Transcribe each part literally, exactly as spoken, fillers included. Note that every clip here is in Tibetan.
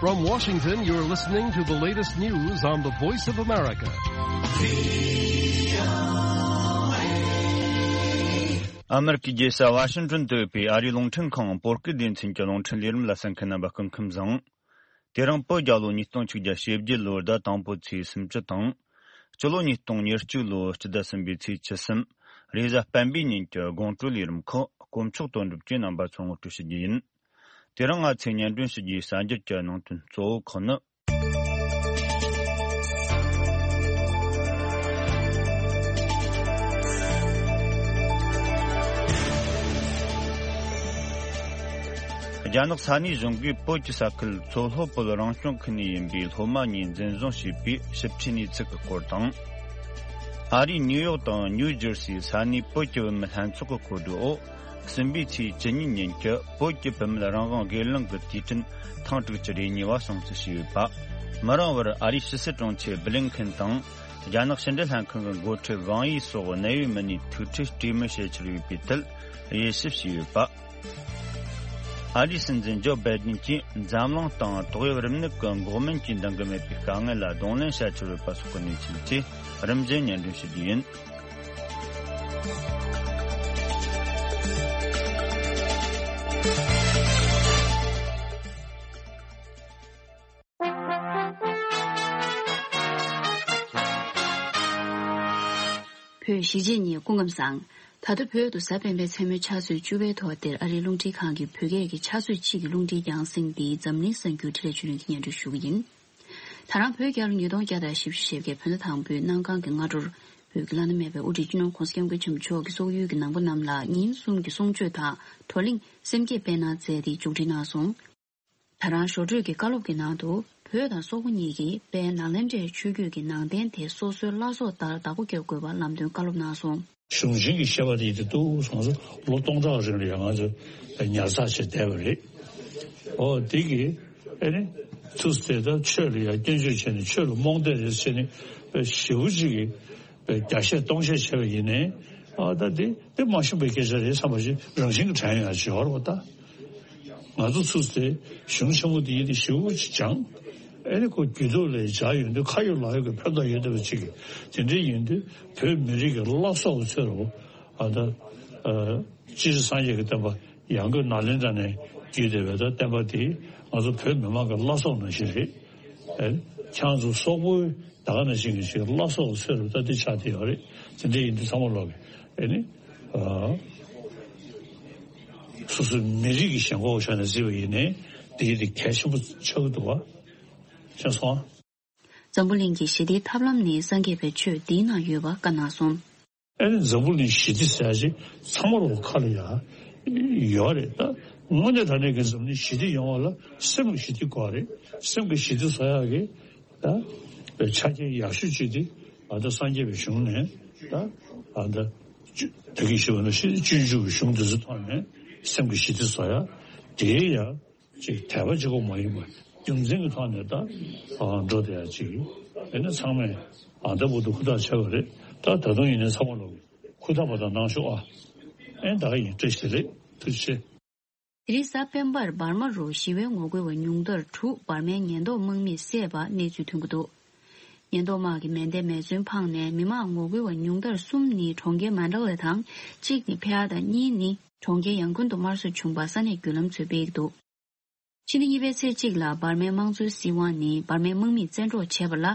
From Washington, you're listening to the latest news on the Voice of America. ཨ་མེ་རི་ཀའི་རྒྱལ་ས་ཝ་ཤིང་ཏོན་དུ་ཡོད་པའི་ཨ་རིའི་རླུང་འཕྲིན་ཁང་བོད་སྐད་སྡེ་ཚན་གྱི་རླུང་འཕྲིན་ལས་རིམ་ལ་གསན་མཁན་རྣམ་པ་སྐུ་ཁམས་བཟང་། དེ་རིང་བོད་རྒྱལ་ལོ་ཉིས་སྟོང་ཆིག་བརྒྱ་ཞེ་བརྒྱད་ལོའི་ཟླ་དང་པོའི་ཚེས་སུམ་ཅུ་དང་། སྤྱི་ལོ་ཉིས་སྟོང་ཉེར་གཅིག་ལོའི་སྤྱི་ཟླ་གསུམ་པའི་ཚེས་བཅུ་གསུམ། རེས་གཟའ་སྤེན་པའི་ཉིན་གྱི་དགོང་དྲོའི་ལས་རིམ་ཁག་དཀོན་མཆོག་དོན་གྲུབ་ཀྱིས་རྣམ་པ་ཚོར་ངོ་སྤྲོད་ཞུ་རྒྱུ་ཡིན། དེ་རིང་ང་ཚོས་སྙན་སྒྲོན་ཞུ་རྒྱུའི་གསར་འགྱུར་གྱི་ནང་དོན་གཙོ་བོ་ཁག་ནི། རྒྱ་ནག་ས་གནས་གཞུང་གིས་བོད་ཀྱི་ས་ཁུལ་མཚོ་ལྷོ་བོད་རང་སྐྱོང་ཁུལ་ནས་ཡིན་པའི་སློབ་མ་གཉིས་འཛིན་བཟུང་བྱས་པའི་ཞིབ་ཕྲའི་གནས་ཚུལ་གྱི་སྐོར་དང་། ཨ་རིའི་ནིའུ་ཡོག་དང་ནིའུ་ཇར་སིའི་ས་གནས་བོད་ཀྱི་བུད་མེད་ལྷན་ཚོགས་ཀྱི་གོ་སྒྲིག་འོག་གསུམ་པའི་ཚེས་བཅུ་གཉིས་ཉིན་གྱི་བོད་ཀྱི་བུད་མེད་རང་དབང་སྒེར་ལངས་ཀྱི་དུས་དྲན་ཐེངས་དྲུག་ཅུ་རེ་གཉིས་པ་སྲུང་བརྩི་ཞུས་ཡོད་པ། མི་རིང་བར་ཨ་རིའི་ཕྱི་སྲིད་དྲུང་ཆེ་བྷི་ལིན་ཁིན་དང་། རྒྱ་ནག་ཕྱི་འབྲེལ་ལྷན་ཁང་གི་འགོ་ཁྲིད་ཝང་ཡི་སོགས་གནད་ཡོད་མི་སྣའི་ཐུག་འཕྲད་གྲོས་མོལ་བྱེད་འཆར་ཡོད་པའི་ཐད་དབྱེ་ཞིབ་བྱས་ཡོད་པ། ཨ་རིའི་སྲིད་འཛིན་ཇོ་བྷའི་ཌེན་གྱིས་འཛམ་གླིང་སྟེང་ཏོག་དབྱིབས་རིམས་ནད་ཀྱི་འགོག་སྨན་གྱིས་འདང་གི་མེད་པའི་དཀའ་ངལ་ལ་གདོང་ལེན་བྱ་འཆར་ཡོད་པ་སོགས་ཀྱི་གནས་ཚུལ་བཅས་རིམ་བཞིན་སྙན་སྒྲོན་ཞུ་རྒྱུ་ཡིན། བོད་གཞིས་བྱེས་གཉིས་སྐུ་ཁམས་བཟང་། ད་ལྟ་བོད་དུ་གཟའ་སྤེན་པའི་མཚན་མོའི་ཕྱག་ཚོད་བཅུ་པའི་ཐོག་འདིར་ཨ་རིའི་རླུང་འཕྲིན་ཁང་གི་བོད་སྐད་ཀྱི་ཕྱག་ཚོད་གཅིག་གི་རླུང་འཕྲིན་རྒྱང་སྲིང་འདི་འཛམ་གླིང་གསར་འགྱུར་འཕྲིན་ལས་ཆོས་སྒྲོན་གྱིས་སྙན་སྒྲོན་ཞུ་གི་ཡིན། ད་རང་བོད་རྒྱལ་ལོ་ཉིས་སྟོང་བརྒྱ་དང་བཞི་བཅུ་ཞེ་བརྒྱད་བོད་ཟླ་དང་པོའི་གནམ་གང་གི་སྔ་དྲོར། བོད་ཀྱི་བླ་ན་མེད་པའི་དབུ་ཁྲིད་སྤྱི་ནོར་༧གོང་ས་༧སྐྱབས་མགོན་ཆེན་པོ་མཆོག་གིས་སོག་ཡུལ་གྱི་ནང་པ་རྣམས་ལ་ཉིན་གསུམ་གྱི་གསུང་ཆོས་དང་བགྲོ་གླེང་སེམས་བསྐྱེད་སྤེལ་གནང་མཛད་དེ་མཇུག་སྒྲིལ་གནང་སོང་། ད་རང་ཞོགས་དྲོས་ཀྱི་བཀའ་སློབ་ཀྱི་ནང་དུ་བོད་དང་སོག་པོ་གཉིས་ཀྱིས་དཔལ་ནཱ་ལེནྡྲའི་ཆོས་བརྒྱུད་ཀྱི་ནང་རྟེན་དེ་སོ་སོའི་བླ་སྲོག་ལྟར་བདག་པོ་བརྒྱབ་དགོས་པར་ལམ་སྟོན་བཀའ་སློབ་གནང་སོང་། གཞུང་ཆེན་གྱི་བཤད་པ་དེ་ཡིན་དུས་འདུག་སོང་ཙང་ལོ་སྟོང་ཕྲག་རིང་ལ་ཡང་ང་ཚོ་ཉར་ཚགས་བྱས་བསྡད་པ་རེད། ཨོ་དེ་གི་ཨེ་ནི་ཚུར་དེ་ལྟར་ཆོས་ལ་ཡང་སྐྱོན་བརྗོད་བྱས་ནས་ཆོས་ལ་རྨོངས་དད་རེད་བྱས་ནས་ཞེ་པོ་ཅིག་གི་བརྒྱ་བཤད་སྟོང་བཤད་བྱས་པ་ཡིན་ནའི་ཨ་ད་དེ་དེ་མ་ཤེས་པའི་སྐད་ཆ་རེད་བསམ་པ་ཞིག་རང་བཞིན་གྱི་དྲན་ཡོང་ཡ་ཅིག་ཡོད་རེད་པ་ད། ང་ཚོ་ཚུར་དེ་གཞུང་ཆེན་མོ་དེ་ཡིན་དེ་ཞེ་པོ་ཅིག་སྦྱངས། ཨེ་ནི་ཁོ་རྒྱུད་ཐོག་ལ་སྦྱར་ཡོང་དུས་ཁ་ཡོད་ལག་ཡོད་ཀྱི་ཕན་ཐོགས་ཡོད་བསྡད་པ་ཅིག་གི་དེ་འདྲའི་ཡིན་དུས་བོད་མི་རིགས་ཀྱི་བླ་སྲོག་གི་ཚོད་རུ་ཨ་ད་སྤྱིར་སངས་རྒྱས་ཀྱི་བསྟན་པ་ཡང་སྒོས་ནཱ་ལེནྡྲ་ནས་བརྒྱུད་བསྡད་པའི་ད་བསྟན་པ་དེ་ང་ཚོ་བོད་མི་མང་གི་བླ་སྲོག་ནང་བཞིན་རེད། ཨེ་ཁྱེད་ཚོ་སོག་པོའི་ད་ག་ནང་བཞིན་གྱི་ཅིག་བླ་སྲོག་གི་ཚོད་རུ་ད་འདི་ཆགས་བསྡད་ཡོད་རེད། དེ་འདྲ་ཡིན་དུས་ཚང་མ་ལོག་གི་ཨེ་ནི། སོ་སོའི་མི་རིགས་ཀྱི་ཞེན་ཁོག་ཆ་ནས་བརྩིས་པ་ཡིན་ནའི་འདི་ཡིན་དེ་གལ་ཆེན་པོ་ཆགས་ཀྱི་འདུག་བ། ཤེས་སོང་ཨ། འཛམ་བུ་གླིང་གི་ཞི་བདེའི་ཐབས་ལམ་ནི་སངས་རྒྱས་པའི་ཆོས་འདིའི་ནང་ཡོད་པ་བཀའ་གནང་སོང་། ཨེ་ནི་འཛམ་བུ་གླིང་ཞི་བདེ་ཟེར་ཡ་ཅིག་ཚང་མ་ལོག་ཁ་ལ་ཡ་ཡོད་རེད་ད། དངོས་གནས་དྲང་གནས་ཀྱི་འཛམ་གླིང་ཞི་བདེ་ཡོང་བ་ལ་སེམས་ཀྱི་ཞི་བདེ་དགོས་རེད། སེམས་ཀྱི་ཞི་བདེ་བཟོ་ཡག་གི་ད་ཆ་རྐྱེན་ཡག་ཤོས་ཅིག་དེ་ཨ་ད་སངས་རྒྱས་པའི་གཞུང་ནས་ད་ཨ་ད་ད་གིན་ཞུས་པ་ནང་བཞིན་སྤྱོད་འཇུག་གི་གཞུང་འདི་ཚོ་ཐོག་ནས་སེམས་ཀྱི་ཞི་བདེ་བཟོ་ཡག་དེའི་ཡ། ཅིག་དད་པ་གཅིག་པོ་མ་ཡིན་པར་རྒྱུ་མཚན་གྱི་ཐོག་ནས་ད་འགྲོ་བསྡད་ཡ་ཅིག་ཡིན་ན་ཚང་མས་ཨ་ད་བུ་དུ་ཧུར་ཐག་བྱས་པ་རེད། ད་ད་དུང་ཡིན་ན་ཚང་མ་ལོག་ཧུར་ཐག་པ་དང་གནང་ཤོག་ཨ། ཨེ་ད་ག་ཡིན་བཀྲ་ཤིས་བདེ་ལེགས་ཐུགས་རྗེ་ཆེ། དེ་རིང་གཟའ་སྤེན་པར་འབར་མ་རུ་ཞི་བའི་ངོ་རྒོལ་བ་ཉུང་མཐར་དྲུག་འབར་མའི་ཉེན་རྟོག་དམག་མིས་བསད་པ་གནས་ཚུལ་ཐོན་གྱི་འདུག་ཉེན་རྟོག་དམག་གིས་མེ་མདའི་མེ་མཚོན་འཕངས་ནས་མི་མང་ངོ་རྒོལ་བ་ཉུང་མཐར་གསུམ་ནི་གྲོང་ཁྱེར་མན་ཌ་ལེ་དང་གཅིག་ནི་ཕེ་ཨར་དང་གཉིས་ནི་གྲོང་ཁྱེར་ཡང་ཀུན་དུ་དམར་གསོད་བྱུང་བ་ས་གནས་བརྒྱུད་ལམ་ཚོས་སྤེལ་གྱི་འདུག་ཕྱི་ཟླ་གཉིས་པའི་ཚེས་གཅིག་ལ་འབར་མའི་དམངས་གཙོའི་སྲིད་དབང་ནི་འབར་མའི་དམག་མིས་བཙན་འཕྲོག་བྱས་པ་ལ་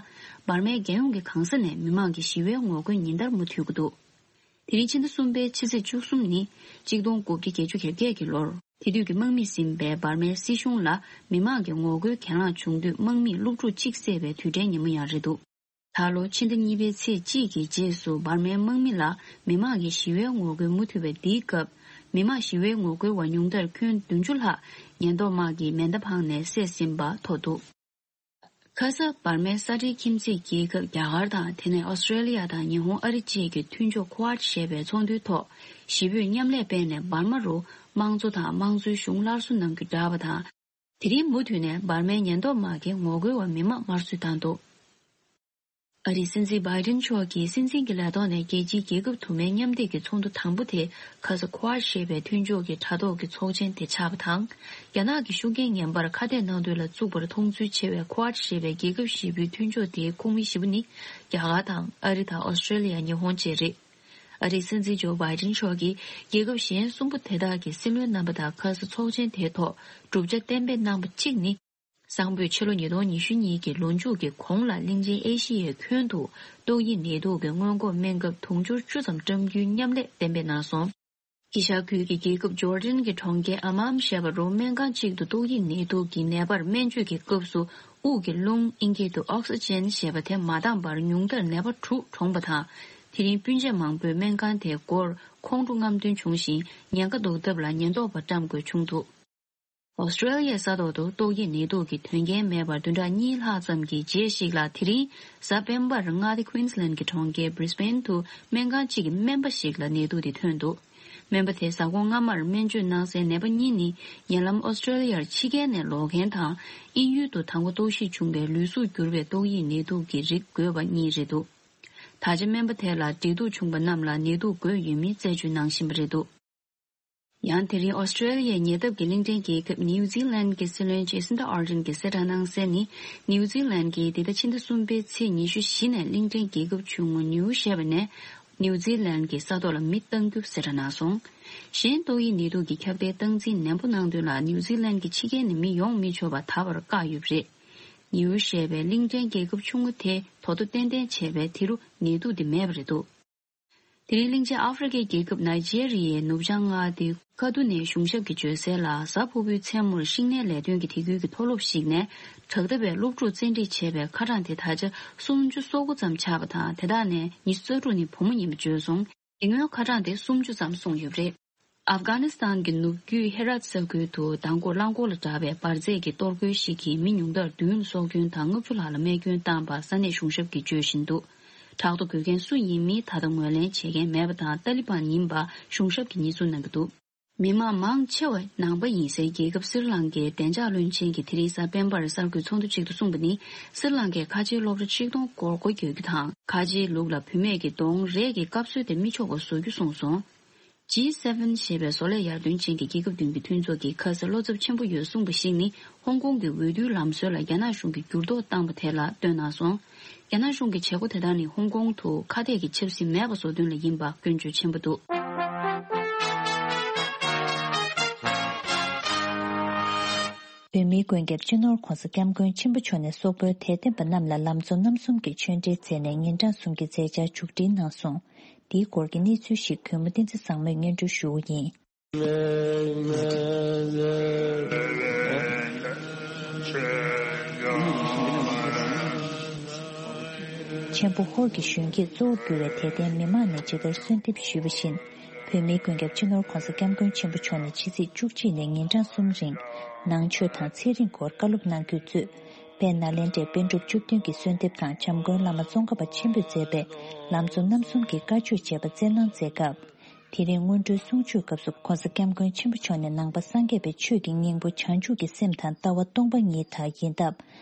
འབར་མའི་རྒྱལ་ཡོངས་ཀྱི་གང་ས་ནས་མི་མང་གི་ཞི་བའི་ངོ་རྒོལ་ཉིན་ལྟར་མུ་མཐུད་ཀྱི་འདུག་དེ་རིང་ཕྱི་ཟླ་གསུམ་པའི་ཕྱི་ཚེས་བཅུ་གསུམ་ཉིན་གཅིག་སྟོང་དགུ་བརྒྱ་བརྒྱད་ཅུ་གྱ་བརྒྱད་ཀྱི་ལོར་དེ་དུས་ཀྱི་དམག་མིས་ཟིན་པའི་འབར་མའི་སྲིད་གཞུང་ལ་མི་མང་གི་ངོ་རྒོལ་གྱེན་ལངས་བྱུང་དུས་དམག་མིས་སློབ་ཕྲུག་གཅིག་བསད་པའི་དུས་དྲན་ཉིན་མོ་ཡང་རེད་འདུག་ད་ལོ་ཕྱི་ཟླ་གཉིས་པའི་ཚེས་གཅིག་གི་རྗེས་སུ་འབར་མའི་དམག་མི་ལ་མི་མང་གི་ཞི་བའི་ངོ་རྒོལ་མུ་མཐུད་པའི་འདིའི་སྐབས་མི་མང་ཞི་བའི་ངོ་རྒོལ་བ་ཉུང་མཐར་ཁྱོན་བདུན་ཅུ་ལྷག་ཉེན་རྟོག་དམག་གིས་མེ་མདའ་འཕངས་ནས་བསད་ཟིན་པ་ཐོབ་འདུག་ཁ་ས་འབར་མའི་ས་འབྲེལ་ཁྱིམ་མཚེས་རྒྱལ་ཁབ་རྒྱ་གར་དང་དེ་ནས་ཨོ་སི་ཀྲེ་ལི་ཡ་དང་ཉི་ཧོང་ཨ་རི་བཅས་ཀྱི་མཐུན་ཕྱོགས་ཁོ་ཝཱཌ་ཞེས་པའི་ཚོགས་འདུའི་ཐོག་ཞི་བོས་མཉམ་ལས་སྤེལ་ནས་འབར་མ་རུ་དམངས་གཙོ་དང་དམངས་གཙོའི་གཞུང་སླར་གསོ་གནང་རྒྱུ་བསྒྲགས་པ་དང་། དེ་རིང་མུ་མཐུད་ནས་འབར་མའི་ཉེན་རྟོག་དམག་གིས་ངོ་རྒོལ་བ་མི་མང་དམར་གསོད་བཏང་འདུག་ཨ་རིའི་སྲིད་འཛིན་བྷའི་ཌེན་མཆོག་གིས་སྲིད་འཛིན་གྱི་ལས་ཐོག་ནས་རྒྱལ་སྤྱིའི་རྒྱལ་ཁབ་དུ་མའི་མཉམ་འདེགས་ཀྱི་ཚོགས་འདུ་དང་པོ་དེ་ཁ་ས་Quad་ཞེས་པའི་མཐུན་ཕྱོགས་ཀྱི་དྲ་ཐོག་གི་ཚོགས་ཆེན་དེ་ཆགས་པ་དང་། རྒྱ་ནག་གི་ཤུགས་རྐྱེན་ངན་པར་ཁ་གཏད་གནང་དོན་ལ་བཙུགས་པར་མཐོང་ཚུལ་ཆེ་བའི་Quad་ཞེས་པའི་རྒྱལ་ཁབ་བཞི་པོའི་མཐུན་ཕྱོགས་དེའི་ཁོངས་མི་བཞི་པོ་ནི་རྒྱ་གར་དང་ཨ་རི་དང་ཨོ་སི་ཀྲེ་ལི་ཡ། ཉི་ཧོང་བཅས་རེད། ཨ་རིའི་སྲིད་འཛིན་ཇོ་བྷའི་ཌེན་མཆོག་གིས་རྒྱལ་ཁབ་གཞན་གསུམ་པོ་དེ་དག་གི་སྲིད་བློན་རྣམ་པ་དང་ཁ་ས་ཚོགས་ཆེན་དེའི་ཐོག་གྲུབ་ཆ་གཏན་འབེབས་གནང་པ་གཅིག་ནི། སང་ཕོད་ཕྱི་ལོ་ཉིས་སྟོང་ཉི་ཤུ་གཉིས་ཀྱི་ལོ་མཇུག་གི་གོང་ལ་གླིང་ཆེན་ཨེ་ཤི་ཡའི་ཁྱོན་དུ་ཏོག་དབྱིབས་ནད་དུག་གི་སྔོན་འགོག་སྨན་ཁབ་དུང་ཕྱུར་བཅུ་ཙམ་བཀྲམ་རྒྱུའི་མཉམ་ལས་གཏན་འབེབས་གནང་སོང་། དཀྱིལ་ཤར་ཁུལ་གྱི་རྒྱལ་ཁབ་ཇོར་ཌན་གྱི་གྲོང་ཁྱེར་ཨམ་མཱན་ཞེས་པར་སྨན་ཁང་གཅིག་ཏུ་ཏོག་དབྱིབས་ནད་དུག་གི་ནད་པར་སྨན་བཅོས་ཀྱི་སྐབས་སུ་དབུགས་ཀྱི་རླུང་ཨིན་སྐད་དུ་ཨོག་སི་ཅན་ཞེས་པ་དེ་མ་འདང་བར་ཉུང་མཐར་ནད་པ་དྲུག་གྲོངས་པ་དང་། དེ་རིང་སྤུན་མཆེད་མང་པོས་སྨན་ཁང་དེའི་སྒོར་ཁོང་ཁྲོ་རྔམ་སྟོན་བྱུང་ཞིང་ཉེན་ཁ་ཟློག་ཐབས་ལ་ཉེན་རྟོག་པ་བཀྲམ་དགོས་བྱུང་འདུག་ཨོ་སི་ཀྲེ་ལི་ཡའི་ས་ཐོག་ཏུ་ཏོག་དབྱིབས་ནད་དུག་གི་དོན་རྐྱེན་མེད་པར་བདུན་ཕྲག་གཉིས་ལྷག་ཙམ་གྱི་རྗེས་ཤིག་ལ། དེ་རིང་གཟའ་སྤེན་པར་མངའ་སྡེ་Queensland་གྱི་གྲོང་ཁྱེར་Brisbane་དུ་སྨན་ཁང་གཅིག་གི་སྨན་པ་ཞིག་ལ་ནད་དུག་དེ་ཐོན་འདུག་སྨན་པ་དེས་གཟའ་འཁོར་སྔ་མར་སྨན་བཅོས་གནང་སའི་ནད་པ་གཉིས་ནི་ཉེ་ལམ་ཨོ་སི་ཀྲེ་ལི་ཡར་ཕྱི་རྒྱལ་ནས་ལོག་མཁན་དང་། དབྱིན་ཡུལ་དུ་དང་པོ་རྟོག་ཞིབ་བྱུང་བའི་ལུས་གཟུགས་འགྱུར་བའི་ཏོག་དབྱིབས་ནད་དུག་གི་རིགས་འགོས་པ་གཉིས་རེད་འདུག་ད་ཆ་སྨན་པ་དེ་ལ་འབྲེལ་གཏུག་བྱུང་པ་རྣམས་ལ་ནད་དུག་འགོས་ཡོད་མེད་རྩད་གཅོད་གནང་བཞིན་པ་རེད་འདུག་ཡང་དེ་རིང་ཨོ་སི་ཀྲེ་ལི་ཡའི་ཉེ་འདབས་ཀྱི་གླིང་ཕྲན་རྒྱལ་ཁབ་ནིའུ་ཛི་ལན་གྱི་སྲིད་བློན་ཇེ་སིན་ཏ་ཨར་ཌན་གྱིས་གསལ་བསྒྲགས་གནང་གསལ་ནི། ནིའུ་ཛི་ལན་གྱིས་འདི་ཟླ་ཕྱི་ཟླ་གསུམ་པའི་ཚེས་ཉི་ཤུ་བཞི་ནས་གླིང་ཕྲན་རྒྱལ་ཁབ་ཆུང་ངུ་ནིའུ་ཞེས་པ་ནས་ནིའུ་ཛི་ལན་གྱི་ས་ཐོག་ལ་མི་གཏང་རྒྱུ་གསལ་བསྒྲགས་གནང་སོང་། གཞན་ཏོག་དབྱིབས་ནད་དུག་གི་ཁྱབ་གདལ་སྟངས་འཛིན་ནན་པོ་གནང་དོན་ལ་ནིའུ་ཛི་ལན་གྱི་ཕྱི་རྒྱལ་ནས་མི་ཡོང་མི་ཆོག་པ་ད་བར་བཀག་ཡོད་པ་རེད། ནིའུ་ཞེས་པའི་གླིང་ཕྲན་རྒྱལ་ཁབ་ཆུང་ངུ་དེ་དོ་དོ་ཏན་ཏན་བྱས་པས་དེ་རུ་ནད་དུག་དེ་མེད་པ་རེད་འདུག་དེ་རིང་གླིང་ཆེན་ཨ་ཧྥེ་རི་ཁའི་རྒྱལ་ཁབ་ནཱི་ཇེ་རི་ཡའི་ནུབ་བྱང་མངའ་སྡེ་ཀ་ཏུ་ནའི་གཞུང་ཞབས་ཀྱི་བརྗོད་གསལ་ལ། གཟའ་ཕུར་བུའི་མཚན་མོར་ཤིང་ནད་ལས་དོན་གྱི་དེ་ཁུལ་གྱི་མཐོ་སློབ་ཞིག་ནས་དྲག་འཐབ་པའི་སློབ་ཕྲུག་བཙན་ཁྲིད་བྱས་པའི་ཁ་གྲངས་དེ་ད་ཆ་སུམ་ཅུ་སོ་དགུ་ཙམ་ཆགས་པ་དང་། དེ་དག་ནས་ཉི་ཤུ་རྩ་དྲུག་ནི་བུ་མོ་ཡིན་པ་བརྗོད་སོང་། དེ་སྔོན་ཁ་གྲངས་དེ་སུམ་ཅུ་ཙམ་སོང་ཡོད་པ་རེད། ཨབ་གྷ་ནི་སི་ཐན་གྱི་ནུབ་རྒྱུད་ཧེ་རཱད་ས་ཁུལ་དུ་མདང་དགོང་རླངས་འཁོར་ལ་གྲགས་པའི་འབར་རྫས་ཀྱི་གཏོར་རྒོལ་ཞིག་གིས་མི་ཉུང་མཐར་བདུན་ལ་སྲོག་སྐྱོན་དང་ལྔ་བཅུ་ལྷག་ལ་རྨས་སྐྱོན་བཏང་བ་ས་གནས་གཞུང་ཞབས་ཀྱིས་བརྗོད་བཞིན་འདུག་ཕྲག་དོག་དགོས་མཁན་སུ་ཡིན་མིན་ད་ལྟ་ངོས་ལེན་བྱེད་མཁན་མེད་པ་དང་། ཏཱ་ལི་བན་ཡིན་པ་གཞུང་ཞབས་ཀྱིས་ཉེས་འཛུགས་གནང་གི་འདུག་མི་མང་མང་ཆེ་བ་ནང་པ་ཡིན་སའི་རྒྱལ་ཁབ་སི་རི་ལང་ཀའི་བདེ་འཇགས་བློན་ཆེན་གྱིས་དེ་རིང་གཟའ་སྤེན་པར་གསར་འགོད་ཚོགས་འདུ་ཅིག་ཏུ་གསུངས་པ་ནི། སི་རི་ལང་ཀའི་ཁ་ཆེའི་སློབ་གྲྭ་ཆིག་སྟོང་སྐོར་སྒོ་བརྒྱབ་རྒྱུ་དང་། ཁ་ཆེའི་ལུགས་ལ་བུད་མེད་ཀྱི་གདོང་རས་ཀྱི་བཀབ་སྲོལ་དེ་མི་ཆོག་པ་བཟོ་རྒྱུ་གསུངས་སོང་། ཇི་སེ་ཝེན་ཞེས་པའི་བཟོ་ལས་ཡར་ཐོན་ཅན་གྱི་རྒྱལ་ཁབ་བདུན་གྱི་མཐུན་ཚོགས་ཀྱིས་ཁ་ས་བློ་འཚབ་ཆེན་པོ་ཡོད་གསུངས་པ་ཞིག་ནི། ཧོང་ཀོང་གི་འོས་བསྡུའི་ལམ་སྲོལ་ལ་རྒྱ་ནག་གཞུང་གིས་འགྱུར་ལྡོག་བཏང་པ་དེ་ལ་བཏོན་གནང་སོང་། རྒྱ་ནག་གཞུང་གི་བྱེད་སྒོ་དེ་དག་ནི་ཧོང་ཀོང་དུ་ཁ་གཏད་ཀྱི་ཆབ་སྲིད་མེད་པ་བཟོ་དོན་ལ་ཡིན་པ་སྐྱོན་བརྗོད་ཆེན་པོ་འདུག་བོད་མིའི་མགོན་སྐྱབས་སྤྱི་ནོར་༧གོང་ས་༧སྐྱབས་མགོན་ཆེན་པོ་མཆོག་ནས་སོག་པོའི་དད་ལྡན་པ་རྣམས་ལ་ལམ་གཙོ་རྣམ་གསུམ་གྱི་ཆོས་འབྲེལ་མཛད་ནས་ཉིན་གྲངས་གསུམ་གྱི་མཛད་འཆར་མཇུག་སྒྲིལ་གནང་སོང་། འདིའི་སྐོར་གྱི་གནས་ཚུལ་ཞིག་གུས་མོ་བསྟན་འཛིན་བཟང་མོས་སྙན་སྒྲོན་ཞུ་བ་ཡིན། ཆེན་པོ་ཧོར་གྱི་གཞོན་སྐྱེས་གཙོ་བོར་གྱུར་བའི་དད་ལྡན་མི་མང་ནས་ཇི་ལྟར་གསོལ་འདེབས་ཞུས་པ་བཞིན། བོད་མིའི་མགོན་སྐྱབས་སྤྱི་ནོར་༧གོང་ས་༧སྐྱབས་མགོན་ཆེན་པོ་མཆོག་ནས་ཕྱི་ཚེས་བཅུ་གཅིག་ནས་ཉིན་གྲངས་གསུམ་རིང་ནང་ཆོས་དང་ཚན་རིག་སྐོར་བཀའ་སློབ་གནང་རྒྱུའི་གཙོས། དཔལ་ནཱ་ལེནྡྲའི་པཎ་གྲུབ་བཅུ་བདུན་གྱི་གསོལ་འདེབས་དང་། བྱམས་མགོན་བླ་མ་ཙོང་ཁ་པ་ཆེན་པོས་མཛད་པའི་ལམ་གཙོ་རྣམ་གསུམ་གྱི་བཀའ་ཆོས་བཅས་པ་སྩལ་གནང་མཛད་སྐབས། དེ་རིང་སྔོན་འགྲོའི་གསུང་ཆོས་སྐབས་སུ་༧གོང་ས་༧སྐྱབས་མགོན་ཆེན་པོ་མཆོག་ནས་ནང་པ་སངས་རྒྱས་པའི་ཆོས་ཀྱི་སྙིང་པོ་བྱང་ཆུབ་ཀྱི་སེམས་དང་ལྟ་བ་སྟོང་པ་ཉིད་དག་ཡིན་སྟབས།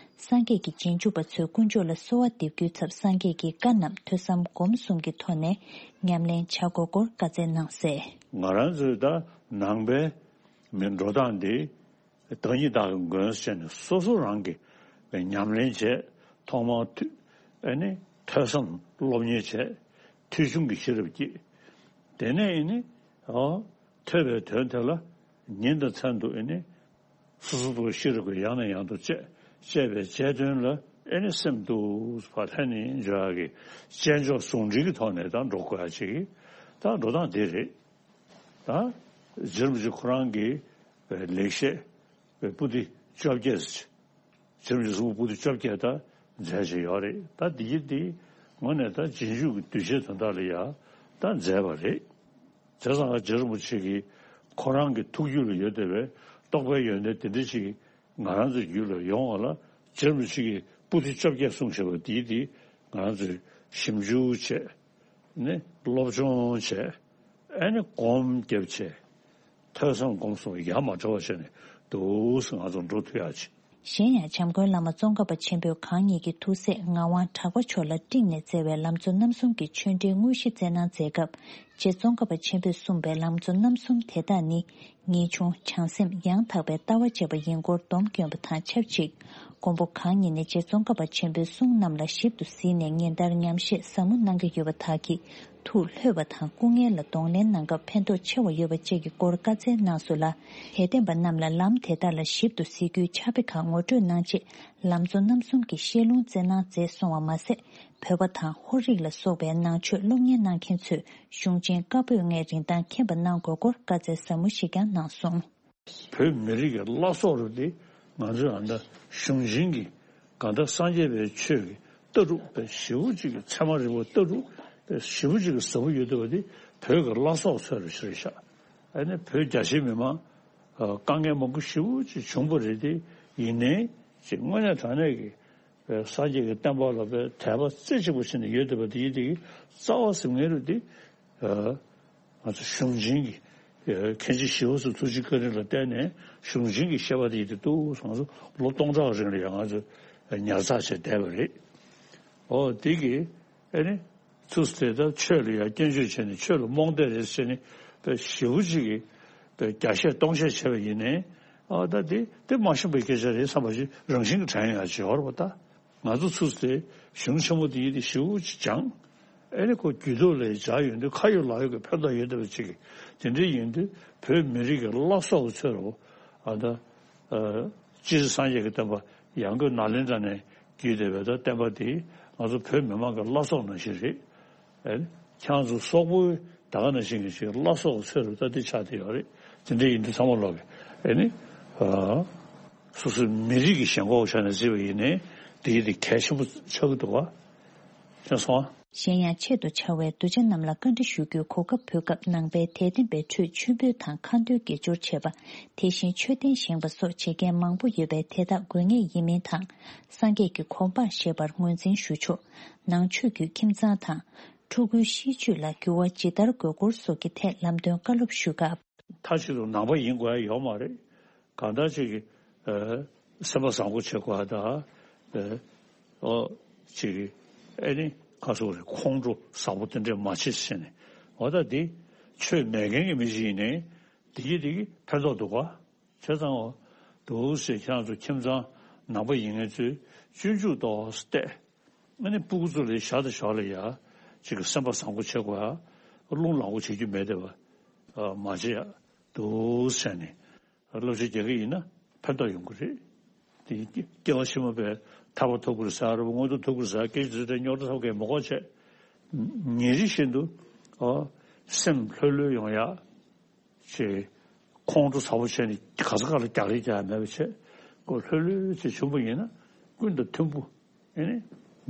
སངས་རྒྱས་ཀྱི་རྗེས་འཇུག་པ་ཚོས་དཀོན་མཆོག་ལ་གསོལ་བ་འདེབས་རྒྱུའི་ཚབ་སངས་རྒྱས་ཀྱི་བཀའ་རྣམས་ཐོས་བསམ་སྒོམ་གསུམ་གྱི་ཐོག་ནས་ཉམས་ལེན་བྱ་དགོས་སྐོར་བཀའ་སྩལ་གནང་གསལ། ང་རང་ཚོའི་ད་ནང་པའི་མི་འགྲོ་སྟངས་འདི། བདག་ཉིད་བདག་གི་མགོན་ཟེར་ནས་སོ་སོ་རང་གི་ཉམས་ལེན་བྱས། ཐོག་མར་ཐུ་ཨེ་ནི་ཐོས་བསམ་སློབ་གཉེར་བྱས། ཐོས་བྱུང་གི་ཤེས་རབ་སྐྱེས། དེ་ནས་ཨེ་ནི་ཨོ་ཐོས་པའི་དོན་དེ་ལ་ཉིན་དང་མཚན་དུ་ཨེ་ནི་སོ་སོ་སོ་ཤེས་རབ་ཀྱི་ཡང་ནས་ཡང་དུ་དཔྱད། དཔྱད་པའི་དཔྱད་དོན་ལ་ཨེ་ནི་སེམས་གཏུགས་པ་ལྷན་ནེ་འབྱོར་ཡག་གི་དཔྱད་འཇོག་ཟུང་འབྲེལ་གྱི་ཐོག་ནས་ད་འགྲོ་དགོས་ཡ་ཅིག་ད་འགྲོ་སྟངས་དེ་རེད། ད་རྗེ་རིན་པོ་ཆེ་ཁོ་རང་གི་ལེགས་བཤད་པའི་པོ་ཏི་བཅོ་བརྒྱད། རྗེ་རིན་པོ་ཆེ་གསུང་པོ་ཏི་བཅོ་བརྒྱད་ད་མཛད་བཞིན་ཡོད་རེད། ད་འདི་གི་འདི་དངོས་གནས་ད་རྗེས་འཇུག་གི་གདུལ་བྱའི་དོན་དག་ལ་ཡ་ད་མཛད་པ་རེད། བྱས་ཙང་རྗེ་རིན་པོ་ཆེ་གི་ཁོ་རང་གི་ཐུགས་རྒྱུད་ལ་ཡོད་བསྡད་པའི་རྟོགས་པའི་ཡོན་ཏན་དེ་འདྲ་ཞིག་ང་རང་ཚོའི་རྒྱུད་ལ་ཡོང་བ་ལ་རྗེ་རིན་པོ་ཆེ་གི་པོ་ཏི་བཅོ་བརྒྱད་གསུངས་བཞག་པ་འདི་འདི་ང་རང་ཚོས་ཞིབ་འཇུག་བྱས་ནས་སློབ་སྦྱོང་བྱས་ཨ་ནི་སྒོམ་རྒྱབ་བྱས། ཐོས་བསམ་སྒོམ་གསུམ་ཡ་མ་བྲལ་བ་བྱས་ནས་འདུག་སེ་ང་ཚོ་འགྲོ་ཐུབ་ཡག་ཅིག་གཞན་ཡང་། བྱམས་མགོན་བླ་མ་ཙོང་ཁ་པ་ཆེན་པོས་གང་ཉིད་ཀྱི་ཐུགས་སྲས་ངག་དབང་གྲགས་པ་མཆོག་ལ་སྤྲིངས་ནས་བསྩལ་བའི་ལམ་གཙོ་རྣམ་གསུམ་གྱི་ཆོས་འབྲེལ་དངོས་གཞི་བསྩལ་གནང་མཛད་སྐབས། རྗེ་ཙོང་ཁ་པ་ཆེན་པོས་གསུངས་པའི་ལམ་གཙོ་རྣམ་གསུམ་དེ་དག་ནི། ངེས་འབྱུང་། བྱང་སེམས། ཡང་དག་པའི་ལྟ་བ་བཅས་པ་ཡིན་སྐོར་སྡོམ་བསྐྱོན་པ་དང་ཆབས་ཅིག། མགོན་པོ་གང་ཉིད་ནས་རྗེ་ཙོང་ཁ་པ་ཆེན་པོའི་གསུང་རྣམས་ལ་ཞིབ་ཏུ་གཟིགས་ནས་ཉིན་ལྟར་ཉམས་བཞེས་ཟབ་མོ་གནང་གི་ཡོད་པ་དག་གིས། ཐུགས་ལྷོད་པ་དང་སྐུ་ངལ་ལ་གདོང་ལེན་གནང་སྐབས་ཕན་ཐོགས་ཆེ་བ་ཡོད་པ་བཅས་ཀྱི་སྐོར་བཀའ་སྩལ་གནང་སོང་ལ། དད་ལྡན་པ་རྣམས་ལ་ལམ་དེ་དག་ལ་ཞིབ་ཏུ་གཟིགས་རྒྱུའི་ཕྱག་དཔེ་ཁག་ངོ་སྤྲོད་གནང་རྗེས། ལམ་གཙོ་རྣམ་གསུམ་གྱི་བཤད་ལུང་སྩལ་གནང་མཛད་སོང་བ་མ་ཟད། བོད་པ་དང་ཧོར་རིགས་ལ་སོགས་པའི་ནང་ཆོས་སློབ་གཉེར་གནང་མཁན་ཚོས་གཞུང་ཆེན་བཀའ་པོད་ལྔའི་རིན་ཐང་མཁྱེན་པ་གནང་དགོས་སྐོར་བཀའ་སྩལ་ཟབ་མོ་ཞིག་ཀྱང་གནང་སོང་། བོད་མི་རིགས་ཀྱི་བླ་སྲོག་རུ་དེ་ང་ཚོས་ཨ་མདའ་གཞུང་ཆེན་གྱི་གང་ལྟར་སངས་རྒྱས་པའི་ཆོས་ཀྱི་ལྟ་གྲུབ་པའི་ཞེ་པོ་ཅིག་གི་ཚད་མ་རིག་པ་ལྟ་གྲུབ་པའི་ཞེ་པོ་ཅིག་གི་ཟབ་པོ་ཡོད་བསྡད་པ་དེ་བོད་ཀྱི་བླ་སྲོག་ཚོས་རུ་ཤེས་རེད་ཤག་ཨ་ནི་བོད་རྒྱ་ཆེའི་མི་མང་དཀའ་ངལ་མང་པོ་ཞེ་པོ་ཅིག་བྱུང་པ་རེད་དེ། ཡིན་ནའི་ཅིག་དངོས་གནས་དྲང་གནས་ཀྱི་སངས་རྒྱས་ཀྱི་བསྟན་པ་ལ་དཔེ་དད་པ་རྩེ་གཅིག་པ་བྱས་ནས་ཡོད་བསྡད་པ་དེ་ཡིན་དེ་གི་རྩ་བ་ཟེར་མཁན་རུ་དེ། ང་ཚོ་གཞུང་ཆེན་གྱི་མཁན་ཆེན་ཞི་བ་འཚོ་ཐུགས་རྗེ་བཀའ་དྲིན་ལ་བརྟེན་ནས་གཞུང་ཆེན་གྱི་བཤད་པ་དེ་ཡིན་དུས་ང་ཚོ་ལོ་སྟོང་ཕྲག་རིང་ལ་ཡང་ང་ཚོ་ཉར་ཚགས་བྱས་བསྡད་པ་རེད། ཨོ་དེ་གི་ཨེ་ནི་ཚུགས་དེ་ལྟར་ཆོས་ལ་ཡང་སྐྱོན་བརྗོད་བྱས་ནས་ཆོས་ལ་རྨོངས་དད་རེད་ཟེར་ནས་དཔེ་ཞེ་པོ་ཅིག་གི་དཔེ་བརྒྱ་བཤད་སྟོང་བཤད་བྱས་པ་ཡིན་ནའི་ཨོ་ད་དེ་དེ་མ་ཤེས་པའི་སྐད་ཆ་རེད་བསམ་པ་ཞིག་རང་བཞིན་གྱི་དྲན་ཡོང་ཡ་ཅིག་ཡོད་རེད་པ་ད། ང་ཚོ་ཚུགས་དེ་གཞུང་ཆེན་མོ་དེ་ཡིན་དེ་ཞེ་པོ་ཅིག་སྦྱངས། ཨེ་ནི་ཁོ་རྒྱུད་ཐོག་ལ་སྦྱར་ཡོང་དུས་ཁ་ཡོད་ལག་ཡོད་ཀྱི་ཕན་ཐོགས་ཡོད་བསྡད་པ་ཅིག་གི་དེ་འདྲའི་ཡིན་དུས་བོད་མི་རིགས་ཀྱི་བླ་སྲོག་གི་ཚོད་རུ་ཨ་ད་སྤྱིར་སངས་རྒྱས་ཀྱི་བསྟན་པ་ཡང་སྒོས་ནཱ་ལེནྡྲ་ནས་བརྒྱུད་བསྡད་པའི་ད་བསྟན་པ་དེ་ང་ཚོ་བོད་མི་མང་གི་བླ་སྲོག་ནང་བཞིན་རེད། ཨེ་ནི་ཁྱེད་ཚོ་སོག་པོའི་ད་ག་ནང་བཞིན་གྱི་ཅིག་བླ་སྲོག་གི་ཚོད་རུ་ད་དེ་ཆགས་བསྡད་ཡོད་རེད། དེ་འདྲའི་ཡིན་དུས་ཚང་མ་ལོག་གི་ཨེ་ནི་སོ་སོའི་མི་རིགས་ཀྱི་ཞེན་ཁོག་ཆ་ནས་བརྩིས་པ་ཡིན་ནའི་དེ་ཡིན་དེ་གལ་ཆེན་པོ་ཆགས་ཀྱི་འདུག་བ། ཤེས་སོང་། གཞན་ཡང་ཆེད་དུ་བཅར་བའི་གདུལ་བྱ་རྣམས་ལ་བཀའ་འདྲི་ཞུ་རྒྱུའི་གོ་སྐབས་ཕུལ་སྐབས་ནང་པའི་དད་ལྡན་པའི་ཁྲོད་མཆོད་འབུལ་དང་ཁ་འདོན་དགེ་སྦྱོར་བྱེད་པ། དེ་བཞིན་མཆོད་རྟེན་བཞེངས་པ་སོགས་བྱེད་མཁན་མང་པོ་ཡོད་པས་དེ་དག་དགོས་ངེས་ཡིན་མིན་དང་། སངས་རྒྱས་ཀྱི་གོ་འཕང་བཞེས་པར་ངོས་འཛིན་ཞུ་ཆོག་ནང་ཆོས་བརྒྱུད་ཁྱིམ་ཚང་དང་། ཕྲུ་གུའི་གཤིས་སྤྱོད་ལ་འགྱུར་བ་ཇི་ལྟར་དགོས་སྐོར་སོགས་ཀྱི་ཐད་ལམ་སྟོན་བཀའ་སློབ་ཞུ་སྐབས། མཐའ་གཅིག་ཏུ་ནང་པ་ཡིན་དགོས་ཡ་ཡོད་མ་རེད། གང་ལྟར་ཅིག་གི་སེམས་པ་བཟང་པོ་བྱེད་དགོས་ཡ་ད། ཨོ་ཅིག་གི་ཨེ་ནི་ཁ་སོག་རེད། ཁོང་ཁྲོ་ཟབ་པོ་དེ་འདྲས་མ་བྱེད་ཟེར་ནས་འོ་ད་འདི་ཆོས་མེད་མཁན་གྱི་མི་ཞིག་ཡིན་ནའི་དེ་གི་དེ་གི་ཕན་ཐོགས་འདུག་ག་བྱས་ཙང་འོ་འདུག་ཟེར་ཁྱེད་རང་ཚོ་ཁྱིམ་ཚང་ནང་པ་ཡིན་མཁན་ཚོས་སྤྱོད་འཇུག་ཏོག་ཙམ་བལྟས། ཨ་ནི་སྤུ་གུ་ཚོ་ལ་ཞར་དང་ཞོར་ལ་ཡ་ཅིག་གི་སེམས་པ་བཟང་པོ་བྱེད་དགོས་ཡ། རླུང་ལངས་པོ་བྱེད་རྒྱུ་མེད་བསྡད་པ་མ་བྱེད་ཡ་འདུག་ཟེར་ནས་བསླབ་བྱ་རྒྱག་གི་ཡིན་ན་ཕན་ཐོགས་ཡོང་གི་རེད། དེ་སྐྱེ་བ་ཕྱི་མ་པའི་ཐར་པ་ཐོབ་དགོས་ཟེར་ར་བ་མངོན་མཐོ་ཐོབ་དགོས་ཟེར་སྐད་ཆ་དེ་འདྲ་རྙོག་དྲ་ཐོག་གས་མ་གོ་བྱས། ཉིན་རེ་བཞིན་དུ་ཨོ་སེམས་ལྷོད་ལྷོད་ཡོང་ཡ། ཅེས་ཁོང་ཁྲོ་ཚ་པོ་བྱས་ནས་ག་ས་ག་ལ་རྒྱག་རེས་རྒྱག་ཡ་མེད་པ་བྱས་ཁོ་ལྷོད་ལྷོད་ཅིག་བྱུང་པ་ཡིན་ན་ཀུན་དང་མཐུན་པོ་ཨེ་ནི་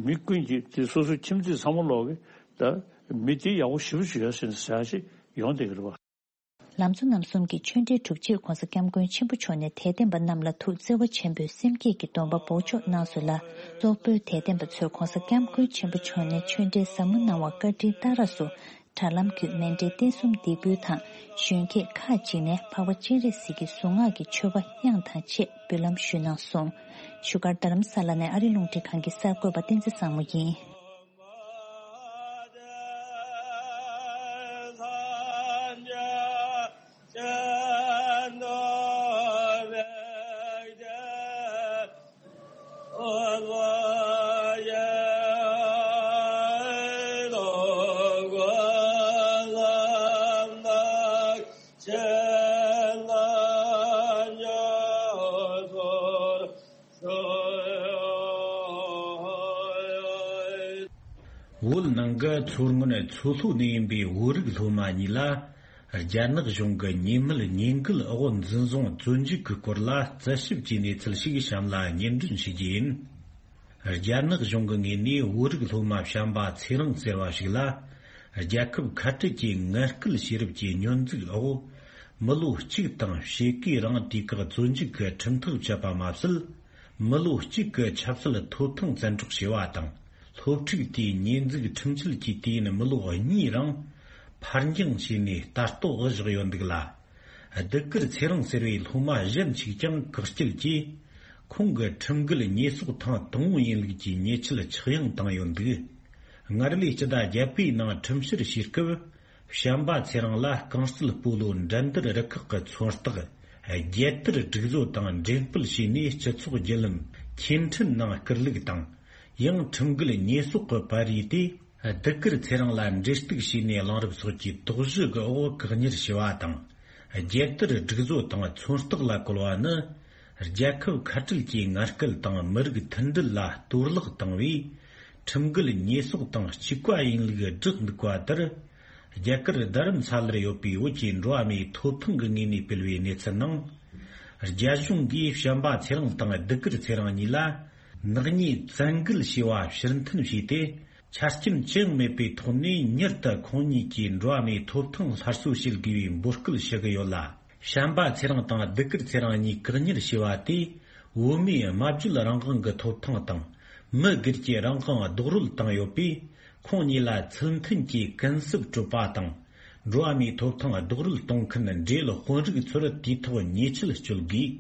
མི་ཀུན་གྱིས་དེ་སོ་སོའི་ཁྱིམ་མཚེས་ཚང་མ་ལོག་གི་ད་མི་དེ་ཡག་པོ་ཞེ་པོ་ཅིག་ཡོད་ཟེར་ནས་ཟེར་ཡ་ཅིག་ཡོང་བསྡད་ཀྱི་རེད་བ། ལམ་གཙོ་རྣམ་གསུམ་གྱི་ཆོས་འབྲེལ་གྲུབ་རྗེས་༸གོང་ས་༸སྐྱབས་མགོན་ཆེན་པོ་མཆོག་ནས་དད་ལྡན་པ་རྣམས་ལ་ཐུགས་བརྩེ་བ་ཆེན་པོས་སེམས་བསྐྱེད་ཀྱི་སྡོམ་པ་འབོགས་ཆོག་གནང་སོང་ལ། སོག་པོའི་དད་ལྡན་པ་ཚོས་༸གོང་ས་༸སྐྱབས་མགོན་ཆེན་པོ་མཆོག་ནས་ཆོས་འབྲེལ་ཟབ་མོ་གནང་བ་བཀའ་དྲིན་བཏགས་རགས་སུ། དྲ་ལམ་བརྒྱུད་མཎྜལ་རྟེན་གསུམ་འདེགས་འབུལ་དང་གཞོན་སྐྱེས་ཁག་ཅིག་ནས་འཕགས་པ་སྤྱན་རས་གཟིགས་ཀྱི་གཟུངས་སྔགས་ཀྱི་མཆོད་པ་དབྱངས་དང་བཅས་འབུལ་ལམ་ཞུས་གནང་སོང་། བཞུགས་སྒར་རྡ་རམ་ས་ལ་ནས་ཨ་རི་རླུང་འཕྲིན་ཁང་གི་གསར་འགོད་པ་བསྟན་འཛིན་བཟང་མོ་ཡིན། བོད་ནང་གི་མཚོ་སྔོན་མཚོ་ལྷོ་ནས་ཡིན་པའི་བོད་རིགས་སློབ་མ་གཉིས་ལ། རྒྱ་ནག་གཞུང་གི་ཉེས་མེད་ཉེས་འགུལ་འོག་འཛིན་བཟུང་བཙོན་འཇུག་གི་སྐོར་ལ་རྩད་ཞིབ་ཀྱི་གནས་ཚུལ་ཞིག་གཤམ་ལ་སྙན་སྒྲོན་ཞུ་རྒྱུ་ཡིན། རྒྱ་ནག་གཞུང་གི་ངོས་ནས་བོད་རིགས་སློབ་མ་བྱམས་པ་ཚེ་རིང་ཟེར་བ་ཞིག་ལ། རྒྱལ་ཁབ་ཁ་བྲལ་གྱི་ངན་སྐུལ་བྱས་རབས་ཀྱི་སྙོན་འཛུགས་འོག་མི་ལོ་གཅིག་དང་ཕྱེད་ཀའི་རིང་དུས་བཀག་བཙོན་འཇུག་གི་ཁྲིམས་ཐག་བཅད་པ་མ་ཟད། མི་ལོ་གཅིག་གི་ཆབ་སྲིད་ཐོབ་ཐང་བཙན་འཕྲོག་བྱས་པ་དང་། སློབ་ཕྲུག་དེའི་ཉེས་འཛུགས་ཁྲིམས་ཆད་ཀྱི་དུས་ཡུན་མི་ལོ་གཉིས་རིང་ཕར་འགྱངས་བྱས་ནས་ལྟ་རྟོག་བཞག་ཡོད་འདུག་ལ། ལྡུག་དཀར་ཚེ་རིང་ཟེར་བའི་སློབ་མ་གཞན་ཞིག་ཀྱང་བཀག་སྐྱིལ་གྱིས། ཁོང་གིས་ཁྲིམས་འགལ་ཉེས་གསོག་ཐེངས་དང་པོ་ཡིན་ལུགས་ཀྱི་ཉེས་ཆད་ཆག་ཡང་བཏང་ཡོད་འདུག། སྔར་ལོའི་སྤྱི་ཟླ་བརྒྱད་པའི་ནང་ཁྲིམས་བཤེར་བྱེད་སྐབས། བྱམས་པ་ཚེ་རིང་ལ་རྐང་རྩེད་སྤོ་ལོ་འགྲན་བསྡུར་རུ་ཁག་གི་མཚོན་རྟགས་རྒྱལ་དར་སྒྲིག་བཟོ་དང་འགྲེམས་སྤེལ་བྱས་ནས་སྤྱི་ཚོགས་བརྒྱུད་ལམ་ཁྱེར་འཕྲིན་ནང་བསྐུར་ལུགས་དང་། ཡང་ཁྲིམས་འགལ་ཉེས་གསོག་གི་པར་རིས་དེ་གདུགས་དཀར་ཚེ་རིང་ལ་འབྲེལ་གཏུག་བྱས་ནས་གླེང་རིམ་སོགས་ཀྱི་དོགས་གཞི་གི་འོག་བཀག་ཉར་བྱས་པ་དང་། རྒྱལ་དར་སྒྲིག་བཟོ་དང་མཚོན་རྟགས་ལ་བཀོལ་བ་ནི། རྒྱལ་ཁབ་ཁ་བྲལ་གྱི་ངན་སྐུལ་དང་མི་རིགས་མཐུན་སྒྲིལ་ལ་གཏོར་བརླག་བཏང་བའི་ཁྲིམས་འགལ་ཉེས་གསོག་དང་གཅིག་པ་ཡིན་ལུགས་བསྒྲགས་འདུག་པ་ལྟར། རྒྱ་གར་རྡ་རམ་ས་ལར་ཡོད་པའི་བོད་ཀྱི་འགྲོ་བ་མིའི་ཐོབ་ཐང་གི་ངོས་ནས་སྤེལ་བའི་གནས་ཚུལ་ནང་། རྒྱ་གཞུང་གིས་བྱམས་པ་ཚེ་རིང་དང་གདུགས་དཀར་ཚེ་རིང་གཉིས་ལ་ནག་ཉེས་བཙན་འགེལ་བྱས་པ་ཕྱིར་འཐེན་བྱས་ཏེ། ཆ་རྐྱེན་ཅི་ཡང་མེད་པའི་ཐོག་ནས་མྱུར་དུ་ཁོང་གཉིས་ཀྱི་འགྲོ་བ་མིའི་ཐོབ་ཐང་སླར་གསོ་བྱེད་དགོས་པའི་འབོད་སྐུལ་ཞུ་གི་ཡོད་ལ། བྱམས་པ་ཚེ་རིང་དང་གདུགས་དཀར་ཚེ་རིང་གཉིས་བཀག་ཉར་བྱས་པ་དེས། བོད་མིའི་སྨྲ་བརྗོད་རང་དབང་གི་ཐོབ་ཐང་དང་། མི་སྒེར་གྱི་རང་དབང་རྡོག་རོལ་བཏང་ཡོད་པས། ཁོང་གཉིས་ལ་ཚུལ་མཐུན་གྱིས་ཀུན་གསབ་སྤྲོད་པ་དང་། འགྲོ་བ་མིའི་ཐོབ་ཐང་རྡོག་རོལ་གཏོང་མཁན་འབྲེལ་ཡོད་དཔོན་རིགས་ཚོར་དུས་ཐོག་ཉེས་ཆད་གཅོད་དགོས།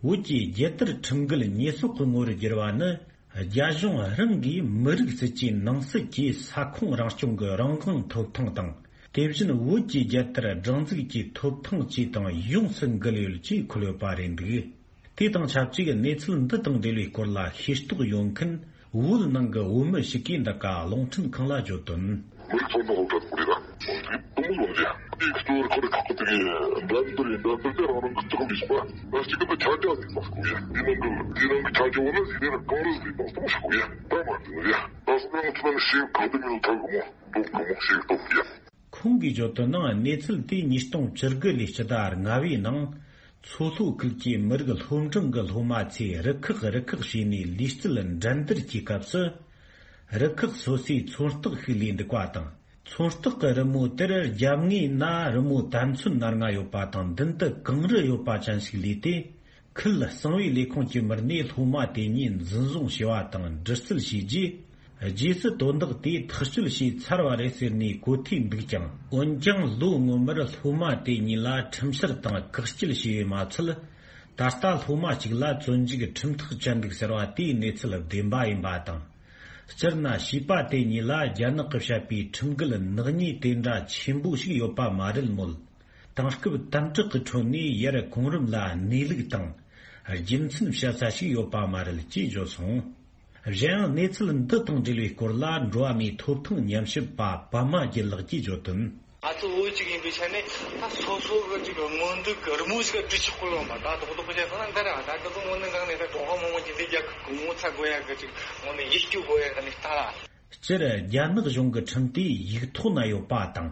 བོད་ཀྱི་རྒྱལ་དར་ཁྲིམས་འགལ་ཉེས་གསོག་གི་ངོ་བོར་བསྒྱུར་བ་ནི། རྒྱ་གཞུང་རང་གིས་མི་རིགས་སྲིད་ཇུས་ནང་གསེས་ཀྱི་ས་ཁོངས་རང་སྐྱོང་གི་རང་དབང་ཐོབ་ཐང་དང་། དེ་བཞིན་བོད་ཀྱི་རྒྱལ་དར་སྒྲེང་འཛུགས་ཀྱི་ཐོབ་ཐང་བཅས་དང་ཡོངས་སུ་འགལ་ཡོད་ཅེས་འཁོད་ཡོད་པ་རེད་འདུག། དེ་དང་ཆབས་ཅིག་གནས་ཚུལ་འདི་དང་འབྲེལ་བའི་སྐོར་ལ་ཤེས་རྟོགས་ཡོད་མཁན་བོད་ནང་གི་བོད་མི་ཞིག་གིས་འདི་ག་རླུང་འཕྲིན་ཁང་ལ་བརྗོད་དོན། མི་རིགས་ཚོ་ནང་སློབ་གྲྭ་དེ་རེད་ད། དུམ་བུ་ཡོང་རྒྱུ། དེའི་གཙོ་བོར་ཁོ་རེ་ཁག་པོ་དེ་གའི་འགྲན་བསྡུར་ཡིན། འགྲན་བསྡུར་དེ་རང་རང་གི་ལྕགས་ལས་བྱུང་བ། ད་གཅིག་གི་ཆ་རྒྱ་ཟིག་དང་སྐུ་ཡ། དེ་ནང་གི་དེ་རང་གི་ཆ་རྒྱ་བོ་ན་ཟིག་དེ་རང་གང་རུ་ཟིག་དང་སྟོང་སྐུ་ཡ། ད་མ་དེ་ནི་ཡ། ད་སོ་ནང་ཚོ་ནི་ཤེས་གང་དུ་མིན་ཐོག་གི་མོ་འདུག་གི་མོ་ཤེས་ཐོག་ཡ། ཁོང་གིས་བརྗོད་དོན་ནང་གནས་ཚུལ་དེ་ཉིས་སྟོང་བཅུ་དགུ་ལོའི་སྤྱི་ཟླ་ལྔ་པའི་ནང་མཚོ་ལྷོ་ཁུལ་གྱི་མི་རིགས་སློབ་འབྲིང་གི་སློབ་མ་ཚོས་རུ་ཁག་རུ་ཁག་བྱས་ནས་ལུས་རྩལ་འགྲན་བསྡུར་གྱི་སྐབས་སུ། རུ་ཁག་སོ་སོའི་མཚོན་རྟགས་ཤིག་ལས་འདུག་པ་དང་། མཚོན་རྟགས་ཀྱི་རི་མོ་དེར་རྒྱབ་ངོས་ན་རི་མོ་དར་ཚོན་སྣ་ལྔ་ཡོད་པ་དང་མདུན་དུ་གངས་རི་ཡོད་པ་ཅན་ཞིག་ལས་ཏེ། ཁུལ་གསང་བའི་ལས་ཁུངས་ཀྱི་མི་སྣས་སློབ་མ་དེ་གཉིས་འཛིན་བཟུང་བྱས་པ་དང་འདྲི་རྩད་བྱས་རྗེས། རྗེས་སུ་དོན་དག་དེ་ཐག་གཅོད་བྱས་ཚར་བ་རེད་ཟེར་ནས་གོ་ཐོས་འདུག་ཀྱང་། འོན་ཀྱང་ལོ་སྔོན་མར་སློབ་མ་དེ་གཉིས་ལ་ཁྲིམས་བཤེར་དང་བཀག་སྐྱིལ་བྱས་པས་མ་ཚད། ད་ལྟ་སློབ་མ་གཅིག་ལ་བཙོན་འཇུག་ཁྲིམས་ཐག་བཅད་འདུག་ཟེར་བ་དེའི་གནས་ཚུལ་བདེན་པ་ཡིན་པ་དང་། སྤྱིར་ན་བྱིས་པ་དེ་གཉིས་ལ་རྒྱ་ནག་གིས་བཤད་པའི་ཁྲིམས་འགལ་ནག་ཉེས་དེ་འདྲ་ཆེན་པོ་ཞིག་ཡོད་པ་མ་རེད་མོད། དེང་སྐབས་དམ་དྲག་གི་ཁྲོད་ནས་ཡར་གོང་རིམ་ལ་གནས་ལུགས་དང་རྒྱུ་མཚན་བཤད་ས་ཞིག་ཡོད་པ་མ་རེད་ཅེས་བརྗོད་སོང་། གཞན་ཡང་གནས་ཚུལ་འདི་དང་འབྲེལ་བའི་སྐོར་ལ་འགྲོ་བ་མིའི་ཐོབ་ཐང་ཉམས་ཞིབ་པ་པདྨ་རྒྱལ་ལགས་ཀྱིས་བརྗོད་དོན། ང་ཚོ་བོད་ཅིག་ཡིན་པའི་ཆ་ནས་ད་སོ་སོ་གི་ཅིག་མངོན་འདོད་ཀྱི་རི་མོ་ཞིག་བྲིས་ཆོག་གི་ཡོད་མ་རེད། ད་རྡོག་རྡོག་བྱས་སོང་ན་འདི་རེད། ད་ང་ཚོ་དངོས་གནས་དྲང་གནས་ད་ཀྲུང་ཧྭ་མི་དམངས་ཀྱི་འདི་རྒྱལ་ཁབ་ཀྱི་ངོ་ཚ་དགོས་ཡ་གི་ཅིག་དངོས་གནས་ཡིད་སྐྱོ་དགོས་ཡ་གི་གནས་སྟངས་རེད། སྤྱིར་རྒྱ་ནག་གཞུང་གི་ཁྲིམས་དེ་ཡིག་ཐོག་ན་ཡོད་པ་དང་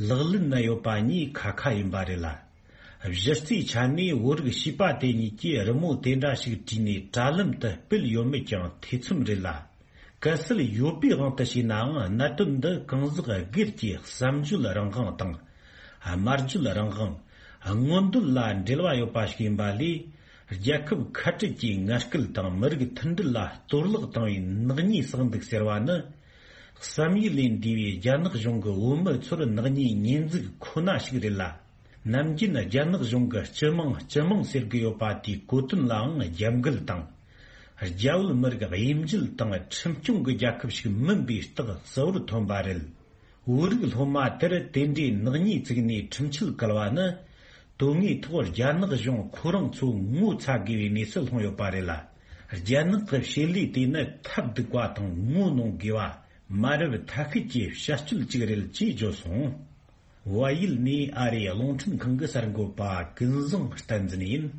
ལག་ལེན་ན་ཡོད་པ་གཉིས་ཁ་ཁ་ཡིན་པ་རེད་ལ། གཞི་རྩའི་ཆ་ནས་བོད་རིགས་བྱིས་པ་དེ་གཉིས་ཀྱིས་རི་མོ་དེ་འདྲ་ཞིག་བྲིས་ནས་དྲ་ལམ་དུ་སྤེལ་ཡོད་མེད་ཀྱང་ཐེ་ཚོམ་རེད་ལ། གལ་སྲིད་ཡོད་པའི་དབང་དུ་བྱས་ནའང་གནད་དོན་འདི་གང་ཟག་སྒེར་གྱི་བསམ་བརྗོད་རང་དབང་དང་། སྨྲ་བརྗོད་རང་དབང་། མངོན་འདོད་ལ་འབྲེལ་བ་ཡོད་པ་ཞིག་ཡིན་པ་ལས། རྒྱལ་ཁབ་ཁ་བྲལ་གྱི་ངན་སྐུལ་དང་མི་རིགས་མཐུན་སྒྲིལ་ལ་གཏོར་བརླག་བཏང་བའི་ནག་ཉེས་བསགས་འདུག་ཟེར་བ་ནི། བསམ་ཡུལ་ལས་འདས་པའི་རྒྱ་ནག་གཞུང་གི་བོད་མི་ཚོར་ནག་ཉེས་ཉེས་འཛུགས་ཁོ་ན་ཞིག་རེད་ལ། ནམ་རྒྱུན་རྒྱ་ནག་གཞུང་གི་སྤྱི་དམངས་སྤྱི་དམངས་ཟེར་གྱི་ཡོད་པ་དེའི་གོ་དོན་ལའང་རྒྱབ་འགལ་དང་། རྒྱ་བོད་མི་རིགས་དབྱེ་འབྱེད་དང་ཁྲིམས་སྐྱོང་གི་རྒྱལ་ཁབ་ཞིག་མིན་པའི་རྟགས་གསལ་བོར་ཐོན་པ་རེད། བོད་རིགས་སློབ་མ་དེར་དེ་འདྲའི་ནག་ཉེས་བཙུགས་ནས་ཁྲིམས་ཆད་བཀལ་བ་ནི། དོན་དངོས་ཐོག་རྒྱ་ནག་གཞུང་ཁོ་རང་ཚོ་ངོ་ཚ་དགོས་པའི་གནས་སུ་ལྷུང་ཡོད་པ་རེད་ལ། རྒྱ་ནག་གི་བྱེད་ལས་དེ་ནི་ཐབས་སྡུག་པ་དང་ངོ་གནོང་དགོས་པ། མ་རབས་ཐ་ཤལ་གྱི་བྱ་སྤྱོད་ཅིག་རེད་ཅེས་བརྗོད་སོང་། བལ་ཡུལ་ནས་ཨ་རིའི་རླུང་འཕྲིན་ཁང་གི་གསར་འགོད་པ་ཀུན་བཟང་བསྟན་འཛིན་ཡིན།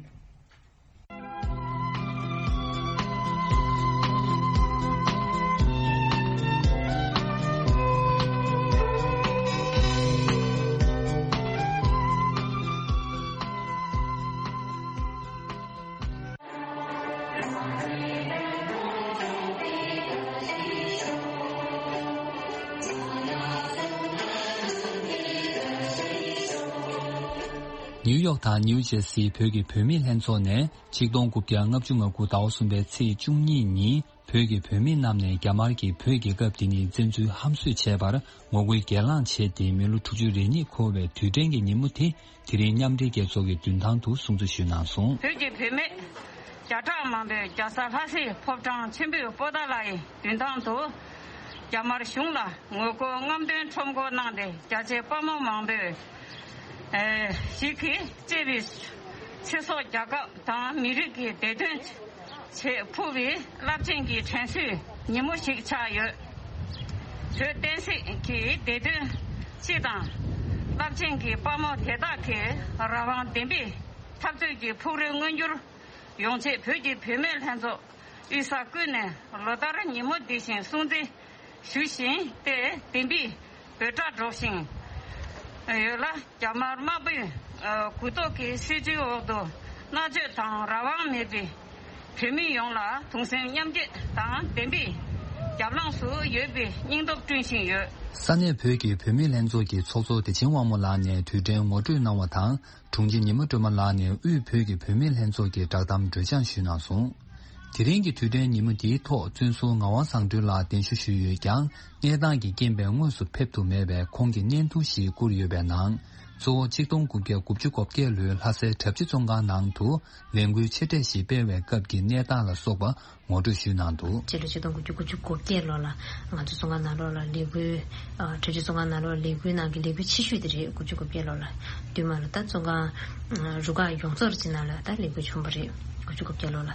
ནིའུ་ཡོག་དང་ནིའུ་ཇེར་སིའི་བོད་ཀྱི་བུད་མེད་ལྷན་ཚོགས་ནས་ཆིག་སྟོང་དགུ་བརྒྱ་ལྔ་བཅུ་ང་དགུ་ཟླ་བ་གསུམ་པའི་ཚེས་བཅུ་གཉིས་ཉིན་བོད་ཀྱི་བུད་མེད་རྣམས་ནས་རྒྱ་དམར་གྱིས་བོད་རྒྱལ་ཁབ་འདི་ནས་བཙན་འཛུལ་ཧམ་བཟོས་བྱས་པར་ངོ་རྒོལ་སྒེར་ལངས་བྱས་ཏེ་མི་ལོ་དྲུག་ཅུ་རེ་གཉིས་འཁོར་བའི་དུས་དྲན་གྱི་ཉིན་མོ་དེ་དེ་རིང་མཉམ་འབྲེལ་རྒྱལ་ཚོགས་ཀྱི་མདུན་ཐང་དུ་སྲུང་བརྩི་ཞུས་གནང་སོང་། བོད་ཀྱི་བུད་མེད་ བརྒྱ་ཕྲག་མང་པོས་རྒྱལ་ས་ལྷ་སའི་ཕོ་བྲང་ཆེན་པོའི་པོ་ཏཱ་ལའི་མདུན་ཐང་དུ་རྒྱ་དམར་གཞུང་ལ་ངོ་རྒོལ་རྔམ་སྟོན་ཁྲོམ་སྐོར་གནང་སྟེ། རྒྱ་ཆེ་དཔའ་མོ་མང་པོས་ཨེ་ཞིག་གིས་གཙོས་པའི་ཚེ་སྲོག་རྒྱལ་ཁབ་དང་མི་རིགས་ཀྱི་བདེ་དོན་ཆེད་ཕུལ་བའི་རླབས་ཆེན་གྱི་དྲན་གསོའི་ཉིན་མོ་ཞིག་ཆགས་ཡོད། བོད་བསྟན་སྲིད་ཀྱི་བདེ་དོན་སྤྱི་དང་རླབས་ཆེན་གྱི་དཔའ་མོ་དེ་དག་གི་རང་དབང་བདེན་པའི་འཐབ་རྩོད་ཀྱི་ཕུགས་རེ་མངོན་འགྱུར་ཡོང་ཆེད་བོད་ཀྱི་བུད་མེད་ལྷན་ཚོགས་དབུས་ས་ཁུལ་ནས་ལོ་ལྟར་ཉིན་མོ་འདི་བཞིན་སྲུང་བརྩི་ཞུ་བཞིན་ཏེ་བདེན་པའི་འབོད་སྒྲ་སྒྲོག་བཞིན་ཡོད་ལ། རྒྱ་དམར་དམར་པོའི་མགུ་ཏོག་གི་སྲིད་བྱུས་འོག་ཏུ་མནར་གཅོད་དང་རང་དབང་མེད་པའི་བོད་མི་ཡོངས་ལ་གདུང་སེམས་མཉམ་སྐྱེད་དང་བདེན་པའི་རྒྱབ་ལངས་སུ་ཡོད་པའི་སྙིང་སྟོབས་བསྐྲུན་བཞིན་ཡོད། ས་གནས་བོད་ཀྱི་བུད་མེད་ལྷན་ཚོགས་ཀྱི་ཚོགས་གཙོ་བདེ་ཆེན་དབང་མོ་ལགས་ནས་དུས་དྲན་ངོ་སྤྲོད་གནང་བ་དང་། དྲུང་ཆེ་ཉི་མ་སྒྲོལ་མ་ལགས་ནས་དབུས་བོད་ཀྱི་བུད་མེད་ལྷན་ཚོགས་ཀྱི་བསྒྲགས་གཏམ་གྲོས་སྦྱང་ཞུས་གནང་སོང་། དེ་རིང་གི་དུས་དྲན་ཉིན་མོ་འདིའི་ཐོག་བཙུན་ཟུར་ངག་དབང་བཟང་སྒྲོན་ལགས་གདན་ཞུ་ཞུས་ཡོད་ཀྱང་། གནས་སྟངས་ཀྱི་རྐྱེན་པས་དངོས་སུ་ཕེབས་ཐུབ་མེད་པས། ཁོང་གིས་བརྙན་ཐུང་ཞིག་བསྐུར་ཡོད་པའི་ནང་། གཙོ་བོ་ཆིག་སྟོང་དགུ་བརྒྱ་དགུ་བཅུ་གོ་བརྒྱད་ལོའི་ལྷ་སའི་གྲྭ་བཞི་བཙོན་ཁང་ནང་དུ་ལས་འགུལ་ཆེ་གྲས་ཤིག་སྤེལ་བའི་སྐབས་ཀྱི་གནས་སྟངས་ལ་སོགས་པ་ངོ་སྤྲོད་ཞུས་གནང་འདུག། སྤྱི་ལོ་ཆིག་སྟོང་དགུ་བརྒྱ་དགུ་བཅུ་གོ་བརྒྱད་ལོ་ལ་ང་ཚོ་བཙོན་ཁང་ནང་ལོགས་ལ་ལས་འགུལ། ཨ་གྲྭ་བཞི་བཙོན་ཁང་ནང་ལོགས་ལས་འགུལ་ནང་གི་ལས་འགུལ་ཆེ་ཤོས་དེ་རེད། དགུ་བཅུ་གོ་བརྒྱད་ལོ་ལ། བསྟུད་མར་ལ་ད་བཙོན་ཁང་རུ་ཁག་ཡོངས་རྫོགས་ཀྱི་ནང་ལ་ད་ལས་འགུལ་བྱུང་བ་རེད། དགུ་བཅུ་གོ་བརྒྱད་ལོ་ལ།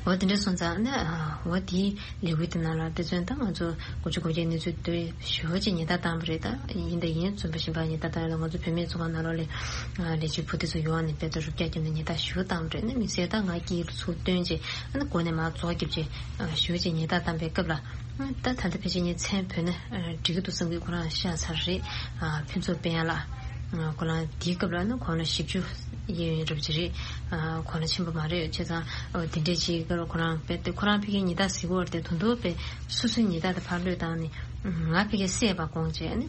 འོ་དེ་འདྲ་སོང་ཙང་ནི་ཨ་འོ་དེའི་ལས་འགུལ་དེ་ནང་ལ་དཔེ་མཚོན་ད་ང་ཚོ་དགུ་བཅུ་གོ་བརྒྱད་གནས་ཚུལ་དེ་ཞེ་པོ་ཅིག་ཉེན་བརྡ་བཏང་བ་རེད། ད་ཡིན་ད་ཡིན་བཙོན་པ་གཞན་པ་ཉེན་བརྡ་བཏང་ཡོད་ལ། ང་ཚོ་བུད་མེད་ཚོ་གང་ལ་ལས་ལས་བྱེད་བུ་དེ་ཚོ་ཡོང་ནས་དཔེ་ད་རུབ་རྒྱག་རྒྱབ་ནས་ཉེན་བརྡ་ཞུ་བཏང་བ་རེད། ནི་མི་སེར་ད་ང་སྐྱིད་ལ་ཚུར་བཏོན་རྗེས་ཨ་ནི་སྒོ་ནས་མར་རྫོགས་རྒྱབ་རྗེས་ཞེ་པོ་ཅིག་ཉེན་བརྡ་བཏང་པའི་སྐབས་ལ། ད་ད་ལྟ་ཕལ་ཆེར་ངས་མཚན་བོས་ན་འགྲིག་གི་འདུག་བསམ་གྱི། ཁོ་རང་ཤ་ཚ་རེད། ཕུན་ཚོགས་དཔལ་ལགས། ཁོ་རང་དེའི་སྐབས་ལ་ནི་དགུང་ལོ་བཞི་བཅུ་གཡས་གཡོན་རབ་ཅིག་རེད། དགུང་ལོ་ཆེན་པོ་མ་རེད། བྱས་ཙང་དེ་འདྲས་ཅིག་སྐབས་ལ་ཁོ་རང་དཔེ་དེ་ཁོ་རང་ཕ་གིའི་ཉེན་བརྡ་ཟེར་གྱི་ཡོད་རེད་དེ། དོན་དུ་དཔེ་སོ་སོའི་ཉེན་བརྡ་དེ་ཕར་གློད་བཏང་ནས་ང་ཕ་གིར་བསད་པ་དགོངས་བྱས་ནས་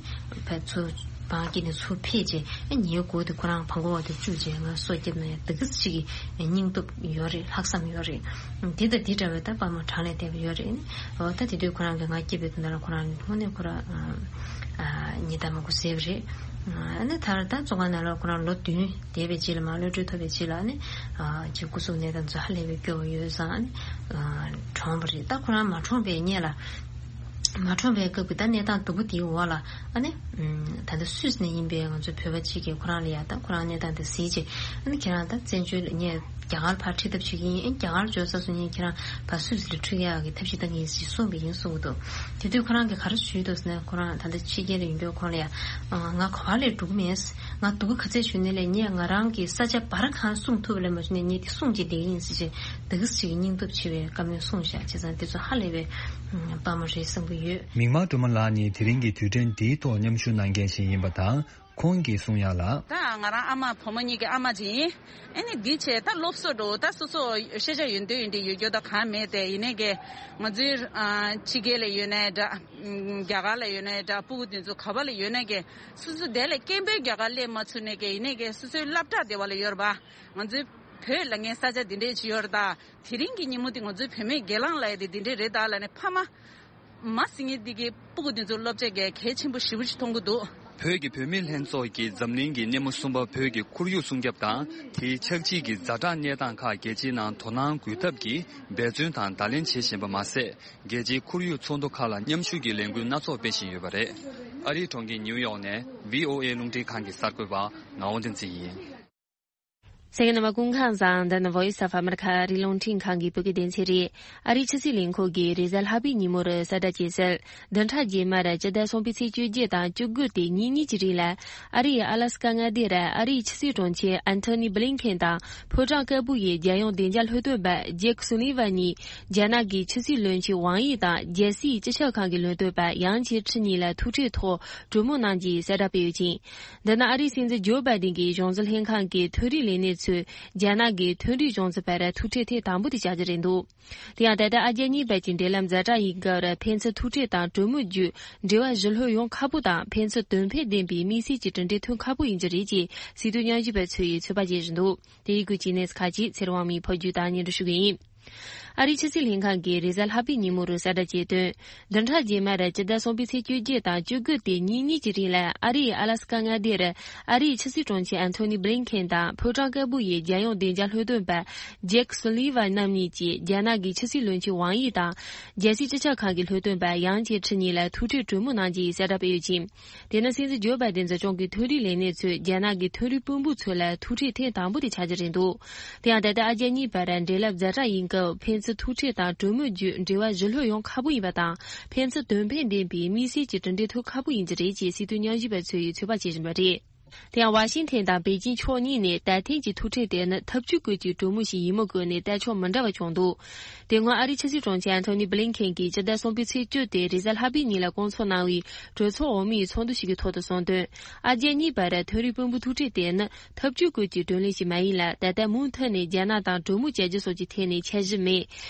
ཕར་ཚུར་བང་བཀྱིགས་ནས་ཚུར་ཕེབས་རྗེས། ཨ་ངའི་མགོ་དེ་ཁོ་རང་བང་གོ་བ་དེ་བཅུག་རྗེས་ང་སོ་བརྒྱབ་ན་ཡང་དེ་གི་ཅིག་གི་སྙིང་སྟོབས་ཡོད་རེད། ལྷག་བསམ་ཡོད་རེད། དེ་དང་དེ་འདྲ་བའི་ད་དཔའ་མོ་གྲངས་ལས་འདས་པ་ཡོད་རེད། འོ་ད་དེ་དུས་ཁོ་རང་གིས་ང་སྐྱེས་པའི་དུས་ན་ལ་ཁོ་རང་དངོས་གནས་ཁོ་རང་ཨ་ཉེན་བརྡ་མང་པོ་ཟས་པ་རེད། ཨ་ནི་ད་ད་བཙོན་ཁང་ནང་ལ་ཁོ་རང་ལོ་བདུན་བསྡད་པའི་རྗེས་ལ། མར་གློད་གྲོལ་ཐོབ་པའི་རྗེས་ལ་ཨ་ནི་ཨ་ཅིག་སྐུ་གཟུགས་གནས་སྟངས་ཚོ་ཧ་ལས་པའི་སྐྱོ་བོ་ཡོད་ཙང་ཨ་ནི་ཨ་གྲོངས་པ་རེད། ད་ཁོ་རང་མ་གྲོངས་པའི་སྔོན་ལ། མ་གྲོངས་པའི་སྐབས་ཀྱི་ད་གནས་སྟངས་སྡུག་པོ་དེའི་འོག་ལ་ཨ་ནི། ད་ལྟ་སུད་སི་ནས་ཡིན་པའི་ང་ཚོའི་བོད་པ་གཅིག་གིས་ཁོ་རང་ལ་ཡ་ད་ཁོ་རང་གནས་སྟངས་དེ་གཟིགས་རྗེས་ཨ་ནི་ཁྱེད་རང་ད་བཙན་བྱོལ་ལ་ངས་རྒྱ་གར་ཕར་ཁྲིད་ཐབས་བྱེད་ཀྱི་ཡིན། ཨ་ནི་རྒྱ་གར་འབྱོར་ཚར་སོང་ན་ཁྱེད་རང་ཕར་སུད་སི་ལ་ཁྲིད་ཡག་གི་ཐབས་ཤེས་གཏང་གི་ཡིན་ཞེས་གསུངས་པ་ཡིན་གསུང་གི་འདུག། དེ་དུས་ཁོ་རང་གིས་ག་རེ་ཞུས་འདུག་ཟེར་ན། ཁོ་རང་ད་ལྟ་ཕྱི་རྒྱལ་ལ་ཡོད་མཁན་ཁོང་ལ་ཡ་ང་ག་པར་ལས་འགྲོ་གི་མེད། ང་སྡུག་ག་ཚད་བྱུང་ནའི་ལས་ངས་ང་རང་གི་ས་ཆ་བར་གང་སྲུང་ཐུབ་པ་ལས་མ་བྱུང་ནས་ངས་དེ་སྲུང་བྱེད་བསྡད་ཀྱི་ཡིན་ཟེར་བྱས། དེ་གི་ཅིག་སྙིང་སྟོབས་ཆེ་བའི་བཀའ་མོལ་གསུངས་བཞག། བྱས་ཙང་དེ་ཚོ་ཧ་ལས་པའི་དཔའ་མོ་རེད་བསམ་གྱི་ཡོད། མིག་དམར་སྒྲོལ་མ་ལགས་ནི་དེ་རིང་གི་དུས་དྲན་འདིའི་ཐོག་མཉམ་ཞུགས་གནང་མཁན་ཞིག་ཡིན་པ་དང་། ཁོང་གིས་གསུང་ཡག་ལ། ད་ང་རང་ཨ་མ་བུ་མོ་གཉིས་ཀྱི་ཨ་མ་ཅིག་ཡིན། ཨ་ནི་འདི་བྱས་ད་སློབ་གསོ་འགྲོ་ད་སོ་སོ་ཤེས་བྱ་ཡོད་འདོད་ཡོད་འདི་ཡོད་རྒྱུ་ད་གང་མེད་དེ། ཡིན་ནའི་གི་ང་ཚོའི་ཕྱི་རྒྱལ་ལ་ཡོད་ནའི་འདྲ། རྒྱ་གར་ལ་ཡོད་ནའི་འདྲ། སྤུ་གུ་དེ་ཚོ་ག་པ་ལ་ཡོད་ནའི་གི་སོ་སོ་དེ་ལས་སྐྱེས་ཕོ་རྒྱ་གར་སླེབས་མ་ཚུགས་ནའི་གི་ཡིན་ནའི་གི་སོ་སོའི་སློབ་གྲྭ་དེ་བ་ལ་ཡོད་རེད་པ། ང་ཚོའི་བོད་ལ་ངའི་ས་ཆ་འདི་འདྲས་ཅིག་ཡོད་རེད་ད། དེ་རིང་གི་ཉིན་མོ་འདི་ང་ཚོའི་བུད་མེད་སྒེར་ལངས་ལ་ཡ་དེ་འདི་འདྲས་རེད་ད་ལབ་ནས་ཕ་མ་མ་སྲིད་ངེས་འདི་གི་སྤུ་གུ་འདི་ཚོ་སློབ་གྲྭ་གས་གལ་ཆེན་པོ་ཞེ་པོ་ཞིག་མཐོང་གི་འདུག། བོད་ཀྱི་བུད་མེད་ལྷན་ཚོགས་ཀྱིས་འཛམ་གླིང་གི་སྣེ་མོ་གསུམ་པ་བོད་ཀྱི་ཁོར་ཡུག་སྲུང་སྐྱོབ་དང་དེའི་ཆགས་འཇིག་གི་ཛ་དྲག་གནས་སྟངས་ཁག་རྒྱལ་སྤྱིའི་ནང་དོ་སྣང་འགུལ་ཐབས་ཀྱིས་འབད་བརྩོན་དང་བརྡ་ལན་བྱེད་བཞིན་པ་མ་ཟད། རྒྱལ་སྤྱིའི་ཁོར་ཡུག་ཚོགས་འདུ་ཁག་ལ་མཉམ་ཞུགས་ཀྱི་ལས་འགུལ་སྣ་ཚོགས་སྤེལ་བཞིན་ཡོད་པ་རེད། ཨ་རིའི་གྲོང་ཁྱེར་ནིའུ་ཡོག་ནས་བྷི་ཨོ་ཨེ་རླུང་འཕྲིན་ཁང་གི་གསར་འགོད་པ་ངག་དབང་བསྟན་འཛིན་ཡིན། གསན་མཁན་རྣམ་པ་སྐུ་ཁམས་བཟང་། འདི་ནི་Voice of America ཨ་རིའི་རླུང་འཕྲིན་ཁང་གི་བོད་སྐད་སྡེ་ཚན་རེད། ཨ་རིའི་ཕྱི་སྲིད་ལས་ཁུངས་ཀྱིས་རེས་གཟའ་ལྷག་པའི་ཉིན་མོར་གསལ་བསྒྲགས་བྱས་གསལ། བདུན་ཕྲག་རྗེས་མར་སྤྱི་ཟླ་གསུམ་པའི་ཚེས་བཅོ་བརྒྱད་དང་བཅུ་དགུ་སྟེ་ཉིན་གཉིས་ཀྱི་རིང་ལ། ཨ་རིའི་ཨ་ལ་སི་ཀ་མངའ་སྡེར་ཨ་རིའི་ཕྱི་སྲིད་དྲུང་ཆེ་ཨན་ཐོ་ནི་བྷི་ལིན་ཁེན་དང་ཕོ་བྲང་དཀར་པོ་ཡི་རྒྱལ་ཡོངས་བདེ་འཇགས་སློབ་སྟོན་པ་ཇེཀ་སུ་ལི་ཝན་གཉིས། རྒྱ་ནག་གི་ཕྱི་སྲིད་བློན་ཆེན་ཝང་ཡི་དང་རྒྱལ་སྲིད་སྤྱི་ཁྱབ་ཁང་གི་བློན་སྟོན་པ་ཡང་ཆི་ཁྲི་གཉིས་ལ་ཐུག་འཕྲད་ཐོག་གྲོས་མོལ་གནང་རྒྱུའི་གསལ་བསྒྲགས་སྤེལ་ཡོད་ཅིང་། འདི་ནི་ཨ་རིའི་སྲིད་འཛིན་ཇོ་བྷའི་ཌེན་གྱི་གཞུང་འཛིན་ལྷན་ཁང་གི་ཐོན་རིག་ལས་སྣེ་ཚོས་རྒྱ་ནག་གི་ཐོན་རིག་གཞུང་ཚབ་བར་ཐུག་འཕྲད་ཐེངས་དང་པོ་དེ་བྱ་རྒྱུ་རེད་འདུག། དེ་ཡང་ད་ལྟ་ཨ་རྒྱ་གཉིས་བར་གྱི་འབྲེལ་ལམ་ཛ་དྲག་ཡིན་སྐབས་ཕན་ཚུན་ཐུག་འཕྲད་དང་གྲོས་མོལ་བརྒྱུད་འབྲེལ་བ་ཞི་ལྷོད་ཡོང་ཁག་པོ་དང་ཕན་ཚུན་དོན་ཕན་ལྡན་པའི་དམིགས་བསལ་གྱི་གྲུབ་འབྲས་ཐོན་ཁག་པོ་ཡིན་རྒྱུ་རེད་ཅེས་སྲིད་དོན་ཉམས་ཞིབ་པ་ཚོས་ཚོད་དཔག་བྱེད་བཞིན་འདུག། དེ་ཡི་སྐོར་གྱི་གནས་ཚུལ་ཁག་ཅིག་ཚེ་རིང་དབང་མོས་ཕབ་སྒྱུར་དང་སྙན་སྒྲོན་ཞུ་གི་ཡིན། ཨ་རིའི་ཕྱི་སྲིད་ལྷན་ཁང་གིས་རེས་གཟའ་ལྷག་པའི་ཉིན་མོ་རུ་གསལ་བསྒྲགས་བྱས་དོན། བདུན་ཕྲག་རྗེས་མར་སྤྱི་ཟླ་གསུམ་པའི་ཚེས་བཅོ་བརྒྱད་དང་བཅུ་དགུ་སྟེ་ཉིན་གཉིས་ཀྱི་རིང་ལ་ཨ་རིའི་ཨ་ལ་སི་ཀ་མངའ་སྡེར་ཨ་རིའི་ཕྱི་སྲིད་དྲུང་ཆེ་ཨན་ཐོ་ནི་བྷི་ལིན་ཁེན་དང་ཕོ་བྲང་དཀར་པོ་ཡི་རྒྱལ་ཡོངས་བདེ་འཇགས་ལྷོད་སྟོན་པ་ཇེག་སུ་ལི་ཝན་རྣམ་གཉིས་ཀྱིས་རྒྱ་ནག་གི་ཕྱི་སྲིད་བློན་ཆེན་ཝང་དབྱི་དང་རྒྱལ་སྲིད་སྤྱི་ཁྱབ་ཁང་གི་ལྷོད་སྟོན་པ་ཡང་ཅེ་ཁྲི་གཉིས་ལ་ཐུག་འཕྲད་གྲོས་མོལ་གནང་རྒྱུ་ཡི་གསལ་བསྒྲགས་སྤེལ་ཡོད་ཅིང་། དེ་ནི་སྲིད་འཛིན་ཇོ་བྷའི་ཌེན་གཙོ་སྐྱོང་གི་འཕྲིན་ལས་ལས་སྣེ་ཚོས་རྒྱ་ནག་གི་འཕྲིན་ལས་དཔོན་པོ་ཚོ་ལ་ཐུག་འཕྲད་ཐེངས་དང་པོ་དེ་ཆགས་རྒྱུ་རེད་འདུག་དེ་ཡང་ད་ལྟ་ཨ་རྒྱ་གཉིས་བར་འབྲེལ་ལམ་ཛ་དྲག་ཡིན་སྐབས་ཕན་ཚུན་ཐུག་འཕྲད་དང་གྲོས་མོལ་བརྒྱུད་འབྲེལ་བ་ཞི་ལྷོད་ཡོང་ཁག་པོ་ཡིན་པ་དང་། ཕན་ཚུན་དོན་ཕན་ལྡན་པའི་དམིགས་བསལ་གྱི་གྲུབ་འབྲས་ཐོབ་ཁག་པོ་ཡིན་གྱི་རེད་ཅེས་སྲིད་དོན་ཉམས་ཞིབ་པ་ཚོས་ཚོད་དཔག་བྱེད་བཞིན་པ་རེད། དེ་ཡང་ཝ་ཤིང་ཐན་དང་པེ་ཅིང་ཕྱོགས་གཉིས་ནས་ད་ཐེངས་ཀྱི་ཐུག་འཕྲད་དེ་ནི་ཐབས་ཇུས་བཀོད་ཀྱི་གྲོས་མོལ་ཞིག་ཡིན་མིན་བཀོད་ནས་ལྟ་ཕྱོགས་མི་འདྲ་བ་བྱུང་འདུག་དེ་སྔོན་ཨ་རིའི་ཕྱི་སྲིད་དྲུང་ཆེ་ཨན་ཐོ་ནི་བྷི་ལིན་ཁེན་གྱིས་སྤྱི་ཟླ་གསུམ་པའི་ཚེས་བཅུ་སྟེ་རེས་གཟའ་ལྷག་པའི་ཉིན་ལ་བསྐོང་ཚོགས་གནང་བའི་གྲོས་ཚོགས་འོག་མའི་ཚོགས་འདུ་ཞིག་གི་ཐོག་ཏུ་གསུངས་དོན། ཨ་རྒྱ་གཉིས་བར་འཕྲིན་ལས་དཔོན་པོ་ཐུག་འཕྲད་དེ་ནི་ཐབས་ཇུས་བཀོད་ཀྱི་གྲོས་ལེན་ཞིག་མ་ཡིན་ལ། ད་ལྟ་མུ་མཐུད་ནས་རྒྱ་ནག་དང་གྲོས་མོལ་བྱ་རྒྱུ་སོགས་ཀྱི་ཐད་ནས་འཆར་གཞི་མེད།